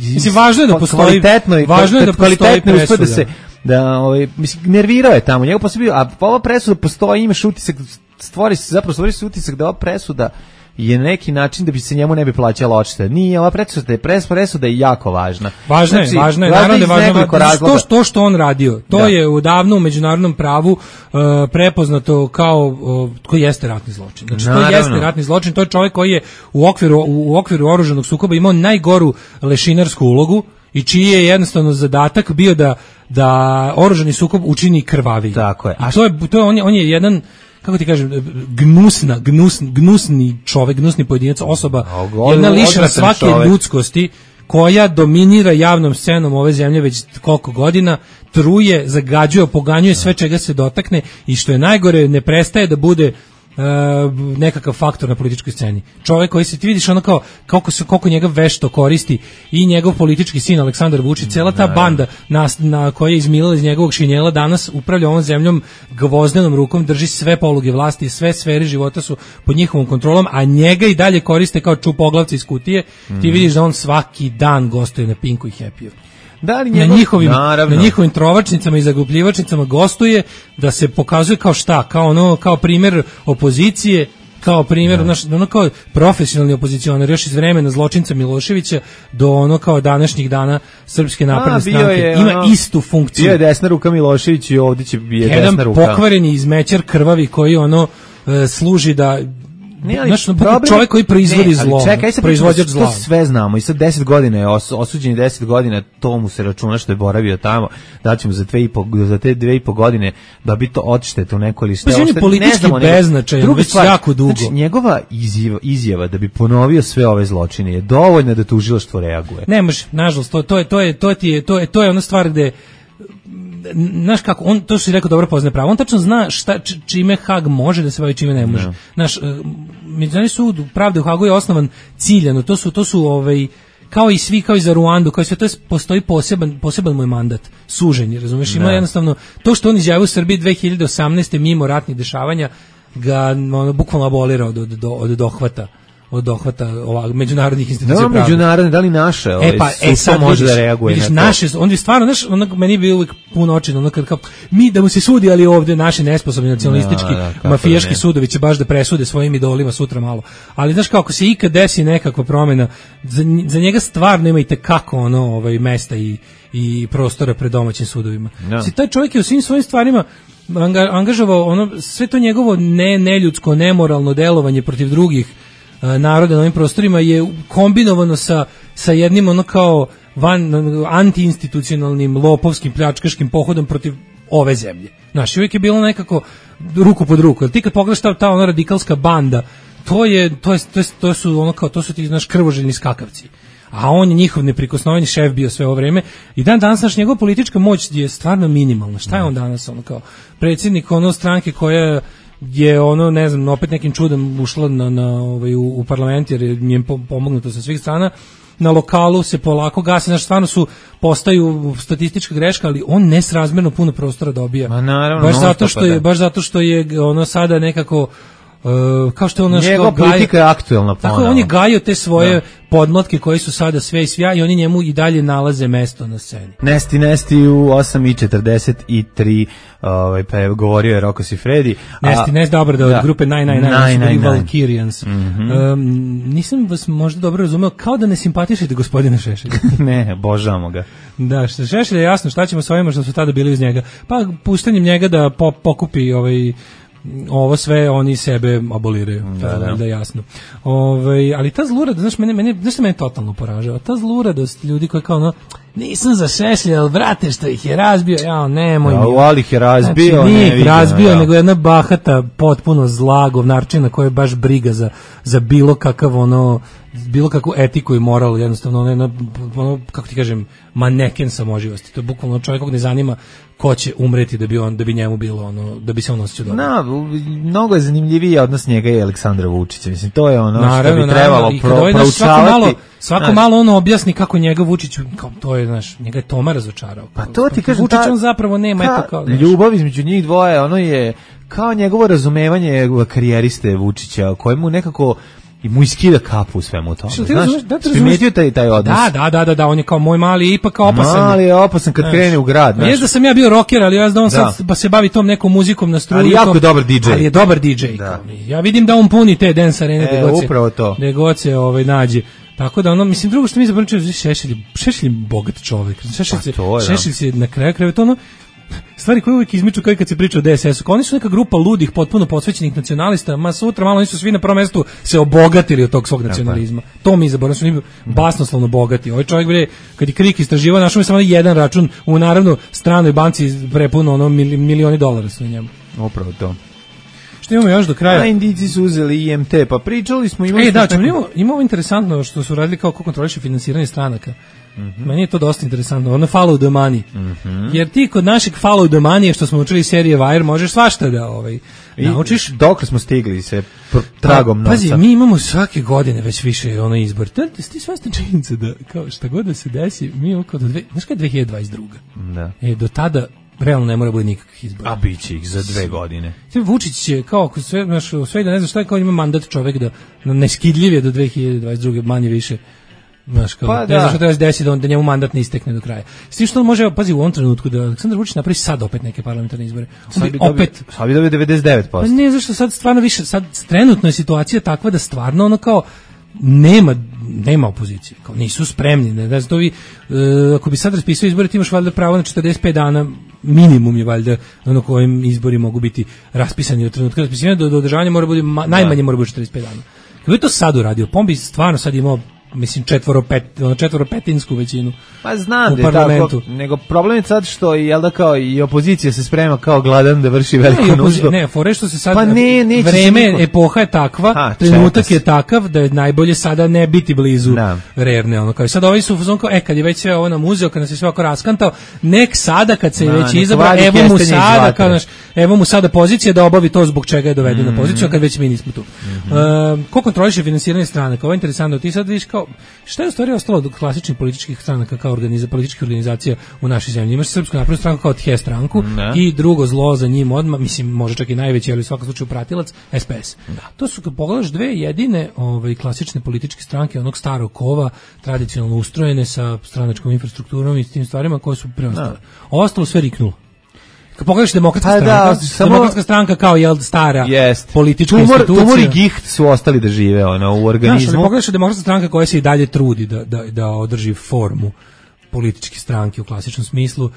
Mislim, važno je da postoji- kvalitetno, i- važno je da postoji kvalitetno uspe da presuda. se da ovaj mislim nervirao je tamo njegov posao bio, a ova presuda postoji, imaš utisak, stvori se zapravo stvori se utisak da ova presuda je na neki način da bi se njemu ne bi plaćala odšteta. Nije, ova presuda je pres presuda je jako važna. Važno je, Znači, važno je, važno naravno da iz je važno, nekoliko to, razloga. to što on radio, to Da. je udavno u međunarodnom pravu uh, prepoznato kao uh, koji jeste ratni zločin. Znači to Naravno. jeste ratni zločin, to je čovjek koji je u okviru u, u okviru oružanog sukoba imao najgoru lešinarsku ulogu. i čiji je jednostavno zadatak bio da da oružani sukob učini krvaviji. Tako je. A to je to je on je on je jedan, kako ti kažem, gnusna, gnus, gnusni čovek, gnusni pojedinac, osoba, jedna lišena svake čovek. Ljudskosti, koja dominira javnom scenom ove zemlje već koliko godina, truje, zagađuje, poganjuje sve čega se dotakne i što je najgore, ne prestaje da bude Uh, nekakav faktor na političkoj sceni. Čovjek koji se ti vidiš ono kao koliko se koliko njega vešto koristi i njegov politički sin Aleksandar Vučić, cela ta banda na, na koja je izmilila iz njegovog šinjela danas upravlja ovom zemljom gvozdenom rukom, drži sve poluge vlasti, sve sfere života su pod njihovom kontrolom, a njega i dalje koriste kao čupoglavci iz kutije. Mm. Ti vidiš da on svaki dan gostuje na Pinku i Happy-u. Da li njegov, na njihovim naravno. na njihovim trovačnicama i zagupljivačnicama gostuje da se pokazuje kao šta, kao ono kao primjer opozicije, kao primjer naš ono kao profesionalni opozicionar još iz vremena zločinca Miloševića do ono kao današnjih dana Srpske napredne stranke. Ima ono, istu funkciju. Bio je desna ruka Milošević i ovdje će biti desna ruka. Jedan pokvareni izmećar krvavi koji ono e, služi da Ne, ali znaš, čovjek koji proizvodi ne, zlo, čekaj, proizvođač zla. To sve znamo i sad deset godina je os, osuđen deset godina, to mu se računa što je boravio tamo, da ćemo za dve i po, za te dve i po godine da bi to odštete u neko ili šta. Pa on je politički beznačajan, već jako dugo. Znači, njegova izjava, izjava da bi ponovio sve ove zločine je dovoljna da tužilaštvo reaguje. Ne može, nažalost, to, to je to je to je to je to je ona stvar gde znaš kako, on, to si rekao dobro poznaje pravo, on tačno zna šta, čime Hag može da se bavi, čime ne može. No. Naš, uh, Međunarodni sud pravde u Hagu je osnovan ciljano, to su, to su ovaj, kao i svi, kao i za Ruandu, kao i sve, to je, postoji poseban, poseban moj mandat, suženje, razumeš, ima no. jednostavno, to što on izjavio u Srbiji dve hiljade osamnaeste mimo ratnih dešavanja, ga ono, bukvalno abolira od, od, od dohvata. od dohvata ovog međunarodnih institucija no, pravde. Međunarodne, da li naše? E pa, e sad može vidiš, da reaguje vidiš, na to. naše, on je stvarno, znaš, onak, meni bi uvijek puno očin, ono kad kao, mi da mu se sudi, ali ovdje naši nesposobni nacionalistički, da, da, mafijaški sudovi će baš da presude svojim idolima sutra malo. Ali znaš kako se ikad desi nekakva promjena, za, za njega stvarno ima i tekako ono, ovaj, mesta i, i prostora pred domaćim sudovima. No. Si, taj čovjek je u svim svojim stvarima anga, angažovao ono, sve to njegovo ne, neljudsko, nemoralno delovanje protiv drugih naroda na ovim prostorima je kombinovano sa, sa jednim ono kao van, antiinstitucionalnim, lopovskim, pljačkaškim pohodom protiv ove zemlje. Znaš, uvijek je bilo nekako ruku pod ruku. Jer ti kad pogledaš ta, ta ona radikalska banda, to je, to je, to je, to su ono kao, to su ti, znaš, krvoželjni skakavci. A on je njihov neprikosnoveni šef bio sve ovo vreme i dan danas naš njegova politička moć je stvarno minimalna. Šta je on danas ono kao predsjednik ono stranke koja je ono, ne znam, opet nekim čudom ušla na, na, ovaj, u, u parlament jer mi je pomognuto sa svih strana, na lokalu se polako gasi, znači stvarno su, postaju statistička greška, ali on nesrazmjerno puno prostora dobija. Ma naravno, baš zato što je, baš zato što je ono sada nekako Uh, kao što on naš njegova politika je aktuelna ponovno. Tako on je gajio te svoje da. podmlatke koji su sada sve i svja i oni njemu i dalje nalaze mesto na sceni. Nesti, nesti u osam i četrdeset tri ovaj, pa je govorio je Rocco Siffredi. Nesti, nesti, dobro da od da. grupe nine nine nine Valkyrians. Mm -hmm. um, nisam vas možda dobro razumeo, kao da ne simpatišete gospodina Šešelja. Ne, božamo ga. Da, što Šešelj je jasno šta ćemo s ovima što su tada bili uz njega. Pa puštanjem njega da po, pokupi ovaj ovo sve oni sebe aboliraju, da, da. da jasno. Ove, ali ta zlurada, znaš, mene, mene, znaš što mene totalno poražava? Ta zluradost ljudi koji kao ono, nisam za Šešelja, ali vrate što ih je razbio, ja nemoj mi. Ja, ali ih je razbio, znači, nije ne ih razbio, ja. nego jedna bahata, potpuno zla govnarčina koja je baš briga za, za bilo kakav ono, bilo kakvu etiku i moral, jednostavno ono, ono, kako ti kažem, maneken samoživosti. To je bukvalno čovjek kog ne zanima ko će umreti da bi on da bi njemu bilo ono da bi se on osjećao dobro. Na, mnogo je zanimljiviji odnos njega i Aleksandra Vučića. Mislim to je ono naravno, što bi trebalo pro, proučavati. Svako malo, svako znaš, malo ono objasni kako njega Vučić kao to je, znaš, njega je Toma razočarao. Pa to ti kažem, Vučić on zapravo nema eto kao znaš, ljubav između njih dvoje, ono je kao njegovo razumevanje karijeriste Vučića, kojemu nekako i mu iskida kapu u svemu tome. Znaš, da primetio taj, taj odnos? Da, da, da, da, da, on je kao moj mali, ipak kao opasan. Mali je opasan kad znaš, krene u grad. Znaš. Jest da sam ja bio rocker, ali ja znam on da. sad pa se bavi tom nekom muzikom na struju. Ali jako je dobar D J. Ali je dobar D J. Da. Ja vidim da on puni te dance arene, e, gde god se, upravo to. Gde god se ovaj, nađe. Tako da ono, mislim, drugo što mi zapravo Šešelj, Šešelj je bogat čovjek. Šešelj se, pa Šešelj se na kraju kraju to ono, stvari koje uvijek izmiču kao i kad se priča o D S S-u, kao oni su neka grupa ludih, potpuno posvećenih nacionalista, ma sutra malo oni su svi na prvom mestu se obogatili od tog svog nacionalizma. To mi zaboravimo, su oni basnoslovno bogati. Ovaj čovjek bre, kad je Krik istraživao, našao mi samo jedan račun u naravno stranoj banci prepuno ono milioni dolara su na njemu. Upravo to. Što imamo još do kraja? A Indijci su uzeli I M T, pa pričali smo... Imali e, da, neko... imamo, imamo interesantno što su radili kao ko kontroliše finansiranje stranaka. Mm-hmm. Meni je to dosta interesantno, ono follow the money. Mm-hmm. Jer ti kod našeg follow the money, što smo učili serije Wire, možeš svašta da ovaj, naučiš. Dok smo stigli se pr- tragom pa, novca. Pazi, mi imamo svake godine već više ono izbor. Ti svestan činjenica da kao šta god da se desi, mi imamo kao do dve, znaš kada je dve hiljade dvadeset druga. Da. E, do tada realno ne mora bude nikakvih izbora. A bit će ih za dve godine. Vučić će, kao ako sve, znaš, sve da ne znaš šta je, kao ima mandat čovek da neskidljiv je do dve hiljade dvadeset druge manje više. Znaš, kao, pa, ne da. znaš što treba se desiti da, on, da njemu mandat ne istekne do kraja. S tim što on može, pazi, u ovom trenutku da Aleksandar Vučić napravi sad opet neke parlamentarne izbore. Sad bi opet... Sad bi dobio devedeset devet posto. Pa ne, zašto sad stvarno više, sad trenutno je situacija takva da stvarno ono kao nema nema opozicije, kao nisu spremni, ne, ne znam, to vi, e, ako bi sad raspisao izbore, ti imaš valjda pravo na četrdeset pet dana, minimum je valjda ono kojim izbori mogu biti raspisani od trenutka raspisivanja do, do održavanja mora biti, ma, najmanje mora biti četrdeset pet dana. Kako je to sad uradio, Pombi stvarno sad imao mislim četvoro pet četvoro petinsku većinu. Pa znam da je tako, nego problem je sad što jel da kao i opozicija se sprema kao gladan da vrši veliku ne, nuždu. Ne, fore što se sad pa ne, vreme, niko... epoha je takva, A, trenutak je takav da je najbolje sada ne biti blizu da. Rerne, ono kao sad ovi su fazon kao e kad je već sve ovo nam uzeo, kad nas je sve oko raskantao, nek sada kad se da, već izabra, evo mu sada kao naš, evo mu sada pozicija da obavi to zbog čega je doveden mm-hmm. na poziciju, a kad već mi nismo tu. Mm-hmm. Uh, ko kontroliše finansiranje stranaka? Ovo je interesantno, ti sad vidiš kao šta je u stvari ostalo od klasičnih političkih stranaka kao organiza, političkih organizacija u našoj zemlji. Imaš Srpsku naprednu stranku kao T H stranku ne. I drugo zlo za njim odmah, mislim može čak i najveći, ali u svakom slučaju pratilac, S P S. Da. To su kad pogledaš dve jedine ovaj, klasične političke stranke onog starog kova, tradicionalno ustrojene sa stranačkom infrastrukturom i s tim stvarima koje su preostale. Ovo ostalo sve riknulo. Kad pogledaš demokratska pa stranka, da, samo... demokratska stranka kao jel stara jest. Politička tumor, institucija. Tumor i giht su ostali da žive ono, u organizmu. Znaš, pogledaš demokratska stranka koja se i dalje trudi da, da, da održi formu političke stranke u klasičnom smislu,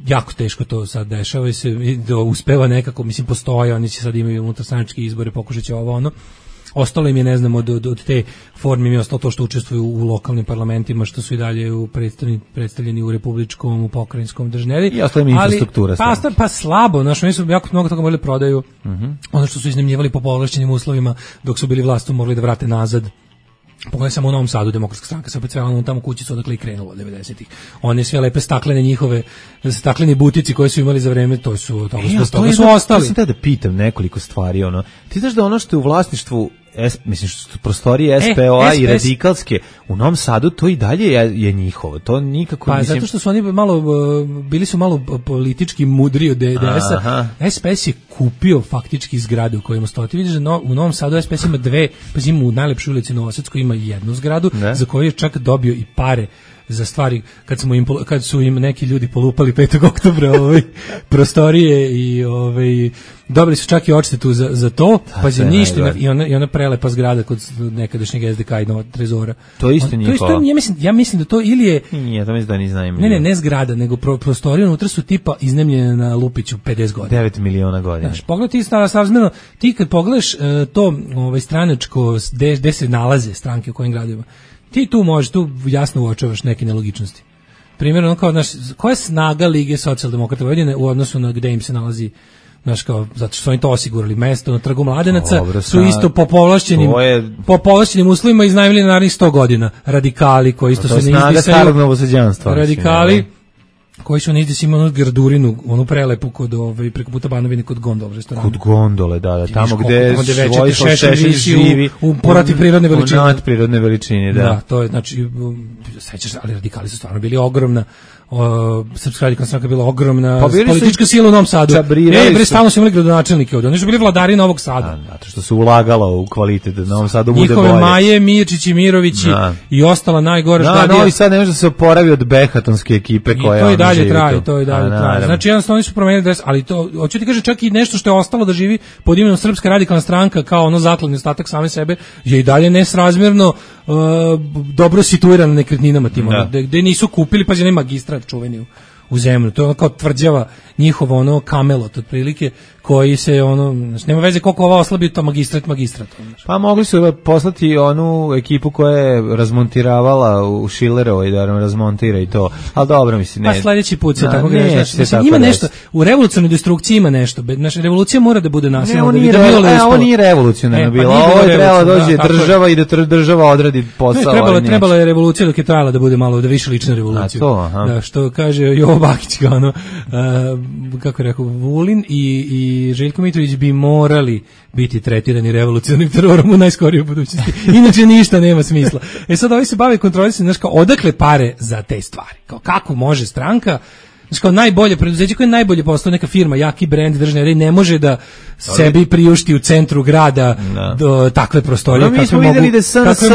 jako teško to sad dešava i se da uspeva nekako, mislim postoje, oni će sad imaju unutarstranačke izbore, pokušat će ovo ono. Ostalo im je, ne znam, od, od, od te forme im je ostalo to što učestvuju u lokalnim parlamentima, što su i dalje u predstavljeni, predstavljeni u republičkom, u pokrajinskom držneri. I ostalo im infrastruktura. Pa, pa slabo, znaš, oni su jako mnogo toga morali prodaju. Uh-huh. Ono što su iznajmljivali po povlašćenim uslovima, dok su bili vlastu morali da vrate nazad. Pogledaj samo u Novom Sadu, demokratska stranka se opet sve u tamo kućicu odakle i krenulo od devedesetih. One sve lepe staklene njihove, stakleni butici koje su imali za vreme, to su, toga e, su, toga su ostali. Ja sam te da pitam nekoliko stvari, ono. Ti znaš da ono što je u vlasništvu S, mislim što su prostorije S P O-a e, i radikalske u Novom Sadu, to i dalje je, je njihovo. To nikako pa, mislim... zato što su oni malo bili su malo politički mudri od D S-a. S P S je kupio faktički zgrade u kojima stoji. Ti vidiš da no, u Novom Sadu S P S ima dve, pa ima u najlepšoj ulici Novosadskoj ima jednu zgradu ne? Za koju je čak dobio i pare za stvari kad smo im kad su im neki ljudi polupali petog oktobra ovaj prostorije i ovaj dobili su čak i odštetu za za to, pa za ništa i ona i ona prelepa zgrada kod nekadašnjeg S D K i Novog Trezora. To isto nije. To isto ja mislim ja mislim da to ili je nije, to mislim da ni znam. Ne, ne, ne zgrada, nego pro, prostorije unutra su tipa iznajmljene na Lupiću pedeset godina. devet miliona godina. Znaš, pogledaj ti stara srazmjerno, ti kad pogledaš uh, to ovaj stranačko gde, gde se nalaze stranke u kojim gradovima. Ti tu možeš, tu jasno uočavaš neke nelogičnosti. Primjer, ono kao, znaš, koja je snaga Lige socijaldemokrata Vojvodine u odnosu na gde im se nalazi, znaš, kao, zato što su oni to osigurali, mesto na Trgu Mladenaca, Dobro, su isto po povlašćenim, je... po povlašćenim uslovima iznajmili na narednih sto godina. Radikali, koji isto se ne izdisaju. To je snaga starog novosađanstva. Radikali, koji su negdje imali onu gardurinu, onu prelepu kod ovaj preko puta Banovine kod gondole restorana. Kod gondole, da, da, tamo gde Vojislav Šešelj živi u, u porati prirodne veličine. U nadprirodne veličine, da. Da, to je znači sećaš, ali radikali su stvarno bili ogromna. O, Srpska radikalna stranka bila ogromna, pa politička sila u Novom Sadu. Ej, bre, stalno su imali gradonačelnike ovdje. Oni su bili vladari Novog Sada. Da, zato što su ulagalo u kvalitet da Novom Sadu bude bolje. Njihove Maje, Mirčić i Mirovići da. I ostala najgore šta da, Novi Sad ne može da se oporavi od behatonske ekipe koja to i dalje traje, to i dalje traje. Znači jednostavno oni su promenili dres, ali to hoću ti kaže čak i nešto što je ostalo da živi pod imenom Srpska radikalna stranka kao ono zakladni ostatak same sebe je i dalje nesrazmjerno uh, dobro situirano nekretninama tim, gde nisu kupili, pa je magistra čuveni u, u zemlju. To je ono kao tvrđava njihovo ono Kamelot otprilike, koji se ono, znači, nema veze koliko ova oslabi to magistrat magistrat. Znači. Pa mogli su poslati onu ekipu koja je razmontiravala u Šilerovoj da razmontira i to. Al dobro mislim ne. Pa sledeći put se da, tako ne, greš. Znači, ima nešto u revolucionarnoj destrukciji ima nešto. Naša revolucija mora da bude nasilna. Ne, da re, bilo e, ovo nije revolucionarno e, bilo. Ovo je trebalo dođe da, država i da država odradi posao. Ne, trebalo, trebalo je revolucija dok je trajala da bude malo da više lična revolucija. Da, što kaže Jovo Bakić kao ono, uh, kako je rekao, Vulin i, i Željko Mitrović bi morali biti tretirani revolucionarnim terorom u najskorijoj budućnosti. Inače ništa nema smisla. E sad ovi se bave kontrolisanjem, znaš kao, odakle pare za te stvari? Kao kako može stranka, znači kao najbolje preduzeće koje je najbolje postao neka firma, jaki brend državne red, ne može da sebi priušti u centru grada no. do takve prostorije, kakve mogu, da S N S, kakve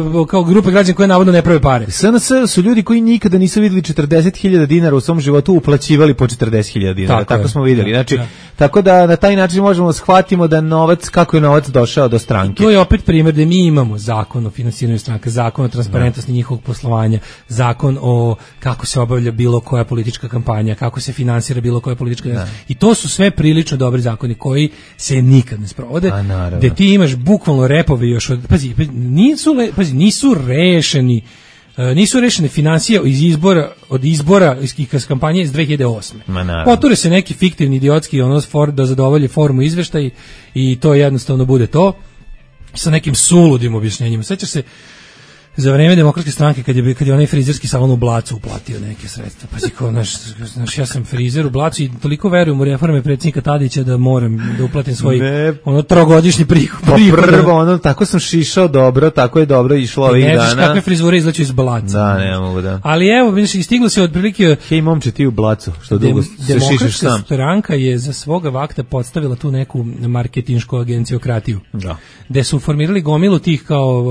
mogu kao grupe građana koje navodno ne prave pare. S N S su ljudi koji nikada nisu videli četrdeset hiljada dinara u svom životu, uplaćivali po četrdeset hiljada dinara, tako, tako smo videli. Znači, ja. Tako da na taj način možemo shvatimo da novac, kako je novac došao do stranke. I to je opet primjer da mi imamo zakon o finansiranju stranke, zakon o transparentnosti njihovog poslovanja, zakon o kako se obavlja bilo koja politička kampanja, kako se finansira bilo koja politička kampanja. I to su sve prilično dobri zakoni koji se nikad ne sprovode. Gde ti imaš bukvalno repove još od, pazi, nisu, pazi, nisu rešeni nisu rešene financije iz izbora od izbora iz kampanje iz dve hiljade osme. Poture se neki fiktivni idiotski ono for da zadovolje formu izveštaj i to jednostavno bude to sa nekim suludim objašnjenjima. Sećaš se za vreme demokratske stranke kad je kad je onaj frizerski salon u Blacu uplatio neke sredstva. Pazi kao naš, naš ja sam frizer u Blacu i toliko verujem u reforme predsjednika Tadića da moram da uplatim svoj ne, ono trogodišnji prihod. Pa prvo ono tako sam šišao dobro, tako je dobro išlo ovih dana. Ne znaš kakve frizure izlaču iz Blaca. Da, ne mogu da. Ali evo, vidiš, istiglo se otprilike hej momče ti u Blacu, što dugo se šišaš sam. Demokratska stranka je za svoga vakta podstavila tu neku marketinšku agencijokratiju. Da. Gde su formirali gomilu tih kao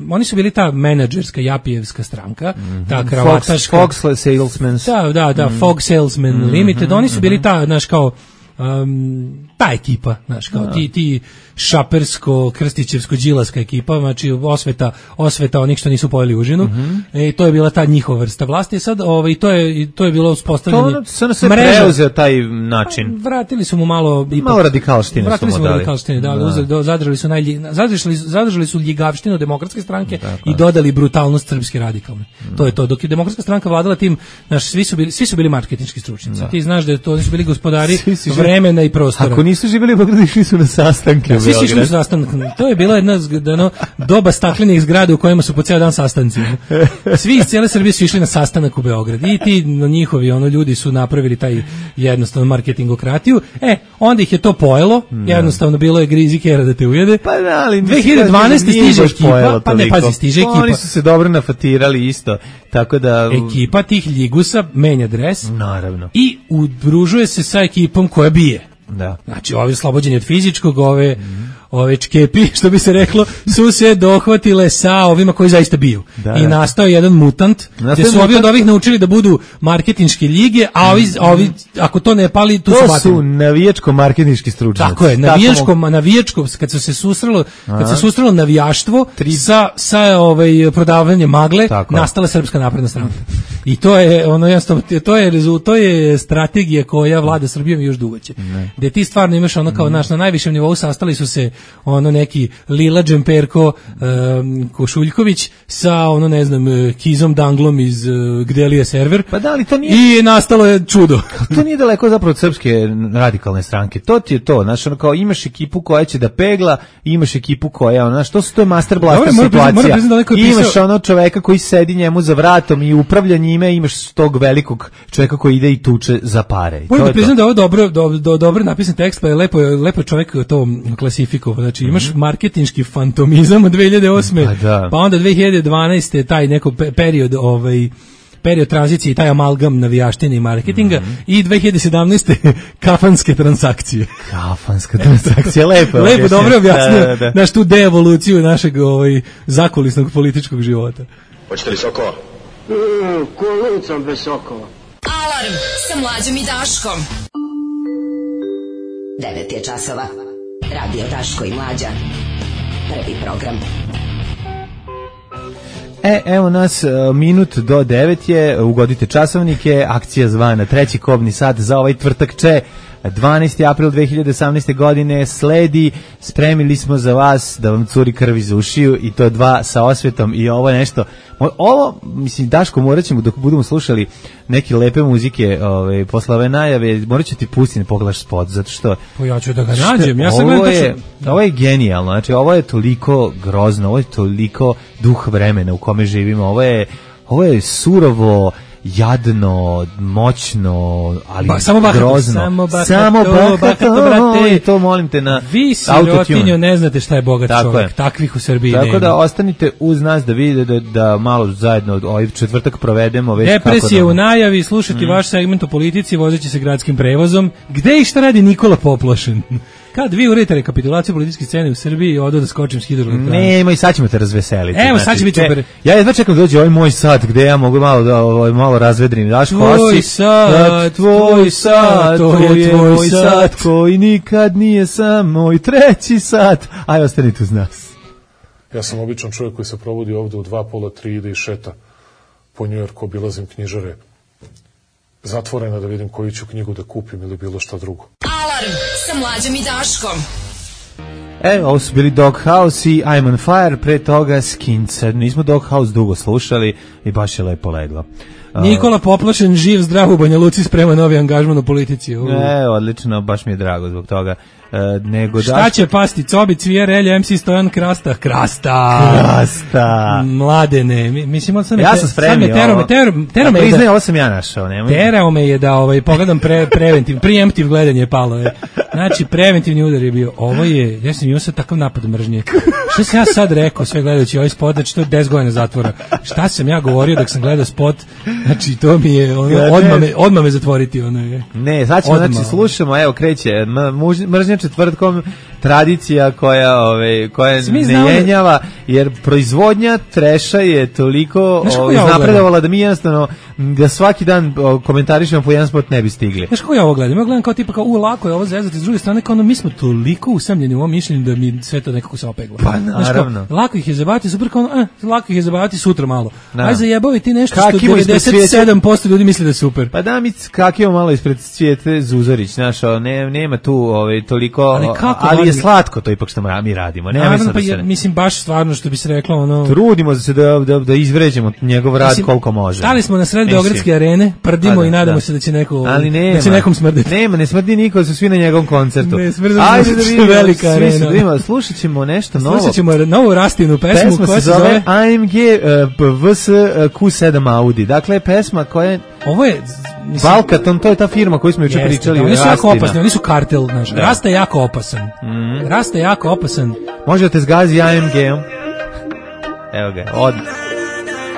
oni su bili ta menadžerska japijevska stranka, mm-hmm. ta kravataška Fox, Fox salesmen. Da, da, da, mm-hmm. Fox salesman mm-hmm. limited. Oni su bili ta, znaš, kao um, ta ekipa, znaš, kao ti, ti šapersko, krstićevsko, đilaska ekipa, znači osveta, osveta onih što nisu pojeli užinu. Mm-hmm. E, to je bila ta njihova vrsta vlasti. Sad, ovaj, to je, to je bilo uspostavljanje to se preuzeo taj način. Vratili su mu malo ipak, malo radikalštine. Vratili su mu radikalštine, da, da. Uzeli, do, zadržali su naj, zadržali, zadržali su ljigavštinu demokratske stranke tako, i dodali brutalnost srpske radikalne. Mm. To je to. Dok je demokratska stranka vladala tim, naš svi su bili svi su bili marketinški stručnjaci. Da. Ti znaš da to oni su bili gospodari vremena i prostora. Ako nisu živjeli u Beogradu, išli su na sastanke. Svi su išli na sastanak. To je bila jedna no, doba staklenih zgrada u kojima su po ceo dan sastanci. Svi iz cijele Srbije su išli na sastanak u Beograd. I ti no, njihovi ono ljudi su napravili taj jednostavno marketingokratiju. E, onda ih je to pojelo. No. Jednostavno bilo je grizi kera da te ujede. Pa da, ali dve hiljade dvanaeste stiže ekipa, pa ne pazi, stiže ekipa. Oni su se dobro nafatirali isto. Tako da ekipa tih ljigusa menja dres. Naravno. I udružuje se sa ekipom koja bije. Da. Znači, ovi oslobođeni od fizičkog, ove, mm. ove čkepi, što bi se reklo, su se dohvatile sa ovima koji zaista biju. Da, I nastao jedan mutant, gde su ovi od ovih naučili da budu marketinške ljige, a ovi, a ovi ako to ne pali, tu to su batili. To su navijačko-marketinški stručnjaci. Tako je, navijačko, navijačko, kad su se susrelo, kad se susrelo navijaštvo Tri... sa, sa ovaj, prodavanjem magle, tako nastala Srpska napredna stranka. I to je, ono, jasno, to je, to je strategija koja vlada Srbijom još dugo će. Gde ti stvarno imaš ono kao naš na najvišem nivou sastali su se ono neki Lila Džemperko um, Košuljković sa ono ne znam Kizom Danglom iz uh, Gdelije server. Pa da li to nije i nastalo je čudo. To nije daleko zapravo od srpske radikalne stranke. To ti je to, znaš, ono kao imaš ekipu koja će da pegla, imaš ekipu koja, ono, znaš, to su to je master blaster situacija. Mora, mora imaš pisao... ono čoveka koji sedi njemu za vratom i upravlja njime, imaš tog velikog čoveka koji ide i tuče za pare. Moram da priznam da ovo dobro, do, do, dobro napisan tekst, pa je lepo, lepo čovjek to klasifikovao. Znači imaš mm-hmm. marketinški fantomizam od dve hiljade osme. Pa, da. Pa onda dve hiljade dvanaeste taj neko period ovaj period tranzicije i taj amalgam navijaštine i marketinga mm-hmm. i dve hiljade sedamnaeste kafanske transakcije. Kafanska transakcija, lepo. Lepo, dobro objasnio. Da, da, da. Naš tu deevoluciju našeg ovaj zakulisnog političkog života. Hoćete li sokova? Mm, kolucom bez sokova. Alarm sa Mlađom i Daškom. devet je časova. Radio Daško i Mlađa. Prvi program. E, evo nas, minut do devet je, ugodite časovnike, akcija zvana treći kobni sat za ovaj tvrtak če, dvanaesti april dve hiljade osamnaeste. godine sledi, spremili smo za vas da vam curi krv iz ušiju i to dva sa osvetom i ovo nešto, ovo, mislim, Daško, morat ćemo dok budemo slušali neke lepe muzike ove, posle ove najave, morat ću ti pustiti ne pogledaš spot, zato što... Pa ja ću da ga nađem, ja sam ovo, je, ovo je genijalno, znači ovo je toliko grozno, ovo je toliko duh vremena u kome živimo, ovo je, ovo je surovo, jadno, moćno, ali ba, samo bahato, grozno. Samo bahato, samo bahato, bahato brate. To molim te na vi sirotinjo ne znate šta je bogat tako čovjek, je. Takvih u Srbiji tako nema. Tako da ostanite uz nas da vidite da, da malo zajedno ovaj četvrtak provedemo. Već depresije kako da... u najavi, slušati mm. vaš segment o politici vozeći se gradskim prevozom. Gde i šta radi Nikola Poplošen? Kad vi uredite rekapitulaciju političke scene u Srbiji, odo da skočim s hidroelektrane. Nema i sad ćemo te razveseliti. Evo, znači, sad će biti super. Ja jedva čekam da dođe ovaj moj sat gde ja mogu malo da ovaj malo razvedrim. Daš tvoj sat, tvoj sat, to je tvoj sat koji nikad nije sam moj treći sat. Aj, ostanite uz nas. Ja sam običan čovjek koji se probudi ovde u dva pola tri ide i šeta po Njujorku, obilazim knjižare. Zatvorena da vidim koju ću knjigu da kupim ili bilo šta drugo. Alarm sa Mlađom i Daškom. E, ovo su bili Doghouse i I'm on Fire, pre toga Skinca. Nismo Doghouse dugo slušali i baš je lepo leglo. Nikola Poplošen, živ, zdrav u Banja Luci, sprema novi angažman u politici. U. E, odlično, baš mi je drago zbog toga. E, nego Šta daš... će pasti? Cobi, Cvijer, Elja, em ce Stojan, Krasta. Krasta! Krasta! Mladene, mislim, on sam ja sam spremio. Terao me, terao me, terao me. Priznaj, ovo sam ja našao. Nemoj. Terao me je da ovaj, pogledam pre, preventiv, preemptiv gledanje je palo. Je. Znači, preventivni udar je bio. Ovo je, ja sam imao sad takav napad mržnje. Šta sam ja sad rekao, sve gledajući ovaj spot, znači to je deset godina zatvora. Šta sam ja govorio dok sam gledao spot, znači to mi je, ono, odmah, me, odmah me zatvoriti. Ono je. Ne, sad ćemo, znači, slušamo, evo, kreće, mržnja četvrtkom, tradicija koja, ove, koja ne jenjava, jer proizvodnja treša je toliko iznapredovala da mi jednostavno, da svaki dan komentarišemo po jedan spot ne bi stigli. Znaš kako ja ovo gledam? Ja gledam kao tipa kao, u, lako je ovo zezati, s druge strane kao ono, mi smo toliko usamljeni u ovom mišljenju da mi sve to nekako se opegla. Pa naravno. Kao, lako ih je zabavati, super kao, eh, lako ih je zabavati sutra malo. Da. Aj zajebavi ti nešto Kakimo što devedeset sedam posto ljudi misli da je super. Pa da mi kakimo malo ispred Cvijete Zuzorić, znaš, ne, nema tu ovaj, toliko, ali, kako, ali je slatko to ipak što mi radimo. Ne, naravno, pa je, ne... mislim, baš stvarno što bi se reklo, ono... Trudimo se da, da, da izvređemo njegov rad mislim, koliko može. Stali smo na sred Beogradske arene, prdimo da, i nadamo da. se da će, neko, ali nema, da će nekom smrditi. Nema, ne smrdi niko, su svi na njegovom koncertu. Ne, smrdi Ajde da vidimo, velika arena. Vidimo, slušat ćemo nešto novo. Slušat ćemo novu Rastinu pesmu. Pesma koja se zove A M G uh, V S Q sedam Audi. Dakle, pesma koja je... Ovo je... Mislim, Valkaton, to je ta firma koju smo juče pričali. Da, oni su jako opasni, oni su kartel, znaš. Da. Rasta je jako opasan. Mm. Rasta je jako opasan. Može da te zgazi A M G-om. Evo ga, od...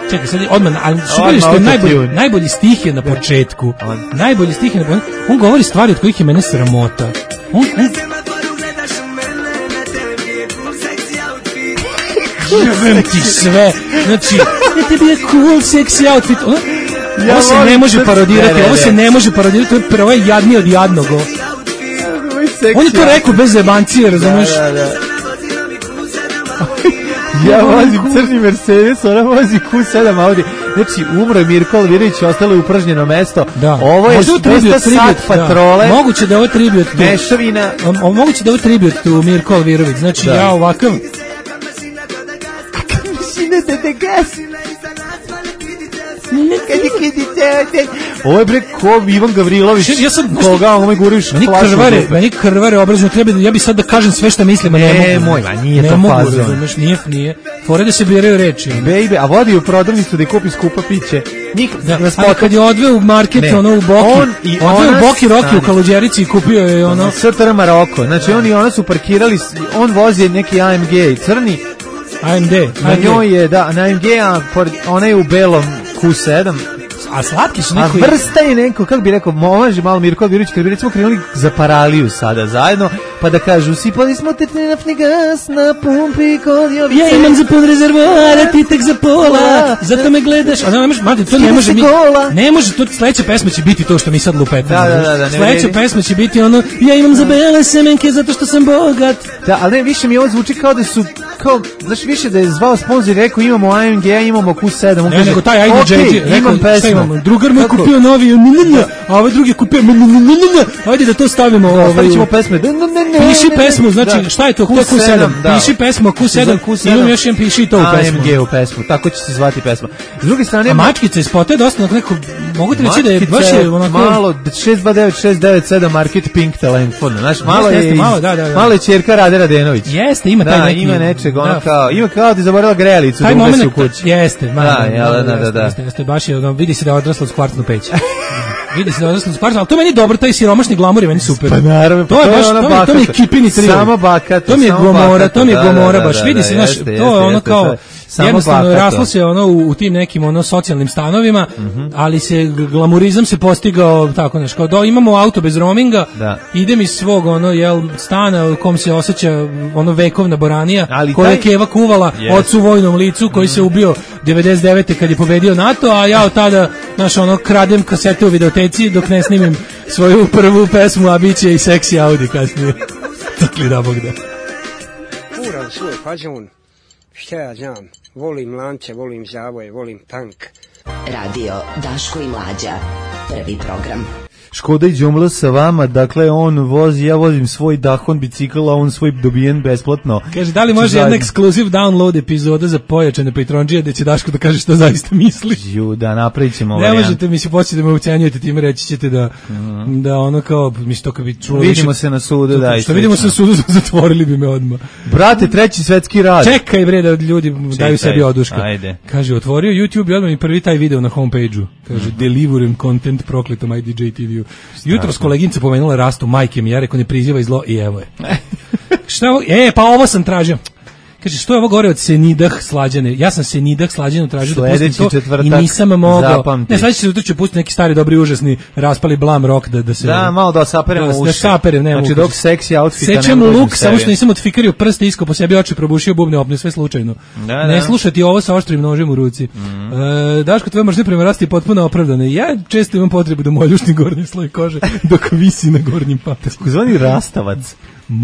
Čekaj, sad odmah, ali super što je najbolji, najbolji stih je na početku. On. Najbolji stih je na početku. On govori stvari od kojih je mene sramota. On... on... Jebem ti sve. Znači, ja tebi je cool, sexy outfit. On... Ja ovo se ne može parodirati, ne, ne, ne. ovo se ne može parodirati, ovo je jadnije od jadnog. On je to rekao bez zebancije, razumeš? Da, da, da. Ja vozim crni Mercedes, ona vozi Q sedam Audi. Znači, umro je Mirko Alvirović, ostalo je upražnjeno mesto. Da. Ovo je tribut, sat patrole. Da. Moguće da je ovo tribut. Mešavina. O, moguće da je ovo tribut tu Mirko Alvirović. Znači, da. ja ovakav... Mašine te gasi. Ovo je bre ko Ivan Gavrilović. Ja sam koga ovome guriš meni krvare, meni krvare obrazno treba da ja bi sad da kažem sve šta mislim, a ne, ne mogu. Moj, ma nije ne to fazon. Razumeš, nije, nije. Fore da se biraju reči. Baby, a vodi u prodavnicu da kupi skupa piće. Njih da, a kad je odveo u market, ne. ono u Boki, on i odveo u Boki Roki u Kaluđerici i kupio je ono S T R Maroko. Znači oni ona su parkirali, on vozi neki A M G crni. A M D. Na njoj je, da, na A M G, a ona je u belom Q sedam. A slatki su neko... A vrsta je neko, kako bi rekao, može malo Mirko Alvirović, kad bi recimo krenuli za Paraliju sada zajedno, pa da kažu sipali smo te naftni gas na pumpi kod Jovice. Ja imam za pun rezervoara, ti tek za pola, zato me gledaš. A ne može, mati, to ne može mi, ne može, to sledeća pesma će biti to što mi sad lupetamo. Da, da, da, da, sledeća pesma će biti ono, ja imam za bele semenke zato što sam bogat. Da, ali ne, više mi ovo zvuči kao da su, kao, znaš, više da je zvao sponsor i rekao imamo A M G, imamo Q sedam. Ne, nego taj ajde J J, rekao, šta imamo, drugar mu je kupio novi, a ovaj drugi je kupio, ajde da to stavimo. Stavit ćemo pesme. Piši pesmu, znači, šta je to, Q sedam, piši pesmu Q sedam, imam još jedan piši to u pesmu. A M G u pesmu, tako će se zvati pesma. S druge strane... A mačkica iz spota je dosta neko, mogu ti reći da je baš je onako... Malo, šest dva devet šest devet sedam Market Pink telefon, znaš, malo je... Jeste, malo, da, da, da. Malo je ćerka Rade Radenović. Jeste, ima taj da, neki... ima nečeg, ono kao, ima kao da je zaboravila grejalicu da ugasi u kući. Jeste, malo, da, da, da, da, da. Jeste, jeste, baš je, ono, vidi se da je odrasla uz kvartnu peć. Vidi se da je odrasla uz kvartnu, ali to meni je dobro, taj siromašni glamur je meni super. Pa naravno, to je baš, to, to, to mi je kipini trio. Samo bakato, to mi je gomora, to mi je gomora, baš, vidi se, znaš, jeste, to je ono jeste, kao... Jednostavno raslo se ono u, u tim nekim ono socijalnim stanovima, mm-hmm. ali se glamurizam se postigao tako nešto. Kao da imamo auto bez roaminga, da. idem iz svog ono jel stana u kom se osjeća ono vekovna boranija, ali koja je taj... Keva kuvala yes. ocu vojnom licu koji mm. se ubio devedeset devete kad je pobedio NATO, a ja od tada naš ono kradem kasete u videoteci dok ne snimim svoju prvu pesmu, a biće i Sexy Audi kasnije. Takli da Bog da. Uran svoj fazon. Šta ja znam, volim lance, volim zavoje, volim tank. Radio Daško i Mlađa, prvi program. Škoda i Đumla sa vama, dakle on vozi, ja vozim svoj Dahon bicikl, a on svoj dobijen besplatno. Kaže, da li može jedna ekskluziv download epizoda za pojačane Patreonđije gde će Daško da kaže što zaista misli? Ju, da, napravit ćemo varijant. Ne možete mi se početi da me ucenjujete, time reći ćete da, mm. da ono kao, mi što kad bi čulo vidimo više, se na sudu, da. Što vidimo se na sudu, zatvorili bi me odmah. Brate, treći svetski rat. Čekaj bre, da ljudi Čekaj, daju sebi oduška. Ajde. Kaže, otvorio YouTube i odmah mi prvi taj video na homepage-u. Kaže, mm. deliverujem content prokletom I D J T V-u. Jutros koleginica pomenula Rastu, majke mi, ja rekao ne prizivaj zlo i evo je. Šta ovo? E, pa ovo sam tražio. Kaže, što je ovo gore od Senidah Slađane? Ja sam Senidah Slađanu tražio da pustim to i nisam mogao. Zapamti. Ne, sledeći četvrtak ću pustiti neki stari, dobri, užasni, raspali blam rock da, da se... Da, malo da saperemo da, uši. Da saperem, ne znači, dok seksi outfita ne sečem luk, samo što nisam otfikario prste, isko po sebi oči, probušio bubne opne, sve slučajno. Da, ne da. Slušati ovo sa oštrim nožem u ruci. Mm. E, Daško, tvoje mržnje prema Rasti je potpuno opravdane. Ja često imam potrebu da moj ljušni gornji sloj kože dok visi na gornjim patasku. Zvani rastavac.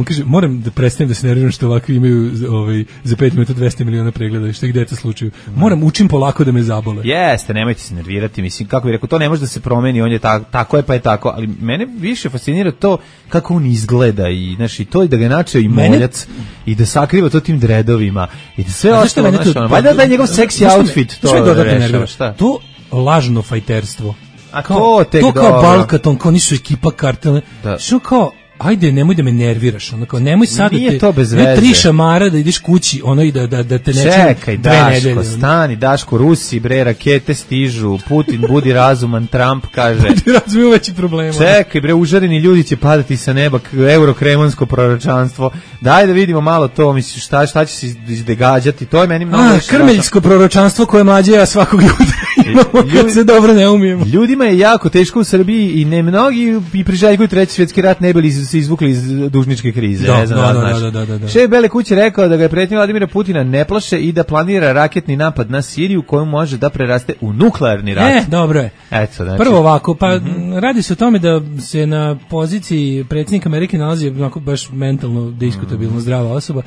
Kaže, moram da prestanem da se nerviram što ovako imaju ovaj, za pet minuta dvesta miliona pregleda i što gde je to slučaju. Moram učim polako da me zabole. Jeste, nemojte se nervirati, mislim, kako bih rekao, to ne može da se promeni, on je ta, tako je pa je tako, ali mene više fascinira to kako on izgleda i, znaš, i to i da ga načeo i moljac i da sakriva to tim dredovima i da sve ostalo, znaš, ono, valjda da je njegov seksi outfit to rešava, šta? To lažno fajterstvo. A to tek to kao Balkaton, kao nisu ekipa kartelne, što kao ajde, nemoj da me nerviraš, ono kao, nemoj sad nije da te, to bez veze. Tri šamara da ideš kući, ono i da, da, da te nečem čekaj, Daško, stani, Daško, Rusi, bre, rakete stižu, Putin budi razuman, Trump kaže. Budi razuman, veći problema. Čekaj, bre, užareni ljudi će padati sa neba, eurokremonsko proročanstvo, daj da vidimo malo to, misliš, šta, šta će se izdegađati, to je meni mnogo... A, krmeljsko proročanstvo koje mlađe ja svakog jutra imamo kad se dobro ne umijemo. Ljudima je jako teško u Srbiji i ne mnogi i priželjkuju treći svjetski rat ne bili se izvukli iz dužničke krize. Da, ne znam, da, znaš. da, da, da, da. Šef Bele kuće rekao da ga je pretnja Vladimira Putina ne plaše i da planira raketni napad na Siriju koju može da preraste u nuklearni rat. E, dobro je. Eto, znači. Prvo ovako, pa mm-hmm. radi se o tome da se na poziciji predsjednika Amerike nalazi onako baš mentalno diskutabilno mm. zdrava osoba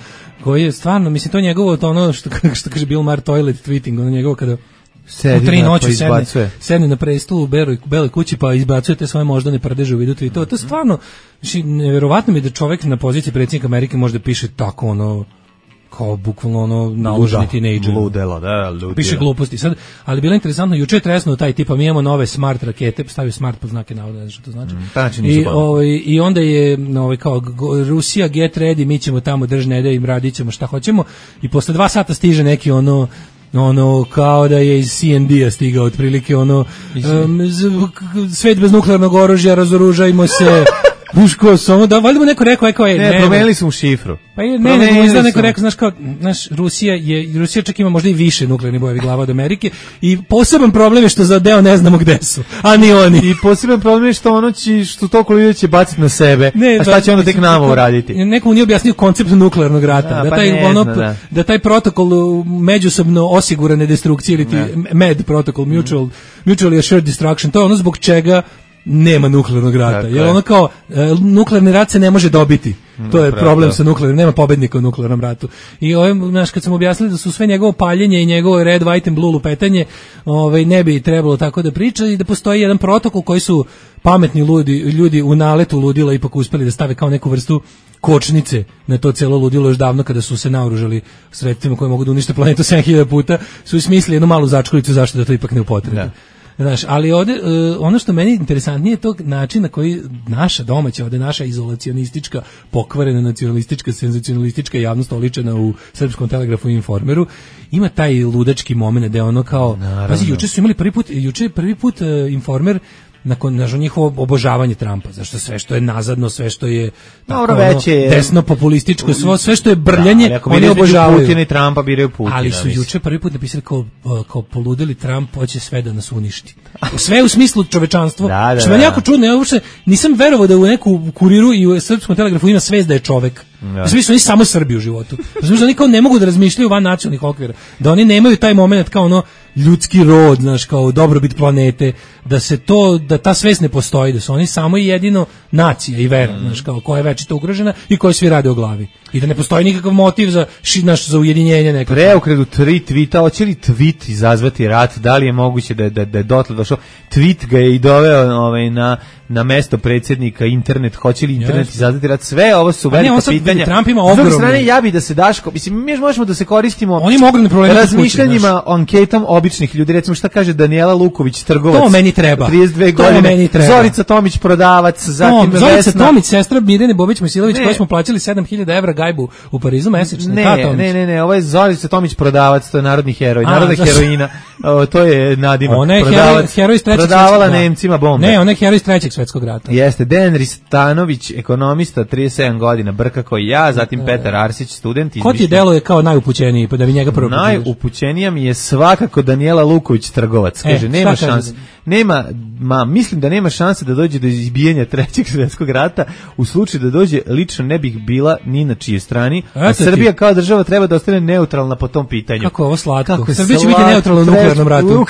koji je stvarno, mislim, to njegovo, to ono što, što kaže Bill Maher toilet tweeting, ono njegovo kada u tri noći sedne, sedne na prestolu u beloj, beloj kući pa izbacuje te svoje moždane prdeže u vidu tweetova. To je stvarno, znači, nevjerovatno mi da čovjek na poziciji predsjednika Amerike može da piše tako ono, kao bukvalno ono naloženi tinejdžer. Ludelo, da, ludelo. Piše gluposti. Sad, ali bilo interesantno, juče je tresnuo taj tipa, mi imamo nove smart rakete, stavio smart pod znake navoda, ne znam što to znači. Mm, znači I, ovaj, I onda je ovaj, kao Rusija get ready, mi ćemo tamo držne da im radit ćemo šta hoćemo i posle dva sata stiže neki ono ono kao da je iz C N D-a stigao otprilike ono um, svet bez nuklearnog oružja, razoružajmo se Buško, samo da, valjda mu neko rekao, rekao je, ne, ne, promenili su mu šifru. Pa ne, ne, ne, izda neko rekao, znaš kao, znaš, Rusija je, Rusija čak ima možda i više nuklearnih bojevih glava od Amerike i poseban problem je što za deo ne znamo gde su, a ni oni. I poseban problem je što ono će, što toliko ljudi će baciti na sebe, ne, a šta će onda tek nama uraditi? Neko mu nije objasnio koncept nuklearnog rata, da, da, pa taj, ne ono, zna, da. da taj protokol međusobno osigurane destrukcije ili ti M E D protokol, mutual, mutually assured destruction, to je ono zbog čega nema nuklearnog rata. Dakle. Jer ono kao, e, nuklearni rat se ne može dobiti. To je Prav, problem da. sa nuklearnim, nema pobednika u nuklearnom ratu. I ovaj, znaš, kad sam objasnili da su sve njegovo paljenje i njegovo red, white and blue lupetanje, ovaj, ne bi trebalo tako da priča i da postoji jedan protokol koji su pametni ljudi, ljudi u naletu ludila ipak uspeli da stave kao neku vrstu kočnice na to celo ludilo još davno kada su se naoružali sredstvima koje mogu da unište planetu sedam hiljada puta, su smislili jednu malu začkoljicu zašto da to ipak ne upotrebi. Da. Znaš, ali ovde, uh, ono što meni interesantnije je tog način na koji naša domaća, ovde naša izolacionistička, pokvarena nacionalistička, senzacionalistička javnost oličena u Srpskom telegrafu i Informeru, ima taj ludački moment da je ono kao, pazi, juče su imali prvi put, juče je prvi put uh, Informer nakon nažo njihovo obožavanje Trumpa, zašto sve što je nazadno, sve što je tako, dobro, ono, je, desno populističko, sve, sve što je brljanje, da, oni obožavaju. Putina i Trumpa biraju Putina. Ali su juče prvi put napisali kao, kao poludeli Trump hoće sve da nas uništi. Sve u smislu čovečanstva. Da, da, što meni jako čudno, ja uopšte nisam verovao da u neku Kuriru i u Srpskom telegrafu ima svest da je čovek. Ja. U smislu oni samo Srbi u životu. U smislu oni kao ne mogu da razmišljaju van nacionalnih okvira. Da oni nemaju taj moment kao ono ljudski rod, znaš, kao dobrobit planete, da se to, da ta svest ne postoji, da su oni samo i jedino nacija i vera, mm. znaš, kao koja je večito ugrožena i koja svi rade o glavi. I da ne postoji nikakav motiv za, naš, za ujedinjenje nekako. Preokredu tri tvita, hoće li tweet izazvati rat, da li je moguće da, da, da je dotle došao, tweet ga je i doveo ovaj, na, na mesto predsjednika, internet, hoće li internet yes. izazvati rat, sve ovo su velika ne, pitanja. Trump ima ogromne. S druge strane, ja bi da se Daško, mislim, mi možemo da se koristimo on ima ogromne probleme razmišljanjima, anketom običnih ljudi, recimo šta kaže Danijela Luković, trgovac, to meni treba. trideset dve to godine, meni treba. Zorica Tomić, prodavac, zatim no, Zorica Vesna. Tomić, sestra Mirjane Bobić-Mojsilović, koju smo plaćali sedam hiljada evra gajbu u Parizu mesečno. Ne, ne, ne, ne, ovo je Zorica Tomić, prodavac, to je narodni heroj, narodna heroina, o, to je nadimak. Ona je prodavac, heroj iz trećeg prodavala Nemcima bombe. Ne, ona je heroj iz trećeg svetskog rata. Jeste, Dejan Ristanović, ekonomista, trideset sedam godina, brka koji ja, zatim e, Petar Arsić, student. Ko ti deluje kao najupućeniji, pa da bi njega prvo najupućenija mi je svakako Danijela Luković, trgovac. Kaže, e, nema šanse. Nema, ma, mislim da nema šanse da dođe do izbijanja trećeg svjetskog rata. U slučaju da dođe, lično ne bih bila ni na čijoj strani. A Srbija ti. Kao država treba da ostane neutralna po tom pitanju. Kako ovo slatko? Kako Srbija će biti neutralna u nuklearnom ratu.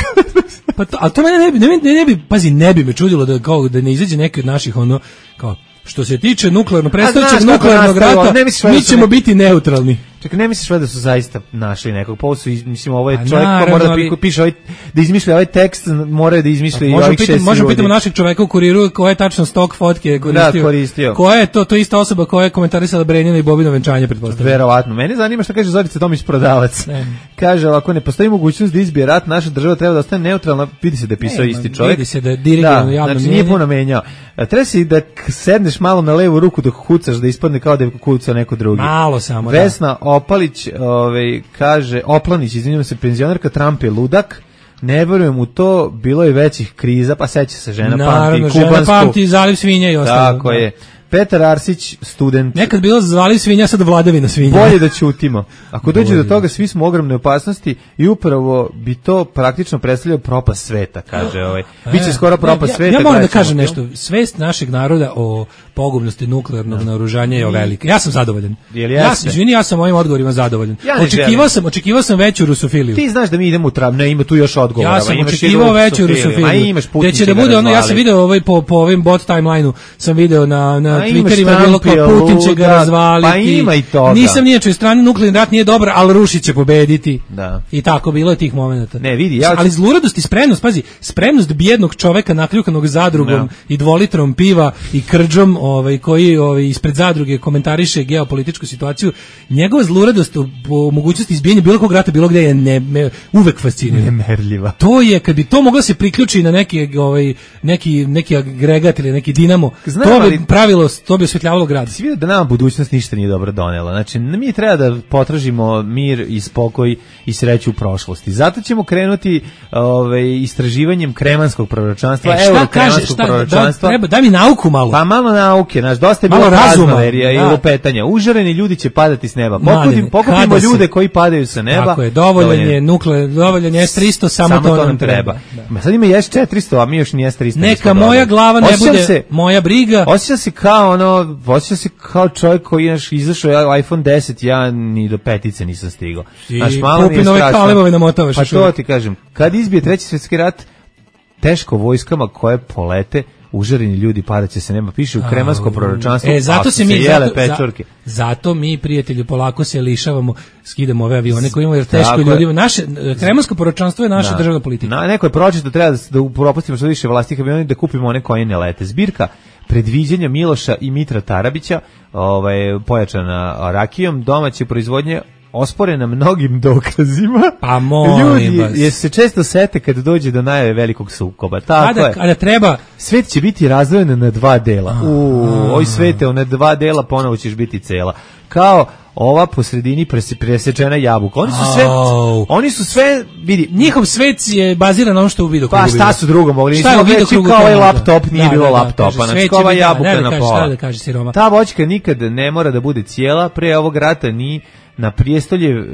Pa to, a to mene ne bi, ne, ne, ne bi, pazi, ne bi me čudilo da, kao, da ne izađe neki od naših, ono, kao, što se tiče nuklearno, predstavljajućeg nuklearnog rata, mi ćemo biti neutralni. Čekaj, ne misliš da su zaista našli nekog? Pa su, mislim, ovo je čovjek ko mora da ali... piše ovaj, da izmišlja ovaj tekst, mora da izmišlja i ovih šest ljudi. Možemo pitamo našeg čoveka u Kuriru koja je tačno stok fotke koristio. Da, koristio. Koja je to, to ista osoba koja je komentarisala Brenjina i Bobino venčanje, pretpostavljam. Verovatno. Mene zanima šta kaže Zorica Tomić, prodavac. Ne. Kaže, ako ne postoji mogućnost da izbije rat, naša država treba da ostane neutralna. Vidi se da je pisao isti čovjek. Vidi se da je dirigovano javno znači, nije puno menjao. Treba si da sedneš malo na levu ruku dok kucaš, da ispadne kao da je kucao neko drugi. Malo samo, Vesna da. Opalić, Ove, kaže, Oplanić, izvinjam se, penzionerka, Trump je ludak, ne verujem u to, bilo je većih kriza, pa seća se žena, naravno, pamti kubansku. Žena pamti zaliv svinja i ostalo. Tako da. Je. Petar Arsić, student. Nekad bilo zaliv svinja, sad vladavina svinja. Bolje da ćutimo. Ako dođe do toga, svi smo u ogromnoj opasnosti i upravo bi to praktično predstavljao propast sveta, kaže ovaj. Biće skoro propast ja, sveta. Ja moram da kažem nešto. Svest našeg naroda o pogubnosti nuklearnog no. naoružanja je velika. Ja sam zadovoljan. Ja sam, izvini, ja sam ovim odgovorima zadovoljan. Ja očekivao sam, očekivao sam veću rusofiliju. Ti znaš da mi idemo u trav, ne, ima tu još odgovora. Ja sam očekivao veću rusofiliju. Da će da bude ono, ja sam video ovaj po po ovim bot timelineu, sam video na na Twitterima bilo kao Putin će ga razvaliti. Pa ima i toga. Nisam nijačoj strani, nuklearni rat nije dobar, ali Rusi će pobediti. Da. I tako bilo je tih momenata. Ne, vidi, ja ali zluradost i spremnost, pazi, spremnost bijednog čoveka nakljukanog zadrugom no. i dvolitrom piva i krđom, ovaj koji ovaj ispred zadruge komentariše geopolitičku situaciju, njegova zluradost po mogućnosti izbijanja bilo kog rata bilo gde je ne, me, uvek fascinira. Nemerljiva. To je kad bi to moglo se priključi na neki ovaj neki neki agregat ili neki dinamo, Znam, to bi ali... pravilo to bi osvetljavalo grad. Si vidio da nama budućnost ništa nije dobro donela. Znači, mi treba da potražimo mir i spokoj i sreću u prošlosti. Zato ćemo krenuti ovaj, istraživanjem kremanskog proročanstva, e, euro kremanskog šta, proročanstva. Da, treba, daj mi nauku malo. Pa malo nauke, znaš, dosta je bilo raznoverija i lupetanja. Užareni ljudi će padati s neba. Pokupimo, pokupimo ljude koji padaju sa neba. Tako je, dovoljan je nukle, dovoljan je es tristo, samo, samo to nam treba. Da. Sad ima es četiristo, a mi još ni es tristo. Neka moja glava ne osjećam bude se, moja briga. Osjećam se kao ono, osjećam se kao čovjek koji je izašao iPhone deset, ja ni do petice nisam stigao. I Pupinove kalebove namotavaš. Pa to ti kažem, kad izbije treći svjetski rat, teško vojskama koje polete, užareni ljudi padaće se nema, piše u kremansko proročanstvo. E, zato se mi, zato, za, zato mi, prijatelju, polako se lišavamo, skidamo ove avione koji imaju, jer teško ljudima. Naše, kremansko proročanstvo je naša da. državna politika. Na, neko je pročito, treba da, da propustimo što više vlastih aviona da kupimo one koji ne lete. Zbirka predviđanja Miloša i Mitra Tarabića, ovaj, pojačana rakijom, domaće proizvodnje, osporena mnogim dokazima. Pa molim Ljudi, vas. Jer se često sete kad dođe do najave velikog sukoba. Tako kada, je. Kada treba... Svet će biti razdvojen na dva dela. U, oj svete, na dva dela ponovo ćeš biti cela. Kao ova po sredini presečena jabuka. Oni su sve, oh. oni su sve, vidi, njihov svet je baziran na ono što u vidu krugu. Pa šta su drugo mogli? Šta je u vidu krugu? Kao ovaj laptop nije da, bilo da, da, laptopa, znači kao ova jabuka na pola. Da kaže siroma. Ta voćka nikad ne mora da bude cijela, pre ovog rata ni na prijestolje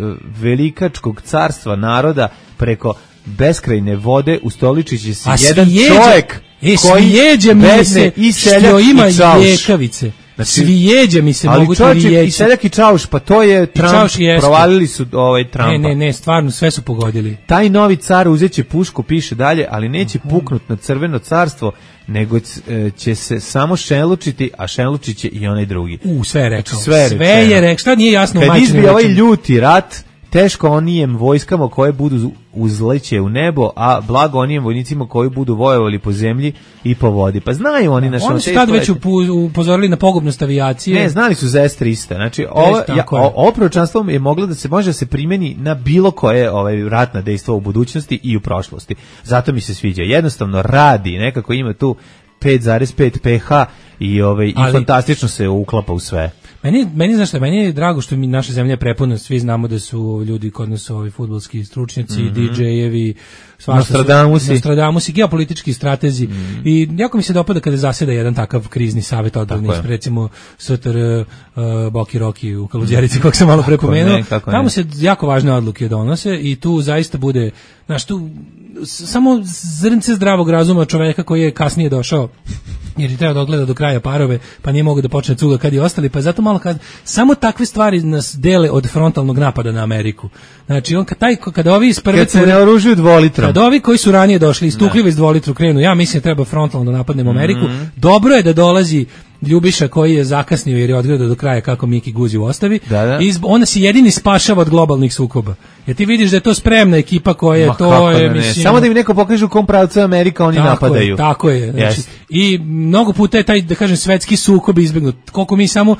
velikačkog carstva naroda preko beskrajne vode ustoličit će se jedan čovjek e, koji jeđe mi se i što ima ljekavice. Znači, svijeđe mi se mogu to riječi. I seljak i čauš, pa to je Trump, provalili su ovaj Trumpa. Ne, ne, ne, stvarno, sve su pogodili. Taj novi car uzeće pušku, piše dalje, ali neće puknut na crveno carstvo, nego će se samo šenlučiti, a šenlučit će i onaj drugi. U, sve je rekao. Sve je, sve je rekao, šta nije jasno u majčinu. Kad izbije ovaj ljuti rat, teško onijem vojskama koje budu uzleće u nebo, a blago onijem vojnicima koji budu vojevali po zemlji i po vodi. Pa znaju oni naše... Oni su tad već upozorili na pogubnost avijacije. Ne, znali su za es tristo. Znači, ovo, ja, ovo proročanstvo je moglo da se može da se primeni na bilo koje ovaj, ratna dejstva u budućnosti i u prošlosti. Zato mi se sviđa. Jednostavno radi, nekako ima tu pet zarez pet pH i, ovaj, i fantastično se uklapa u sve. Meni, meni znaš šta, meni je drago što mi naša zemlja je prepuna, svi znamo da su ljudi kod nas ovi fudbalski stručnjaci, mm-hmm. di džejevi, Nostradamusi, Nostradamusi, geopolitički stratezi mm-hmm. i jako mi se dopada kada zaseda jedan takav krizni savjet odbrane, recimo S T R uh, Boki Roki u Kaluđerici, kako sam malo prepomenuo, tamo se jako važne odluke donose i tu zaista bude, znaš, tu samo zrnce zdravog razuma čoveka koji je kasnije došao jer je trebao da odgleda do kraja parove, pa nije mogao da počne cuga kad je ostali, pa zato malo kad samo takve stvari nas dele od frontalnog napada na Ameriku. Znači, on kad taj, kada ovi iz prve... Kad se ne oružuju dvolitrom. Kad ovi koji su ranije došli, istukljivo iz dvolitru krenu, ja mislim da treba frontalno da napadnemo Ameriku. Mm-hmm. Dobro je da dolazi Ljubiša koji je zakasnio jer je odgledao do kraja kako Miki Guzi u ostavi. Da, da. I ona se jedini spašava od globalnih sukoba. Jer ti vidiš da je to spremna ekipa koja je to je, mislim, samo da im neko pokaže u kom pravcu Amerika oni tako napadaju. Je, tako je. Znači, yes. I mnogo puta je taj, da kažem, svetski sukob izbegnut. Koliko mi samo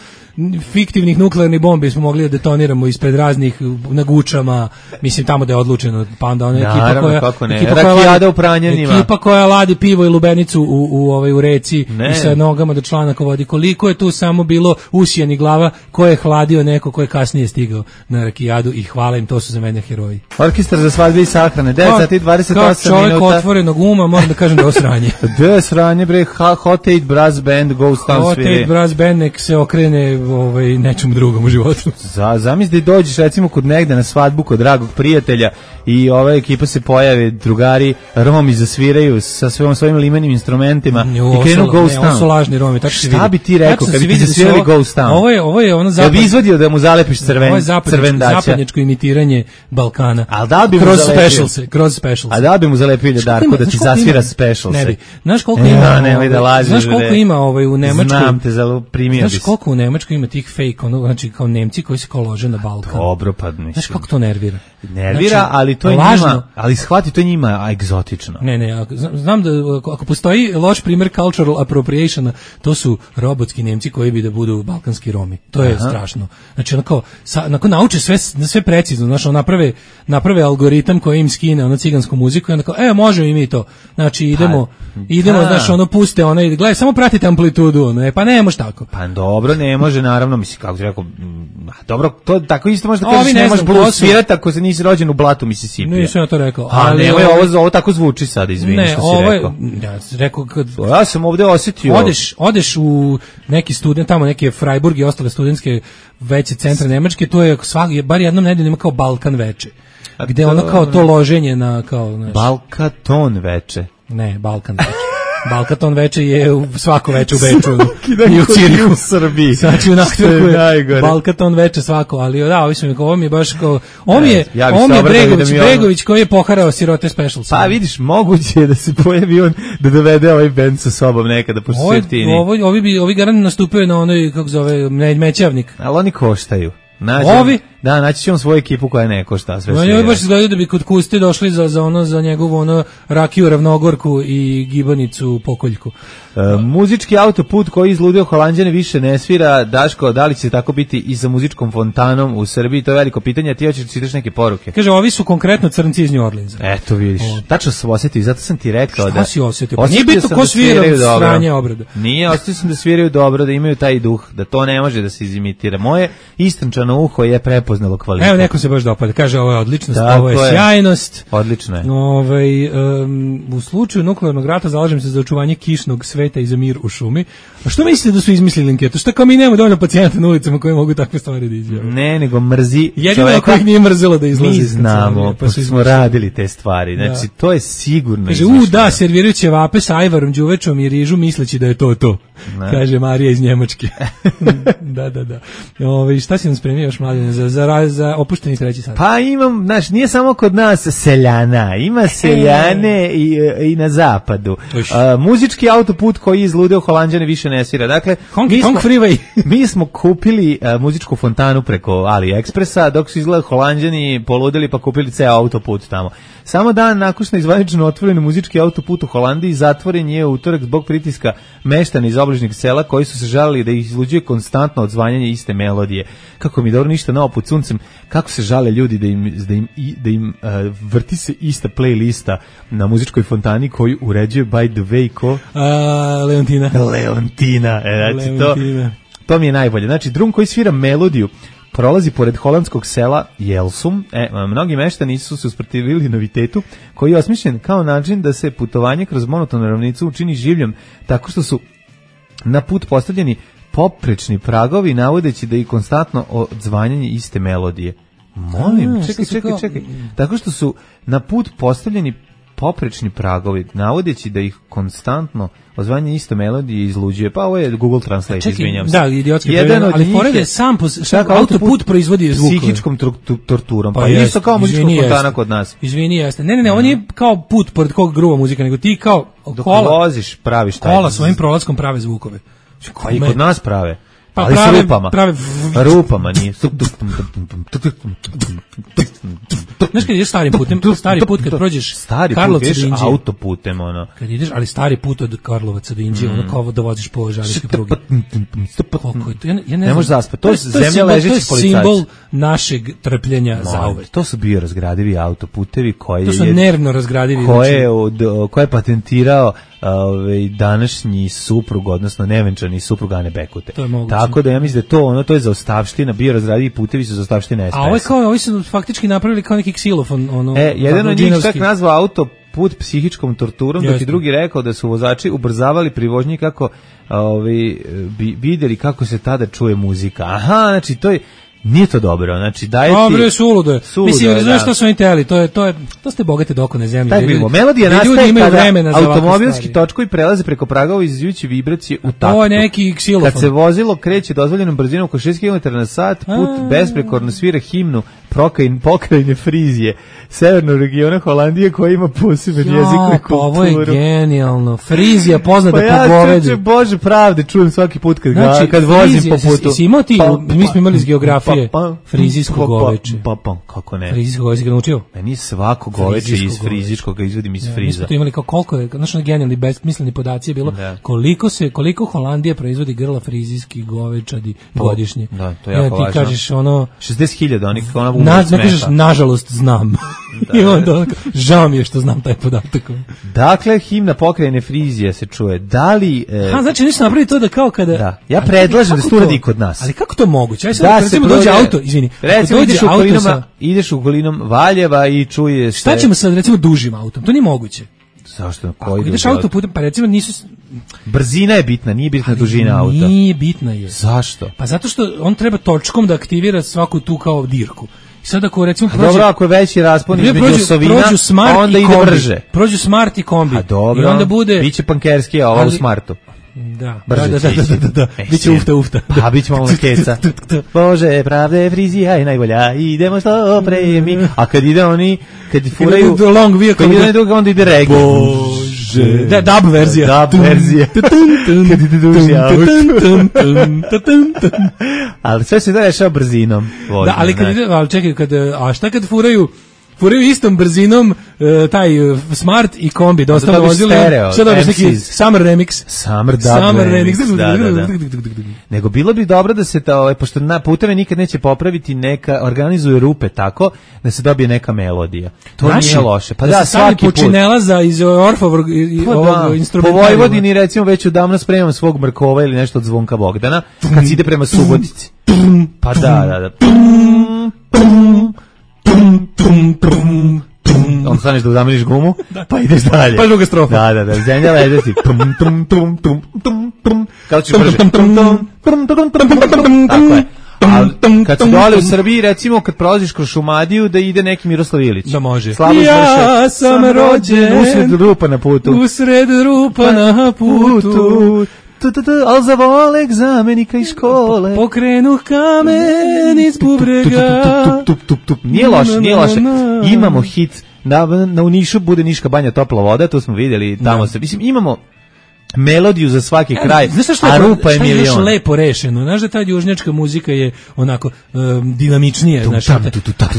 fiktivnih nuklearnih bombi smo mogli da detoniramo ispred raznih na Gučama, mislim tamo da je odlučeno, pa onda ona ekipa Naravno, koja kako ne. ekipa Rakijada koja, u Pranjanima. Ekipa koja ladi pivo i lubenicu u u ovaj u reci ne. I sa nogama do članaka vodi. Koliko je tu samo bilo usijani glava koje je hladio neko ko je kasnije stigao na Rakijadu i hvala im, to su za mene heroji. Orkestar za svadbe i sahrane, devet sati i dvadeset osam minuta. Čovjek otvorenog uma, moram da kažem da je osranje. Da je sranje, bre, Hot Eight Brass Band, Ghost Town Hot Eight Brass Band nek se okrene ovaj, nečemu drugom u životu. Za, zamisli da dođeš recimo kod negde na svadbu kod dragog prijatelja i ova ekipa se pojave, drugari, Romi zasviraju sa svojim, svojim limenim instrumentima i krenu Ghost Town. Ne, ovo su lažni Romi, tako šta bi ti rekao kad bi ti zasvirali Ghost Town? Ovo je, ovo je ono zapad... Ja bi izvadio da mu zalepiš crven, ovo je zapadnjačko, zapadnjačko imitiranje Balkana. Al da bi kroz specialse, kroz specialse. A da bi mu zalepili Darko da ti zasvira specialse. Ne bi. Znaš koliko ima? Ja, ne, da lažeš, znaš koliko ima ovaj u Nemačkoj? Znam te za primio. Znaš koliko u Nemačkoj ima tih fake, ono, znači kao Nemci koji se kao lože na Balkan. Dobro, pa mislim. Znaš kako to nervira? Nervira, znači, ali to je lažno. Njima, ali shvati to njima egzotično. Ne, ne, znam da ako postoji loš primjer cultural appropriationa, to su robotski Nemci koji bi da budu balkanski Romi. To je Aha. strašno. Znači onako, sa, onako nauče sve, sve precizno, znači ono, naprave, naprave algoritam koji im skine ono cigansku muziku i onda kao, e, možemo i mi to. Znači idemo, pa, idemo, da. znači ono, puste, ono, gledaj, samo pratite amplitudu, ono, e, pa ne može tako. Pa dobro, ne može, naravno, mislim, kako ti rekao, m, dobro, to tako isto može da Ovi kažeš, ne ne možeš znam ko blues su. svirati ako se nisi rođen u blatu Mississippi. Nisam ja to rekao. A ali nemoj, ovo- ovo, ovo tako zvuči sad, izvini Ne, što si ovo je, rekao. ja sam rekao kad Ja sam ovde osjetio... odeš, odeš u neki student, tamo neke Freiburg i ostale studentske veće centre Nemačke, to je svaki, bar jednom nedeljno ima kao Balkan veče. Gde ono kao to loženje na, kao, znaš, Balkaton veče. ne, Balkan veče. Balkaton veče je u, svako veče u Beču dan i u kod Cirihu. u Srbiji. Znači u Što je Nachtwerku je najgore. Balkaton veče svako, ali da, ovi su mi kao, ovo mi je baš kao, ovo mi je, Ja bi ovo se mi je obradovao Bregović, da mi ono- Bregović koji je poharao sirote special. Pa vidiš, moguće je da se pojavi on da dovede ovaj bend sa sobom nekada, pošto su Ovo, jeftini. ovo, ovi bi, ovi garant nastupio na onoj, kako zove, me- mećavnik. Ali oni koštaju. Nađe, Ovi? Da, naći će on svoju ekipu koja ne košta sve No, svira. njoj baš izgledaju da bi kod Kuste došli za, za ono, za njegovu ono rakiju ravnogorku i gibanicu pokoljku. E, muzički autoput koji izludio Holanđane više ne svira. Daško, da li će tako biti i sa muzičkom fontanom u Srbiji? To je veliko pitanje, a ti hoćeš da čitaš neke poruke. Kaže, ovi su konkretno crnci iz New Orleansa. Eto vidiš, tačno sam osjetio i zato sam ti rekao Šta da... si osjetio? Pa Osjetio nije bitno sam ko da svira sviraju dobro. sranje obrada. Nije, osjetio sam da sviraju dobro, da imaju taj duh, da to ne može da se izimitira. Moje istančano uho je prepoznalo kvalitet. Evo, neko se baš dopada. Kaže, ovo je odličnost, Tako ovo je, je. sjajnost. Odlično je. Ovaj, um, u slučaju nuklearnog rata zalažem se za očuvanje kišnog sveta i za mir u šumi. A što mislite da su izmislili anketu? Šta kao mi nemamo dovoljno pacijenta na ulicama koji mogu takve stvari da izjave? Ne, nego mrzi Jedino čoveka. kojih nije mrzelo da izlazi. Mi iz znamo, kancelarije, pa su pošto smo izmislili. radili te stvari. Znači, Da. to je sigurno Kaže, u izmišljeno. da, servirat će vape sa ajvarom, đuvečom i rižu misleći da je to to. Da. Kaže Marija iz Njemačke. da, da, da. Ove, šta si nam spremio još, Mladine, za, za, ra- za opušteni treći sat? Pa imam, znaš, nije samo kod nas seljana, ima seljane i, i na zapadu. Uš. A, muzički autoput koji izludeo Holanđane više ne svira. Dakle, Honky mi smo, Tonk Freeway. mi smo kupili a, muzičku fontanu preko AliExpressa, dok su izgleda Holanđani poludeli pa kupili ceo autoput tamo. Samo dan nakon što je zvanično otvoren muzički autoput u Holandiji, zatvoren je u utorak zbog pritiska meštana iz obližnjeg sela koji su se žalili da ih izluđuje konstantno odzvanjanje iste melodije. Kako mi dobro ništa novo pod suncem, kako se žale ljudi da im, da im, i- da im uh, vrti se ista playlista na muzičkoj fontani koju uređuje by the way ko A, Leontina. Leontina. E, znači, to, Leontina. to mi je najbolje. Znači, drum koji svira melodiju prolazi pored holandskog sela Jelsum. E, mnogi meštani su se usprotivili novitetu koji je osmišljen kao način da se putovanje kroz monotonu ravnicu učini življem tako što su na put postavljeni poprečni pragovi navodeći da je konstantno odzvanjanje iste melodije. Molim, A, čekaj, što su čekaj, kao- čekaj. Tako što su na put postavljeni poprečni pragovi, navodeći da ih konstantno odzvanje isto melodije izluđuje. Pa ovo je Google Translate, Čekaj, izvinjam se. da, idiotski Jedan prevod, od ali njih pored je je sam po- sam čak autoput proizvodi zvukove. psihičkom tru- tu- torturom. Pa, jest, isto kao muzička izvini, fontana jeste. kod nas. Izvini, jeste. Ne, ne, ne, on nije kao put pored kog gruva muzika, nego ti kao Dok kola, voziš, praviš taj. kola svojim prolaskom prave zvukove. Pa i kod nas prave. Pa ali prave- s rupama. prave- Rupama nije. Znaš kad ideš starim putem, stari put kad prođeš Stari put, Karlovca ideš do Inđije, autoputem, ono. kad ideš, ali stari put od Karlovaca do Inđije, ono kao da voziš po žarijskoj prugi. Koliko je to? Ja, ne- ja ne, Ne znam. možeš zaspati. To je zemlja simbol- ležećih To je policajaca. simbol našeg trpljenja za Molim, uvek. To su biorazgradivi autoputevi koje To su je nervno razgradivi. koje znači- je od koje je patentirao ovaj današnji suprug, odnosno nevenčani suprug Ane Bekute. To je moguće. Tako da ja mislim da je to ono to je zaostavština, biorazgradivi putevi su zaostavština S P S. A ovo je kao, ovi su faktički napravili kao neki ksilofon, ono. E, jedan od njih čak džinovski. nazvao auto put psihičkom torturom, dok Jeste. je drugi rekao da su vozači ubrzavali pri vožnji kako ovaj, bi vidjeli kako se tada čuje muzika. Aha, znači to je nije to dobro, znači daje ti... Dobro je suludo. je. Suludo Mislim, je, razumiješ da. što su oni teli, to je, to je, to ste bogate dokone zemlje. Tako gdje bilo. ljudi- Melodija gdje ljudi nastaje imaju kada vremena za ovakve automobilski stvari. točkovi prelaze preko pragova izazivjujući vibracije u taktu. To je neki ksilofon. Kad se vozilo kreće dozvoljenom brzinom oko šest kilometara na sat, put A. besprekorno svira himnu Prokain, pokrajine Frizije, severnog regiona Holandije koja ima poseban jezik i Ja, kulturu. pa ovo je genijalno. Frizija poznata Pa po ja govedu. čoče, Bože pravde, čujem svaki put kad, Znači, ga, kad vozim Frizija, po putu. si- si imao ti, Pa- mi smo imali iz geografije. filozofije, frizijsko goveče. Pa, pa, kako ne? Frizijsko goveče ga naučio? Meni svako goveče iz frizijskog izvodim iz friza. Mi smo tu imali kao koliko je, znaš, genijalni besmisleni podaci je bilo, koliko se, koliko Holandija proizvodi grla frizijskih govečadi godišnje. Da, to je jako važno. Ti kažeš ono... šezdeset hiljada, onih ona umre smeha. Ne kažeš, nažalost, znam. I onda, žao mi je što znam taj podatak. Dakle, himna pokrajine Frizija se čuje. Da li... E... Ha, znači, nisu napravili to da kao kada... Da. Ja predlažem da se to uradi kod nas. Ali kako to moguće? Aj sad, da recimo, dođe auto, izvini. Recimo, ideš, auto sa... ideš okolinom Valjeva i čuješ... Šta ćemo sad, recimo, dužim autom? To nije moguće. Zašto? Ako ideš autoputem, pa recimo nisu... Brzina je bitna, nije bitna dužina auta. Nije bitna je. Zašto? Pa zato što on treba točkom da aktivira svaku tu kao dirku. I sad ako recimo prođe... Dobro, ako je veći raspon između osovina, onda ide brže. Prođu Smart i kombi. A dobro, i onda bude... biće pankerski, a ovo u Smartu. Da, da, da, da, da, da. Biće ufta, ufta. Pa, biće malo keca. Bože, pravde, Frizija je najbolja, idemo što pre mi. A kad ide oni, kad furaju... Kad ide druga, onda ide reggae. Bože. Da, dub verzija. Dub verzija. Kad ide duži auto. Ali sve se da rešava brzinom. Da, ali kad ide, ali čekaj, kad, a šta kad furaju... Furaju istom brzinom uh, taj uh, Smart i kombi, da ostalo vozili. Šta dobiš neki Summer Remix? Summer, Summer Remix. remix. Da, da, da. Nego bilo bi dobro da se, ta, pošto na puteve nikad neće popraviti, neka organizuje rupe tako da se dobije neka melodija. To Naši, nije loše. Pa da, da svaki put. Počinelaza iz Orfovog pa ovog instrumenta. Po Vojvodini recimo već odavno spremam svog Mrkova ili nešto od Zvonka Bogdana, kad se ide prema Subotici. Pa da, da, da. Tum, tum, tum, tum. On staneš da udamljiš gumu, pa ideš dalje. Pa druga strofa. Da, da, da, zemlja ledeti. Tum, tum, tum, tum, tum, tum. Kako ćeš brže? Tum, tum, tum, tum, tum, tum. Tako je. Ali kad si dole u Srbiji, recimo kad prolaziš kroz Šumadiju, da ide neki Miroslav Ilić. Da može. Slabo ja sam rođen usred rupa na putu. Usred rupa na putu. Al za volek zamenika iz škole pokrenuh kamen iz bubrega. Nije loše, nije loše. Imamo hit na, na u Nišu bude Niška banja topla voda, to smo vidjeli tamo se, mislim imamo melodiju za svaki kraj, a rupa je milion. Šta je još lepo rešeno? Znaš da ta južnjačka muzika je onako um, dinamičnija. Znaš,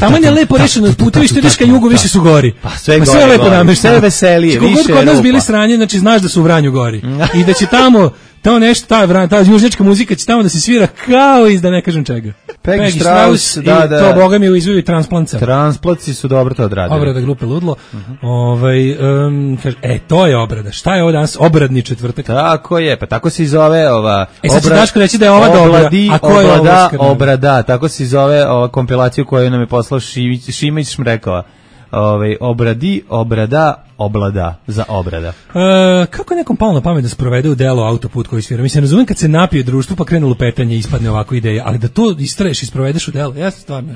tamo je lepo rešeno, putevi što ideš ka jugu, više su gori. Pa sve gori, sve lepo namešteno. Sve veselije, više rupa. Kod nas bili sranje, znači znaš da su u Vranju gori. I da će tamo tamo nešto, ta, ta južnjačka muzika će tamo da se svira kao iz da ne kažem čega. Peggy Strauss, da, da. To, boga mi, u izvoju Transplanca. Transplanci su dobro to odradili. Obrada grupe Ludlo. Uh-huh. Ovaj, um, kaže, e, to je obrada. Šta je ovo danas? Obradni četvrtak. Tako je, pa tako se i zove ova... E, sad će Daško reći da je ova dobra, a ko je obrada, obrada, tako se i zove ova kompilaciju koju nam je poslao Šimić, Šimić Šmrekova. Ovaj, obradi, obrada, oblada, za obrada. E, kako je nekom palo na pamet da sprovede u delo autoput koji svira? Mislim, razumem kad se napije društvo pa krenu lupetanje i ispadne ovako ideja, ali da to istraješ i sprovedeš u delo, ja stvarno...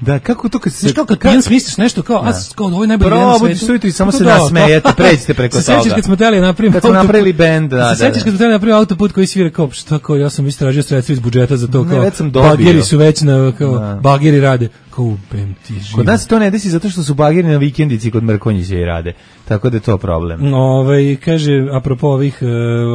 Da, kako to kad se... Znaš kao kad pijan smisliš nešto kao, a kao ovo je najbolji band na svetu. Probudite sujutro i samo se nasmejete, pređite preko toga. Se sećaš kad smo teli napraviti kad smo napravili bend, da, se sećaš kad smo teli napraviti autoput koji svira kao, šta kao, ja sam istražio sredstva iz budžeta za to, kao, bageri su već na, kao, bageri rade. Kao, bem ti živo. Kod nas to ne desi zato što su bageri na vikendici kod Mrkonjića i rade. Tako da je to problem. Ove, kaže, apropo ovih uh,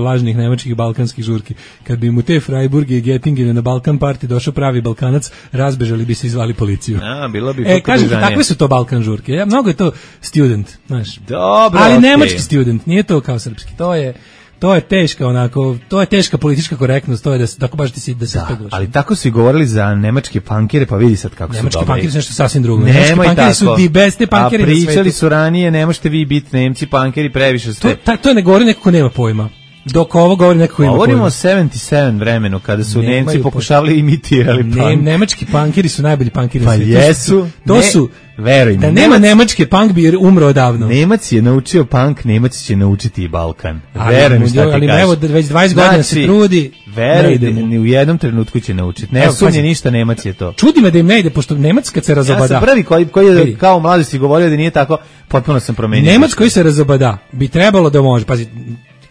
lažnih nemačkih balkanskih žurki, kad bi mu te Freiburge i Göttingene na Balkan party došao pravi Balkanac, razbežali bi se i zvali policiju. A, bilo bi e, kažem ti, takve su to Balkan žurke. Ja, mnogo je to student, znaš. Dobro, ali okay. Nemački student, nije to kao srpski. To je to je teška onako, to je teška politička korektnost, to je da se tako baš ti si da se speglaš. Ali tako su i govorili za nemačke punkere, pa vidi sad kako nemački su dobri. Nemački punkeri su nešto sasvim drugo. Nemački punkeri su di beste punkeri na svetu. A pričali su ranije, ne možete vi biti Nemci punkeri, previše ste. To, ta, to ne govori neko ko nema pojma. Dok ovo govori neko ko ima pojma. Govorimo o sedamdeset sedam vremenu, kada su Nemaju Nemci pokušavali imitirali punk. Ne, nemački punkeri su najbolji punkeri na pa svetu. Pa jesu. To su, veruj mi. Da nema nemačke punk bi umro odavno. Nemac je naučio punk, Nemac će naučiti i Balkan. Veruj mi šta ti ali kažem. Evo, već dvadeset godina se trudi. Veruj, ni u jednom trenutku će naučiti. Ne sumnje ništa, Nemac je to. Čudi me da im ne ide, pošto Nemac kad se razobada. Ja sam prvi koji, koji je kao u mladosti govorio da nije tako, potpuno sam promenio. Nemac koji se razobada bi trebalo da može, pazi,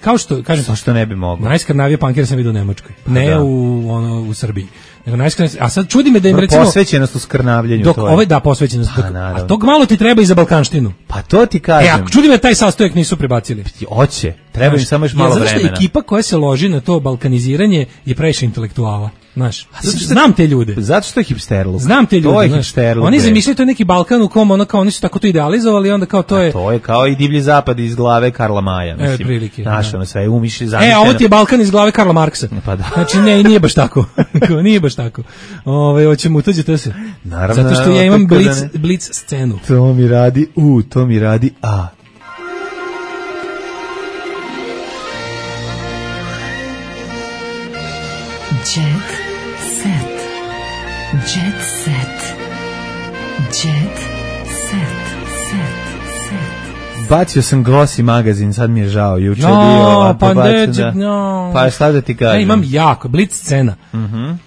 kao što kažem, zašto ne bi mogao? Najskrnavije punkere sam vidio u Nemačkoj, ne da. u ono u Srbiji. Nego najskrnavije, a sad čudi me da im recimo posvećenost u skrnavljenju dok to je. Ovaj da posvećenost, dok, a tog malo ti treba i za balkanštinu. Pa to ti kažem. E, a čudi me taj sastojak nisu prebacili. Hoće, treba im samo još malo vremena. Zato što ekipa koja se loži na to balkaniziranje je previše intelektuala. Znaš, znam te ljude. Zato što je hipsterluk. Znam te ljude, to je znaš. hipsterluk. Oni zamišljaju to neki Balkan u kom ono kao oni su tako to idealizovali, onda kao to je. A to je kao i divlji zapad iz glave Karla Maja, mislim. E, prilike. Naš, ono sve umišlji zamišljeno. E, a ovo ti je Balkan iz glave Karla Marksa. Pa da. Znači, ne, nije baš tako. Nije baš tako. Ove, hoćemo utuđiti se. Naravno. Zato što ja imam blic, blic scenu. To mi radi U, to mi radi A. Jet set. Jet set. Jet set. Set. Set. Bacio sam Glossy magazin, sad mi je žao. Juče je no, bio... Pa ne, da. no. Pa šta da ti kažem? Ja imam jako, blic scena. Mhm. Mm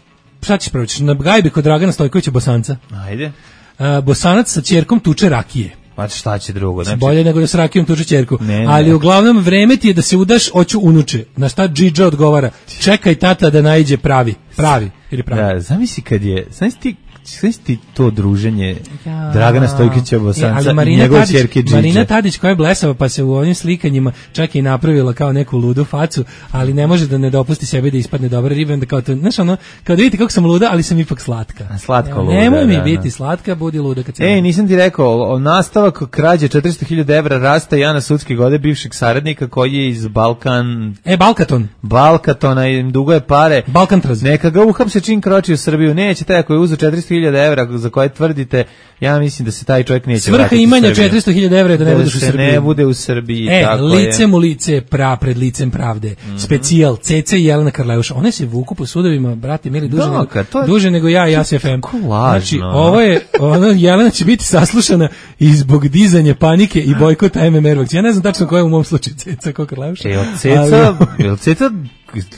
Šta ćeš prvo? Na gajbi kod Dragana Stojkovića Bosanca. Ajde. Uh, Bosanac sa ćerkom tuče rakije. Pa šta će drugo? Znači... Bolje nego da s rakijom tuče ćerku. Ne, ne. Ali uglavnom vreme ti je da se udaš, hoću unuče. Na šta Džidža odgovara? Čekaj tata da naiđe pravi. Pravi. Ili pravi. Da, zamisli kad je... Zamisli ti sve ti to druženje ja. Dragana Stojkovića Bosanca e, i njegove ćerke Džidže. Marina Tadić koja je blesava pa se u ovim slikanjima čak i napravila kao neku ludu facu, ali ne može da ne dopusti sebi da ispadne dobra riba, onda kao to, znaš ono, kao da vidite kako sam luda, ali sam ipak slatka. Slatka luda. Nemoj mi da, biti da. slatka, budi luda kad se... Ej, nisam ti rekao, o nastavak krađe četiristo hiljada evra rasta Jana Sudske gode bivšeg saradnika koji je iz Balkan... E, Balkaton. Balkatona i dugo je pare. Balkantraz. Neka ga uhapse čim kroči u Srbiju. Neće taj ako je uzeo četiristo hiljada evra za koje tvrdite, ja mislim da se taj čovjek neće Svrha vratiti imanja četiristo hiljada evra da ne da budeš u Srbiji. ne bude u Srbiji. E, tako licem u lice, pra pred licem pravde. Mm-hmm. Specijal, Cece i Jelena Karleuša. One se vuku po sudovima, brate, mili, duže, da, nego, to je, duže nego ja i ja se F M. Znači, ovo je, ono, Jelena će biti saslušana i zbog dizanja panike i bojkota M M R vakcina. Ja ne znam tačno ko je u mom slučaju Ceca, ko Karleuša. E, od Ceca, ali... Ceca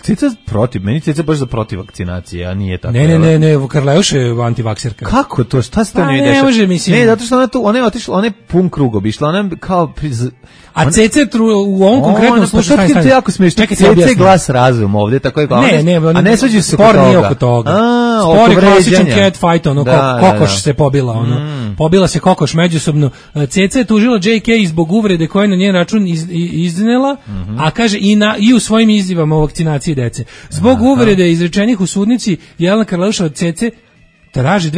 Ceca protiv, meni Ceca baš za protiv vakcinacije, a nije tako. Ne, ne, ne, ne, Karleuša je antivakserka. Kako to? Šta se to pa, ne ne dešava? može, mislim. Ne, zato što ona tu, ona je otišla, ona je pun krug obišla, ona je kao... Priz... A ona... Ceca je u ovom konkretnom slučaju... Šta ti je jako smiješno? Ceca je glas razum ovdje, tako je glas. Ne, ne, a ne svađaju se spor nije oko toga. A, spor je klasičan cat fight, ono, da, kokoš da, da. se pobila, ono. Mm. Pobila se kokoš međusobno. Ceca je tužila J K zbog uvrede koje na njen račun iz, iznela, mm-hmm. a kaže i, na, i u svojim izjavama o vakcinaciji dece. Zbog Aha. uvrede izrečenih u sudnici, Jelena Karleuša od Cece traži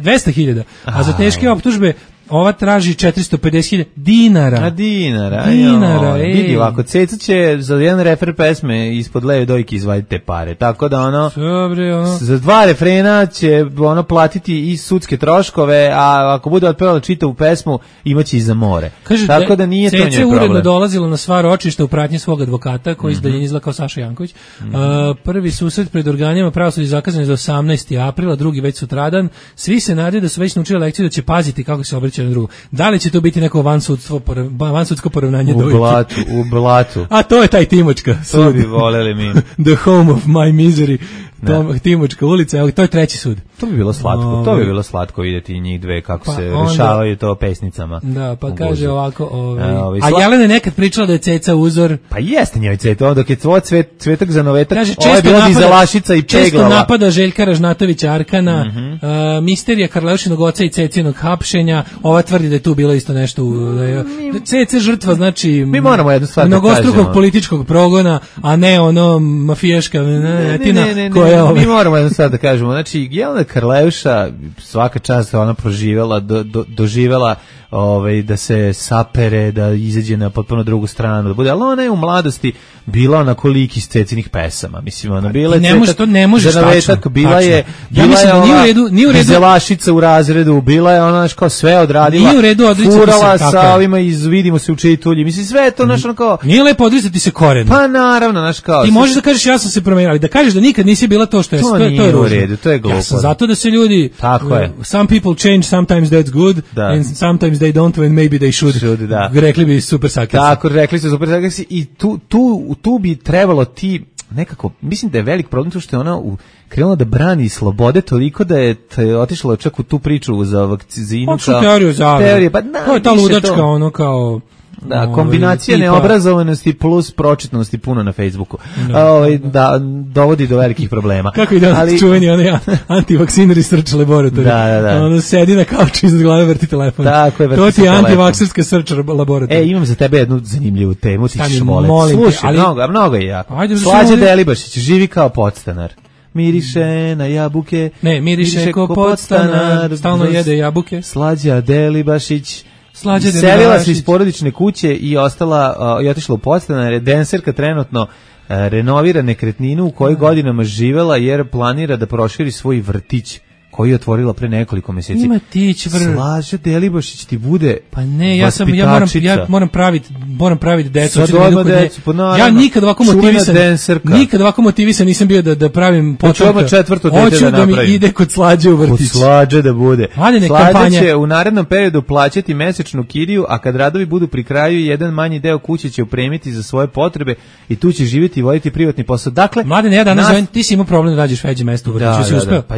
dvesta hiljada, a za teške optužbe ova traži četiristo pedeset hiljada dinara. A dinara, dinara, ej. Vidi, ovako, Ceca će za jedan refer pesme ispod leve dojke izvaditi te pare, tako da ono, Dobre, ono... za dva refrena će ono platiti i sudske troškove, a ako bude otpevala čitavu pesmu, imaće i za more. Kaže, tako da nije to njoj problem. Ceca uredno dolazila na sva ročišta u pratnji svog advokata, koji mm-hmm. izdaljen izgleda kao Saša Janković. Mm-hmm. Uh, prvi susret pred organima pravosuđa zakazan je za osamnaesti aprila, drugi već sutradan. Svi se nadaju da su već naučili lekciju da će paziti kako se obraća na drugo. Da li će to biti neko vansudsko vansudsko poravnanje dojke? U blatu, u blatu. A to je taj Timočka. To bi voleli mi. The home of my misery. Tom, Timočka ulica, evo, to je treći sud. To bi bilo slatko, o, to bi bilo slatko vidjeti njih dve kako pa se onda, rešavaju to pesnicama. Da, pa kaže ovako, ovaj, a, ovaj, a sla... Jelena je nekad pričala da je Ceca uzor. Pa jeste njoj Ceca, onda dok je tvoj cvet, cvetak za novetak, kaže, ovo je bila dizelašica i peglava. Često napada Željka Ražnatovića Arkana, mm-hmm. uh, misterija Karleušinog oca i Cecinog hapšenja, ova tvrdi da je tu bilo isto nešto, da je Ceca žrtva, znači, mi moramo jednu stvar da kažemo. Mnogostrukog političkog progona, a ne ono mafijaška netina ne, ne, ne, koja ne, mi moramo jednu stvar da kažemo, znači Jelena Karleuša svaka čast ona proživela, do, do, doživela ovaj, da se sapere, da izađe na potpuno drugu stranu, da bude, ali ona je u mladosti bila onako lik iz Cecinih pesama, mislim, ona bila je ne može, to ne možeš tačno, bila tačno. je, bila bila ja je da ona redu, dizelašica u razredu, bila je ona kao sve odradila, nije u redu furala se, sa ovima iz Vidimo se u čitulji, mislim, sve je to naš ono kao... Nije lepo odricati se koreno. Pa naravno, naš kao... Ti možeš da kažeš ja sam se promenila, ali da kažeš da nikad nisi bila to što je, to, to, to je u redu, to je glupo. Ja sam zato da se ljudi... Tako je. Some people change, sometimes that's good, da. and sometimes they don't, and maybe they should. should da. Rekli bi super sakrasi. Tako, rekli su super sakrasi i tu, tu, tu bi trebalo ti nekako, mislim da je velik problem to što je ona u, krenula da brani slobode toliko da je otišla čak u tu priču za vakcinu. Kao teoriju zavere. Pa, na, to je ta ludačka, to. ono kao... Da, kombinacija tipa... neobrazovanosti plus pročitnosti puno na Facebooku. Da, o, da, dovodi do velikih problema. Kako ide ali... čuveni onaj antivakciner iz Search Laboratory. Da, da, da. Ono sedi na kauču iznad glave, vrti telefon. Tako je, vrti to ti je antivakserska Search Laboratory. E, imam za tebe jednu zanimljivu temu, ti ćeš voleti. Slušaj, ali... mnogo, mnogo je jako. Ajde, Slađe Delibašić, živi kao podstanar. miriše na jabuke. Ne, miriše, miriše ko podstanar, stalno jede jabuke. Slađa Delibašić. Slađa Selila Delibašić. se iz porodične kuće i ostala uh, i otišla u podstanar. Denserka trenutno uh, renovira nekretninu u kojoj godinama živela jer planira da proširi svoj vrtić koji je otvorila pre nekoliko mjeseci. Ima tić vr. Slađa Delibašić ti bude. Pa ne, ja sam ja moram ja moram praviti moram praviti decu, da decu pa naravno, ja nikad ovako motivisan. Nikad ovako motivisan nisam bio da da pravim potomka. četvrto dete Hoću da, da mi ide kod Slađe u vrtić. Kod Slađe da bude. Slađa će u narednom periodu plaćati mesečnu kiriju, a kad radovi budu pri kraju, jedan manji deo kuće će upremiti za svoje potrebe i tu će živjeti i voditi privatni posao. Dakle, Mladen, ja danas nas... zovem, ti si imao problem da nađeš veće mesto u vrtiću, da, si uspeo? Da, pa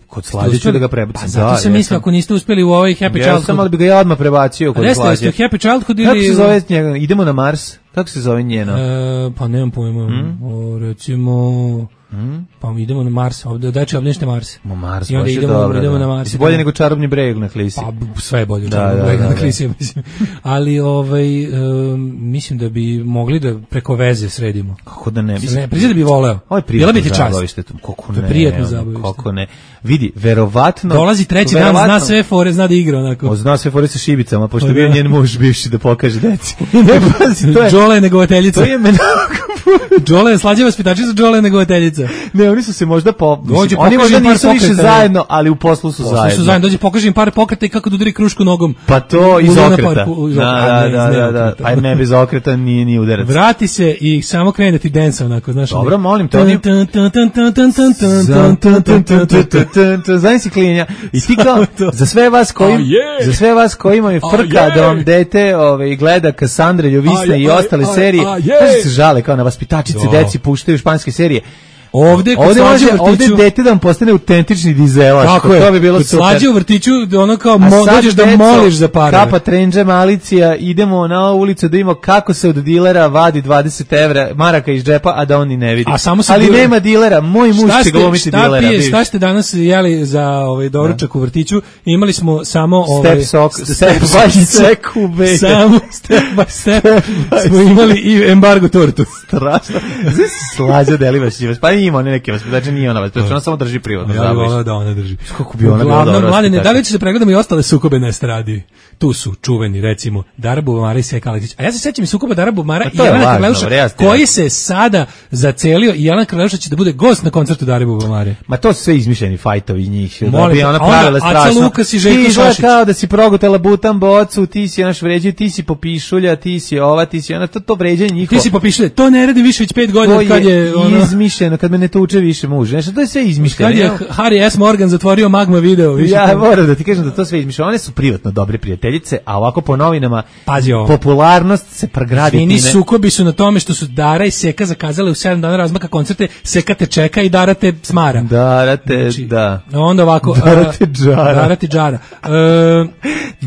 kod Slađe ću da ga prebacim. Pa zato sam mislio ako niste uspeli u ovaj Happy Childhood. Ja sam, ali bi ga ja odmah prebacio kod Slađe. Jeste, Happy Childhood ili... Kako se zove njega? Idemo na Mars? Kako se zove njeno? E, pa nemam pojma. Hmm? O, recimo... Hmm? Pa idemo na Mars, ovdje, dači obnište Mars. Ma Mars, i onda idemo, dobro, idemo da. na Mars. I bolje nego Čarobni breg na Klisi. Pa sve je bolje od da, Čarobni da, breg da, na da. Klisi, mislim. Ali ovaj, um, mislim da bi mogli da preko veze sredimo. Kako da ne? Mislim, ne priđe da bi voleo. Ovo je bila bi ti čast. Kako ne? Prijetno zabavište. Kako ne? Vidi, verovatno... Dolazi treći verovatno, dan, zna sve fore, zna da igra onako. O, zna sve fore sa šibicama, pošto bio njen muž bivši da pokaže deci. Ne, pazi, to je... Džole je negovateljica. To je menako... Džole je slađa vaspitačica, Džole je negovateljica. Ne, oni su se možda po... Dođe, oni možda nisu pokreta, više zajedno, ali u poslu su poslu zajedno. Su zajedno. Dođe, pokaži im par pokreta i kako da udari krušku nogom. Pa to iz okreta. Par, da, da, da, da. Aj ne, bez okreta nije ni udarac. Vrati se i samo krene da ti densa onako, znaš. Dobro, molim te. Znaš si klinja. I ti kao, za sve vas koji, oh, yeah. za sve vas koji imaju frka oh, yeah. da vam dete ove, gleda Kassandre, Ljovisne oh, i ostale oh, serije, oh, yeah. se žale kao na vaspitačice, oh. deci puštaju španske serije. Ovde kod ovde Slađe u vrtiću, ovde dete da vam postane autentični dizelaš, tako je, to bi bilo kod super. Slađe u vrtiću ono kao mo, dođeš da moliš za pare. Kapa Trendže Malicija, idemo na ulicu da vidimo kako se od dilera vadi dvadeset evra maraka iz džepa, a da on ni ne vidi. A samo ali dilera. Nema dilera, moj muž će glumiti dilera. Šta pije, šta ste danas jeli za ovaj doručak u vrtiću? Imali smo samo ovaj step sok, step by step, samo step by step. Smo imali i embargo tortu. Strašno. Slađa Delibašić, pa ima one neke vaspitače, znači nije ona vaspitač, ona samo drži privatno. Ja bih voleo da ona drži. Kako bi ona bila dobra vaspitača. Da li će se pregledamo i ostale sukobe na estradi? Tu su čuveni, recimo, Dara Bubamara i Seka Aleksić. A ja se sećam i sukoba Dara Bubamara i Jelena Krleuša, koji se sada zacelio i Jelena Krleuša će da bude gost na koncertu Dare Bubamare. Ma to su sve izmišljeni fajtovi njih. Da bi ona pravila strašno. Lukas i Željko Šašić. Ti kao da si progutala butan bocu, ti si naš vređaj, ti si popišulja, ti si ova, ti si ona, to, to vređanje njihovo. Ti si popišulja, to ne radi više već pet godina kad je ono izmišljeno, kad me ne tuče više muž. Nešto to je sve izmišljeno. Kad je Harry S. Morgan zatvorio Magma video, više. Ja moram da ti kažem da to sve izmišljeno. One su privatno dobre prijateljice, a ovako po novinama pazi ovo. Popularnost se pregradi. Fini sukobi su na tome što su Dara i Seka zakazale u sedam dana razmaka koncerte, Seka te čeka i Dara te smara. Dara te, znači, da. Onda ovako. Dara te džara. Dara te džara. Uh,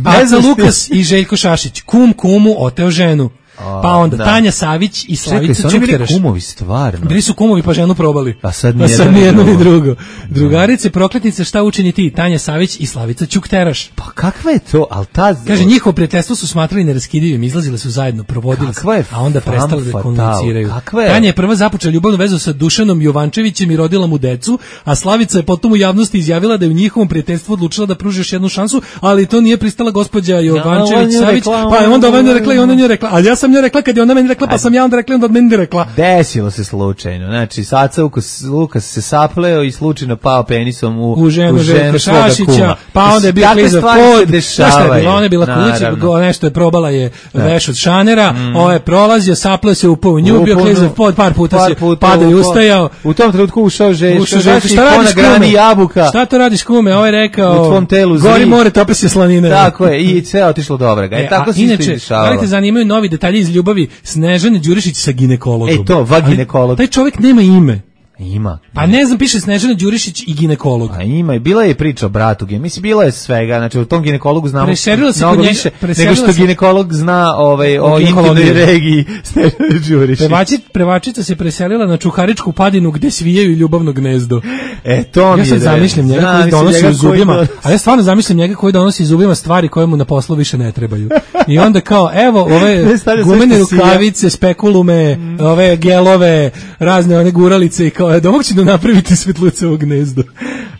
Aca Lukas i Željko Šašić. Kum kumu oteo ženu. Pa onda da. Tanja Savić i Slavica Čukteraš. Čekaj, su oni kumovi stvarno? Bili su kumovi pa ženu probali. A sad ni jedno, jedno ni drugo. Drugarice, prokletnice, šta učini ti? Tanja Savić i Slavica Čukteraš. Pa kakva je to? Al ta... Kaže, njihovo prijateljstvo su smatrali neraskidivim, izlazile su zajedno, provodili se, a onda prestali da komuniciraju. Je? Tanja je prva započela ljubavnu vezu sa Dušanom Jovančevićem i rodila mu decu, a Slavica je potom u javnosti izjavila da je u njihovom prijateljstvu odlučila da pruži još jednu šansu, ali to nije pristala gospođa Jovančević Savić, pa je onda ona rekla i ona nje rekla, a ja sam njoj rekla kad je ona meni rekla, pa sam ja onda rekla onda od meni rekla. Desilo se slučajno. Znači, Saca Lukas, Lukas se sapleo i slučajno pao penisom u, u ženu, u ženu Šašića, pa onda je bio klizav pod. Šta je bilo? Ona je bila kuća, nešto je probala je veš od šanera, mm. ovo je prolazio, sapleo se upao u nju, bio klizav pod, par puta par se padao i ustajao. U tom trenutku ušao Željko, šta radiš kume? Jabuka. Šta to radiš kume? Ovo je rekao, u tvom telu zri. Gori more, tope se slanine. Tako je, i sve otišlo dobro. E, tako se isto dešavalo. Inače, zanimaju novi detalji iz ljubavi Snežane Đurišić sa ginekologom. E to, vaginekolog. Taj čovjek nema ime. Ima. Pa ne znam, piše Snežana Đurišić i ginekolog. A ima, i bila je priča o bratu. Mislim, bilo je svega. Znači, o tom ginekologu znamo mnogo više nego što ginekolog zna ovaj, o intimnoj regiji Snežana Đurišić. Prevačica se preselila na Čuharičku padinu gde svijaju ljubavno gnezdo. E, to mi je. Ja sad zamišljam njega Zna, koji donosi u zubima, a ja stvarno zamišljam njega koji donosi u zubima stvari koje mu na poslu više ne trebaju. I onda kao, evo, ove gumene rukavice, spekulume, ove gelove, razne one guralice i kao do ovog će da napraviti svetlucovo gnezdo.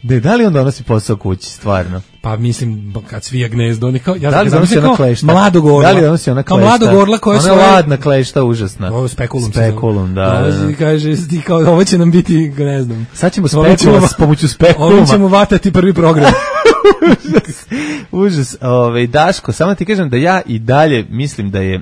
Ne, da li on donosi posao kući, stvarno? Pa mislim, kad svija gnezdo, on je kao, ja da li donosi ona klešta? Mladog orla. Da li donosi ona klešta? Kao mladog orla koja ona svoje... Ona ladna klešta, užasna. Ovo spekulum. Spekulum, da. da, da. Kaže, kao, ovo će nam biti gnezdom. Sad ćemo spekulum s pomoću spekuluma. Ovo ćemo vatati prvi program. Užas. Užas. Ove, Daško, samo ti kažem da ja i dalje mislim da je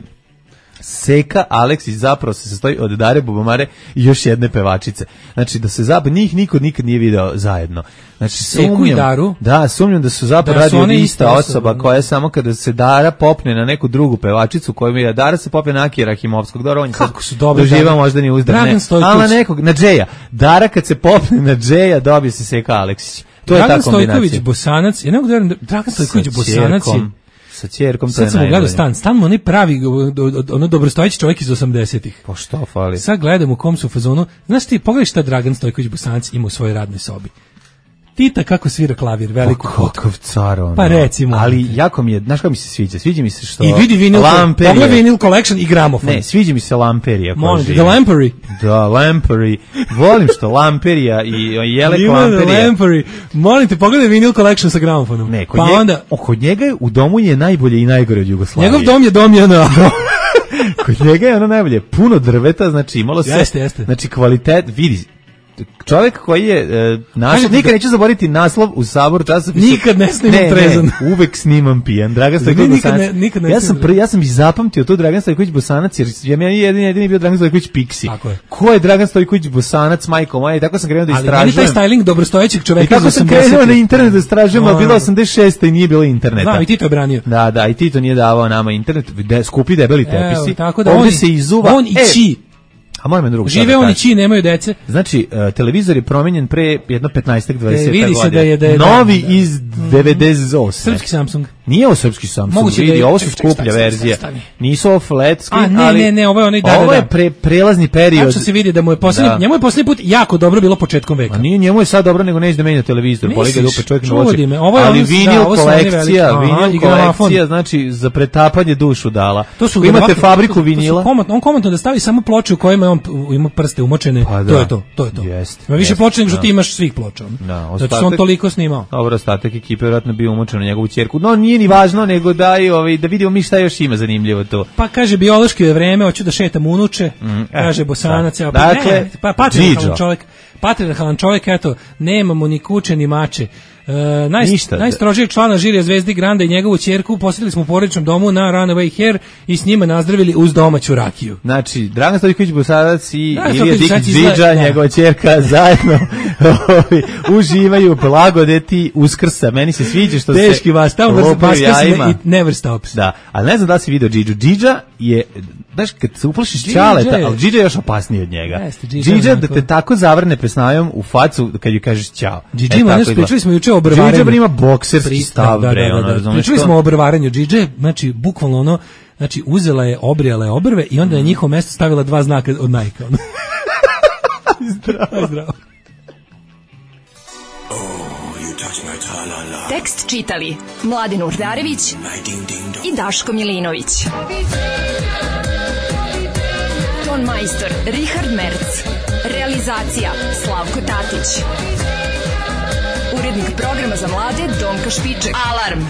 Seka Aleksić zapravo se sastoji od Dare Bubamare i još jedne pevačice. Znači da se zapravo njih niko nikad nije video zajedno. Znači Seku i Daru? Da, sumnjam da su zapravo da radi ista osoba koja je samo kada se Dara popne na neku drugu pevačicu koju je Dara se popne na Akira Rahimovskog. Dobro, on kako su dobri. Doživa možda ni uzdrav. Dragan Stojković. Ali na nekog, na Džeja. Dara kad se popne na Džeja dobije se Seka Aleksić. To Dragan je ta kombinacija. Stojković Bosanac, ja ne mogu da verujem, Dragan Stojković Bosanac je sa ćerkom, to sad je sam najbolje. Gledao stan, stan mu onaj pravi, ono dobrostojeći čovjek iz osamdesetih. Pa što fali? Sad gledam u kom su fazonu, znaš ti, pogledaj šta Dragan Stojković Bosanac ima u svojoj radnoj sobi. Tita kako svira klavir, veliku pa, kakav car ono. Pa recimo. Ali jako mi je, znaš kako mi se sviđa? Sviđa mi se što... I vidi vinil, pogledaj vinil collection i gramofon. Ne, sviđa mi se Lamperija. Molim, The Lampery. Da, Lampery. Volim što Lamperija i Jelek Lamperija. Lampery. Molim te, pogledaj vinil collection sa gramofonom. Ne, kod, pa njega, onda... kod njega u domu je najbolje i najgore od Jugoslavije. Njegov dom je dom je ono... Kod njega je ono najbolje. Puno drveta, znači imalo se... Jeste, jeste. Znači kvalitet, vidi... Čovjek koji je e, naš, nikad da... neću zaboraviti naslov u Sabor časopisu. Nikad ne snimam ne, trezan. Ne, uvek snimam pijan. Dragan Stojković Bosanac. Ne, nikad ne ja sam prvi, ja sam i zapamtio to Dragan Stojković Bosanac jer ja meni jedini jedini bio Dragan Stojković Pixi. Tako je. Ko je Dragan Stojković Bosanac, majko moja? I tako sam krenuo da istražujem. Ali meni taj styling dobrostojećeg čoveka iz osamdesetih. I tako sam krenuo na internet da istražujem, a bilo osamdeset šeste i nije bilo interneta. Da, i Tito je branio. Da, da, i Tito nije davao nama internet, de, skupi debeli tepisi. Evo, tako da ovdje on, se izuva. On i Či. A moram je drugo. Žive oni Či, nemaju dece. Znači, uh, televizor je promijenjen pre jedno petnaest dvadeset godina. Vidi se da je, da je novi da, da. iz devedeset osme. Srpski Samsung. Nije ovo srpski Samsung, moguće vidi, da je, ovo su skuplja verzija. Nisu ovo flat screen, A, ne, ali ne, ne, ovo je onaj, da, ovo da, je pre, prelazni period. Tačno se vidi da mu je posljednji, njemu je posljednji put jako dobro bilo početkom veka. A nije, njemu je sad dobro nego neće da menja televizor, boli ga dupe čovjek na oči. Ali vinil kolekcija, vinil kolekcija, znači za pretapanje dušu dala. To su imate fabriku vinila. On komentno da stavi samo ploče u kojima on ima prste umočene. To je to, to je to. Ima više ploča nego što ti imaš svih ploča. Zato što on toliko snimao. Dobro, ostatak ekipe vjerojatno bio umočen na njegovu ćerku. No nije ni važno nego da i ovaj da vidimo mi šta još ima zanimljivo to. Pa kaže biološki je vreme, hoću da šetam unuče. Mm, kaže Bosanac, da. Dakle, ne, pa patrijarhalan čovjek, patrijarhalan čovjek, eto, nemamo ni kuće ni mače. Uh, naj, najstrožijeg člana žirija Zvezdi Granda i njegovu ćerku posjetili smo u porodičnom domu na Runaway Hair i s njima nazdravili uz domaću rakiju. Znači, Dragan Stojković Bosanac i Ilija Dikić Džidža, njegova ćerka, zajedno uživaju blagodeti Uskrsa. Meni se sviđa što Teški se vas, tamo vrst i never stops. Da, ali ne znam da li si vidio Džidžu. Džidža je, znaš, kad se uplašiš Ćaleta, ali Džidža je još opasniji od njega. Džidža da te tako zavrne pesnajom u facu kad ju kažeš ćao. Džidža ima nešto, pričali smo juče o obrvaranju. Džidža ima bokserski stav, da, bre, da, da, da. ono, pričali smo o obrvaranju Džidže, znači, bukvalno ono, znači, uzela je, obrijala je obrve i onda na njihovo mesto stavila dva znaka od Nike. Ono. Zdravo. Zdravo. Tekst čitali Mladin Urdarević i Daško Milinović. Ton majstor Richard Merc. Realizacija Slavko Tatić. Urednik programa za mlade Donka Špiček. Alarm!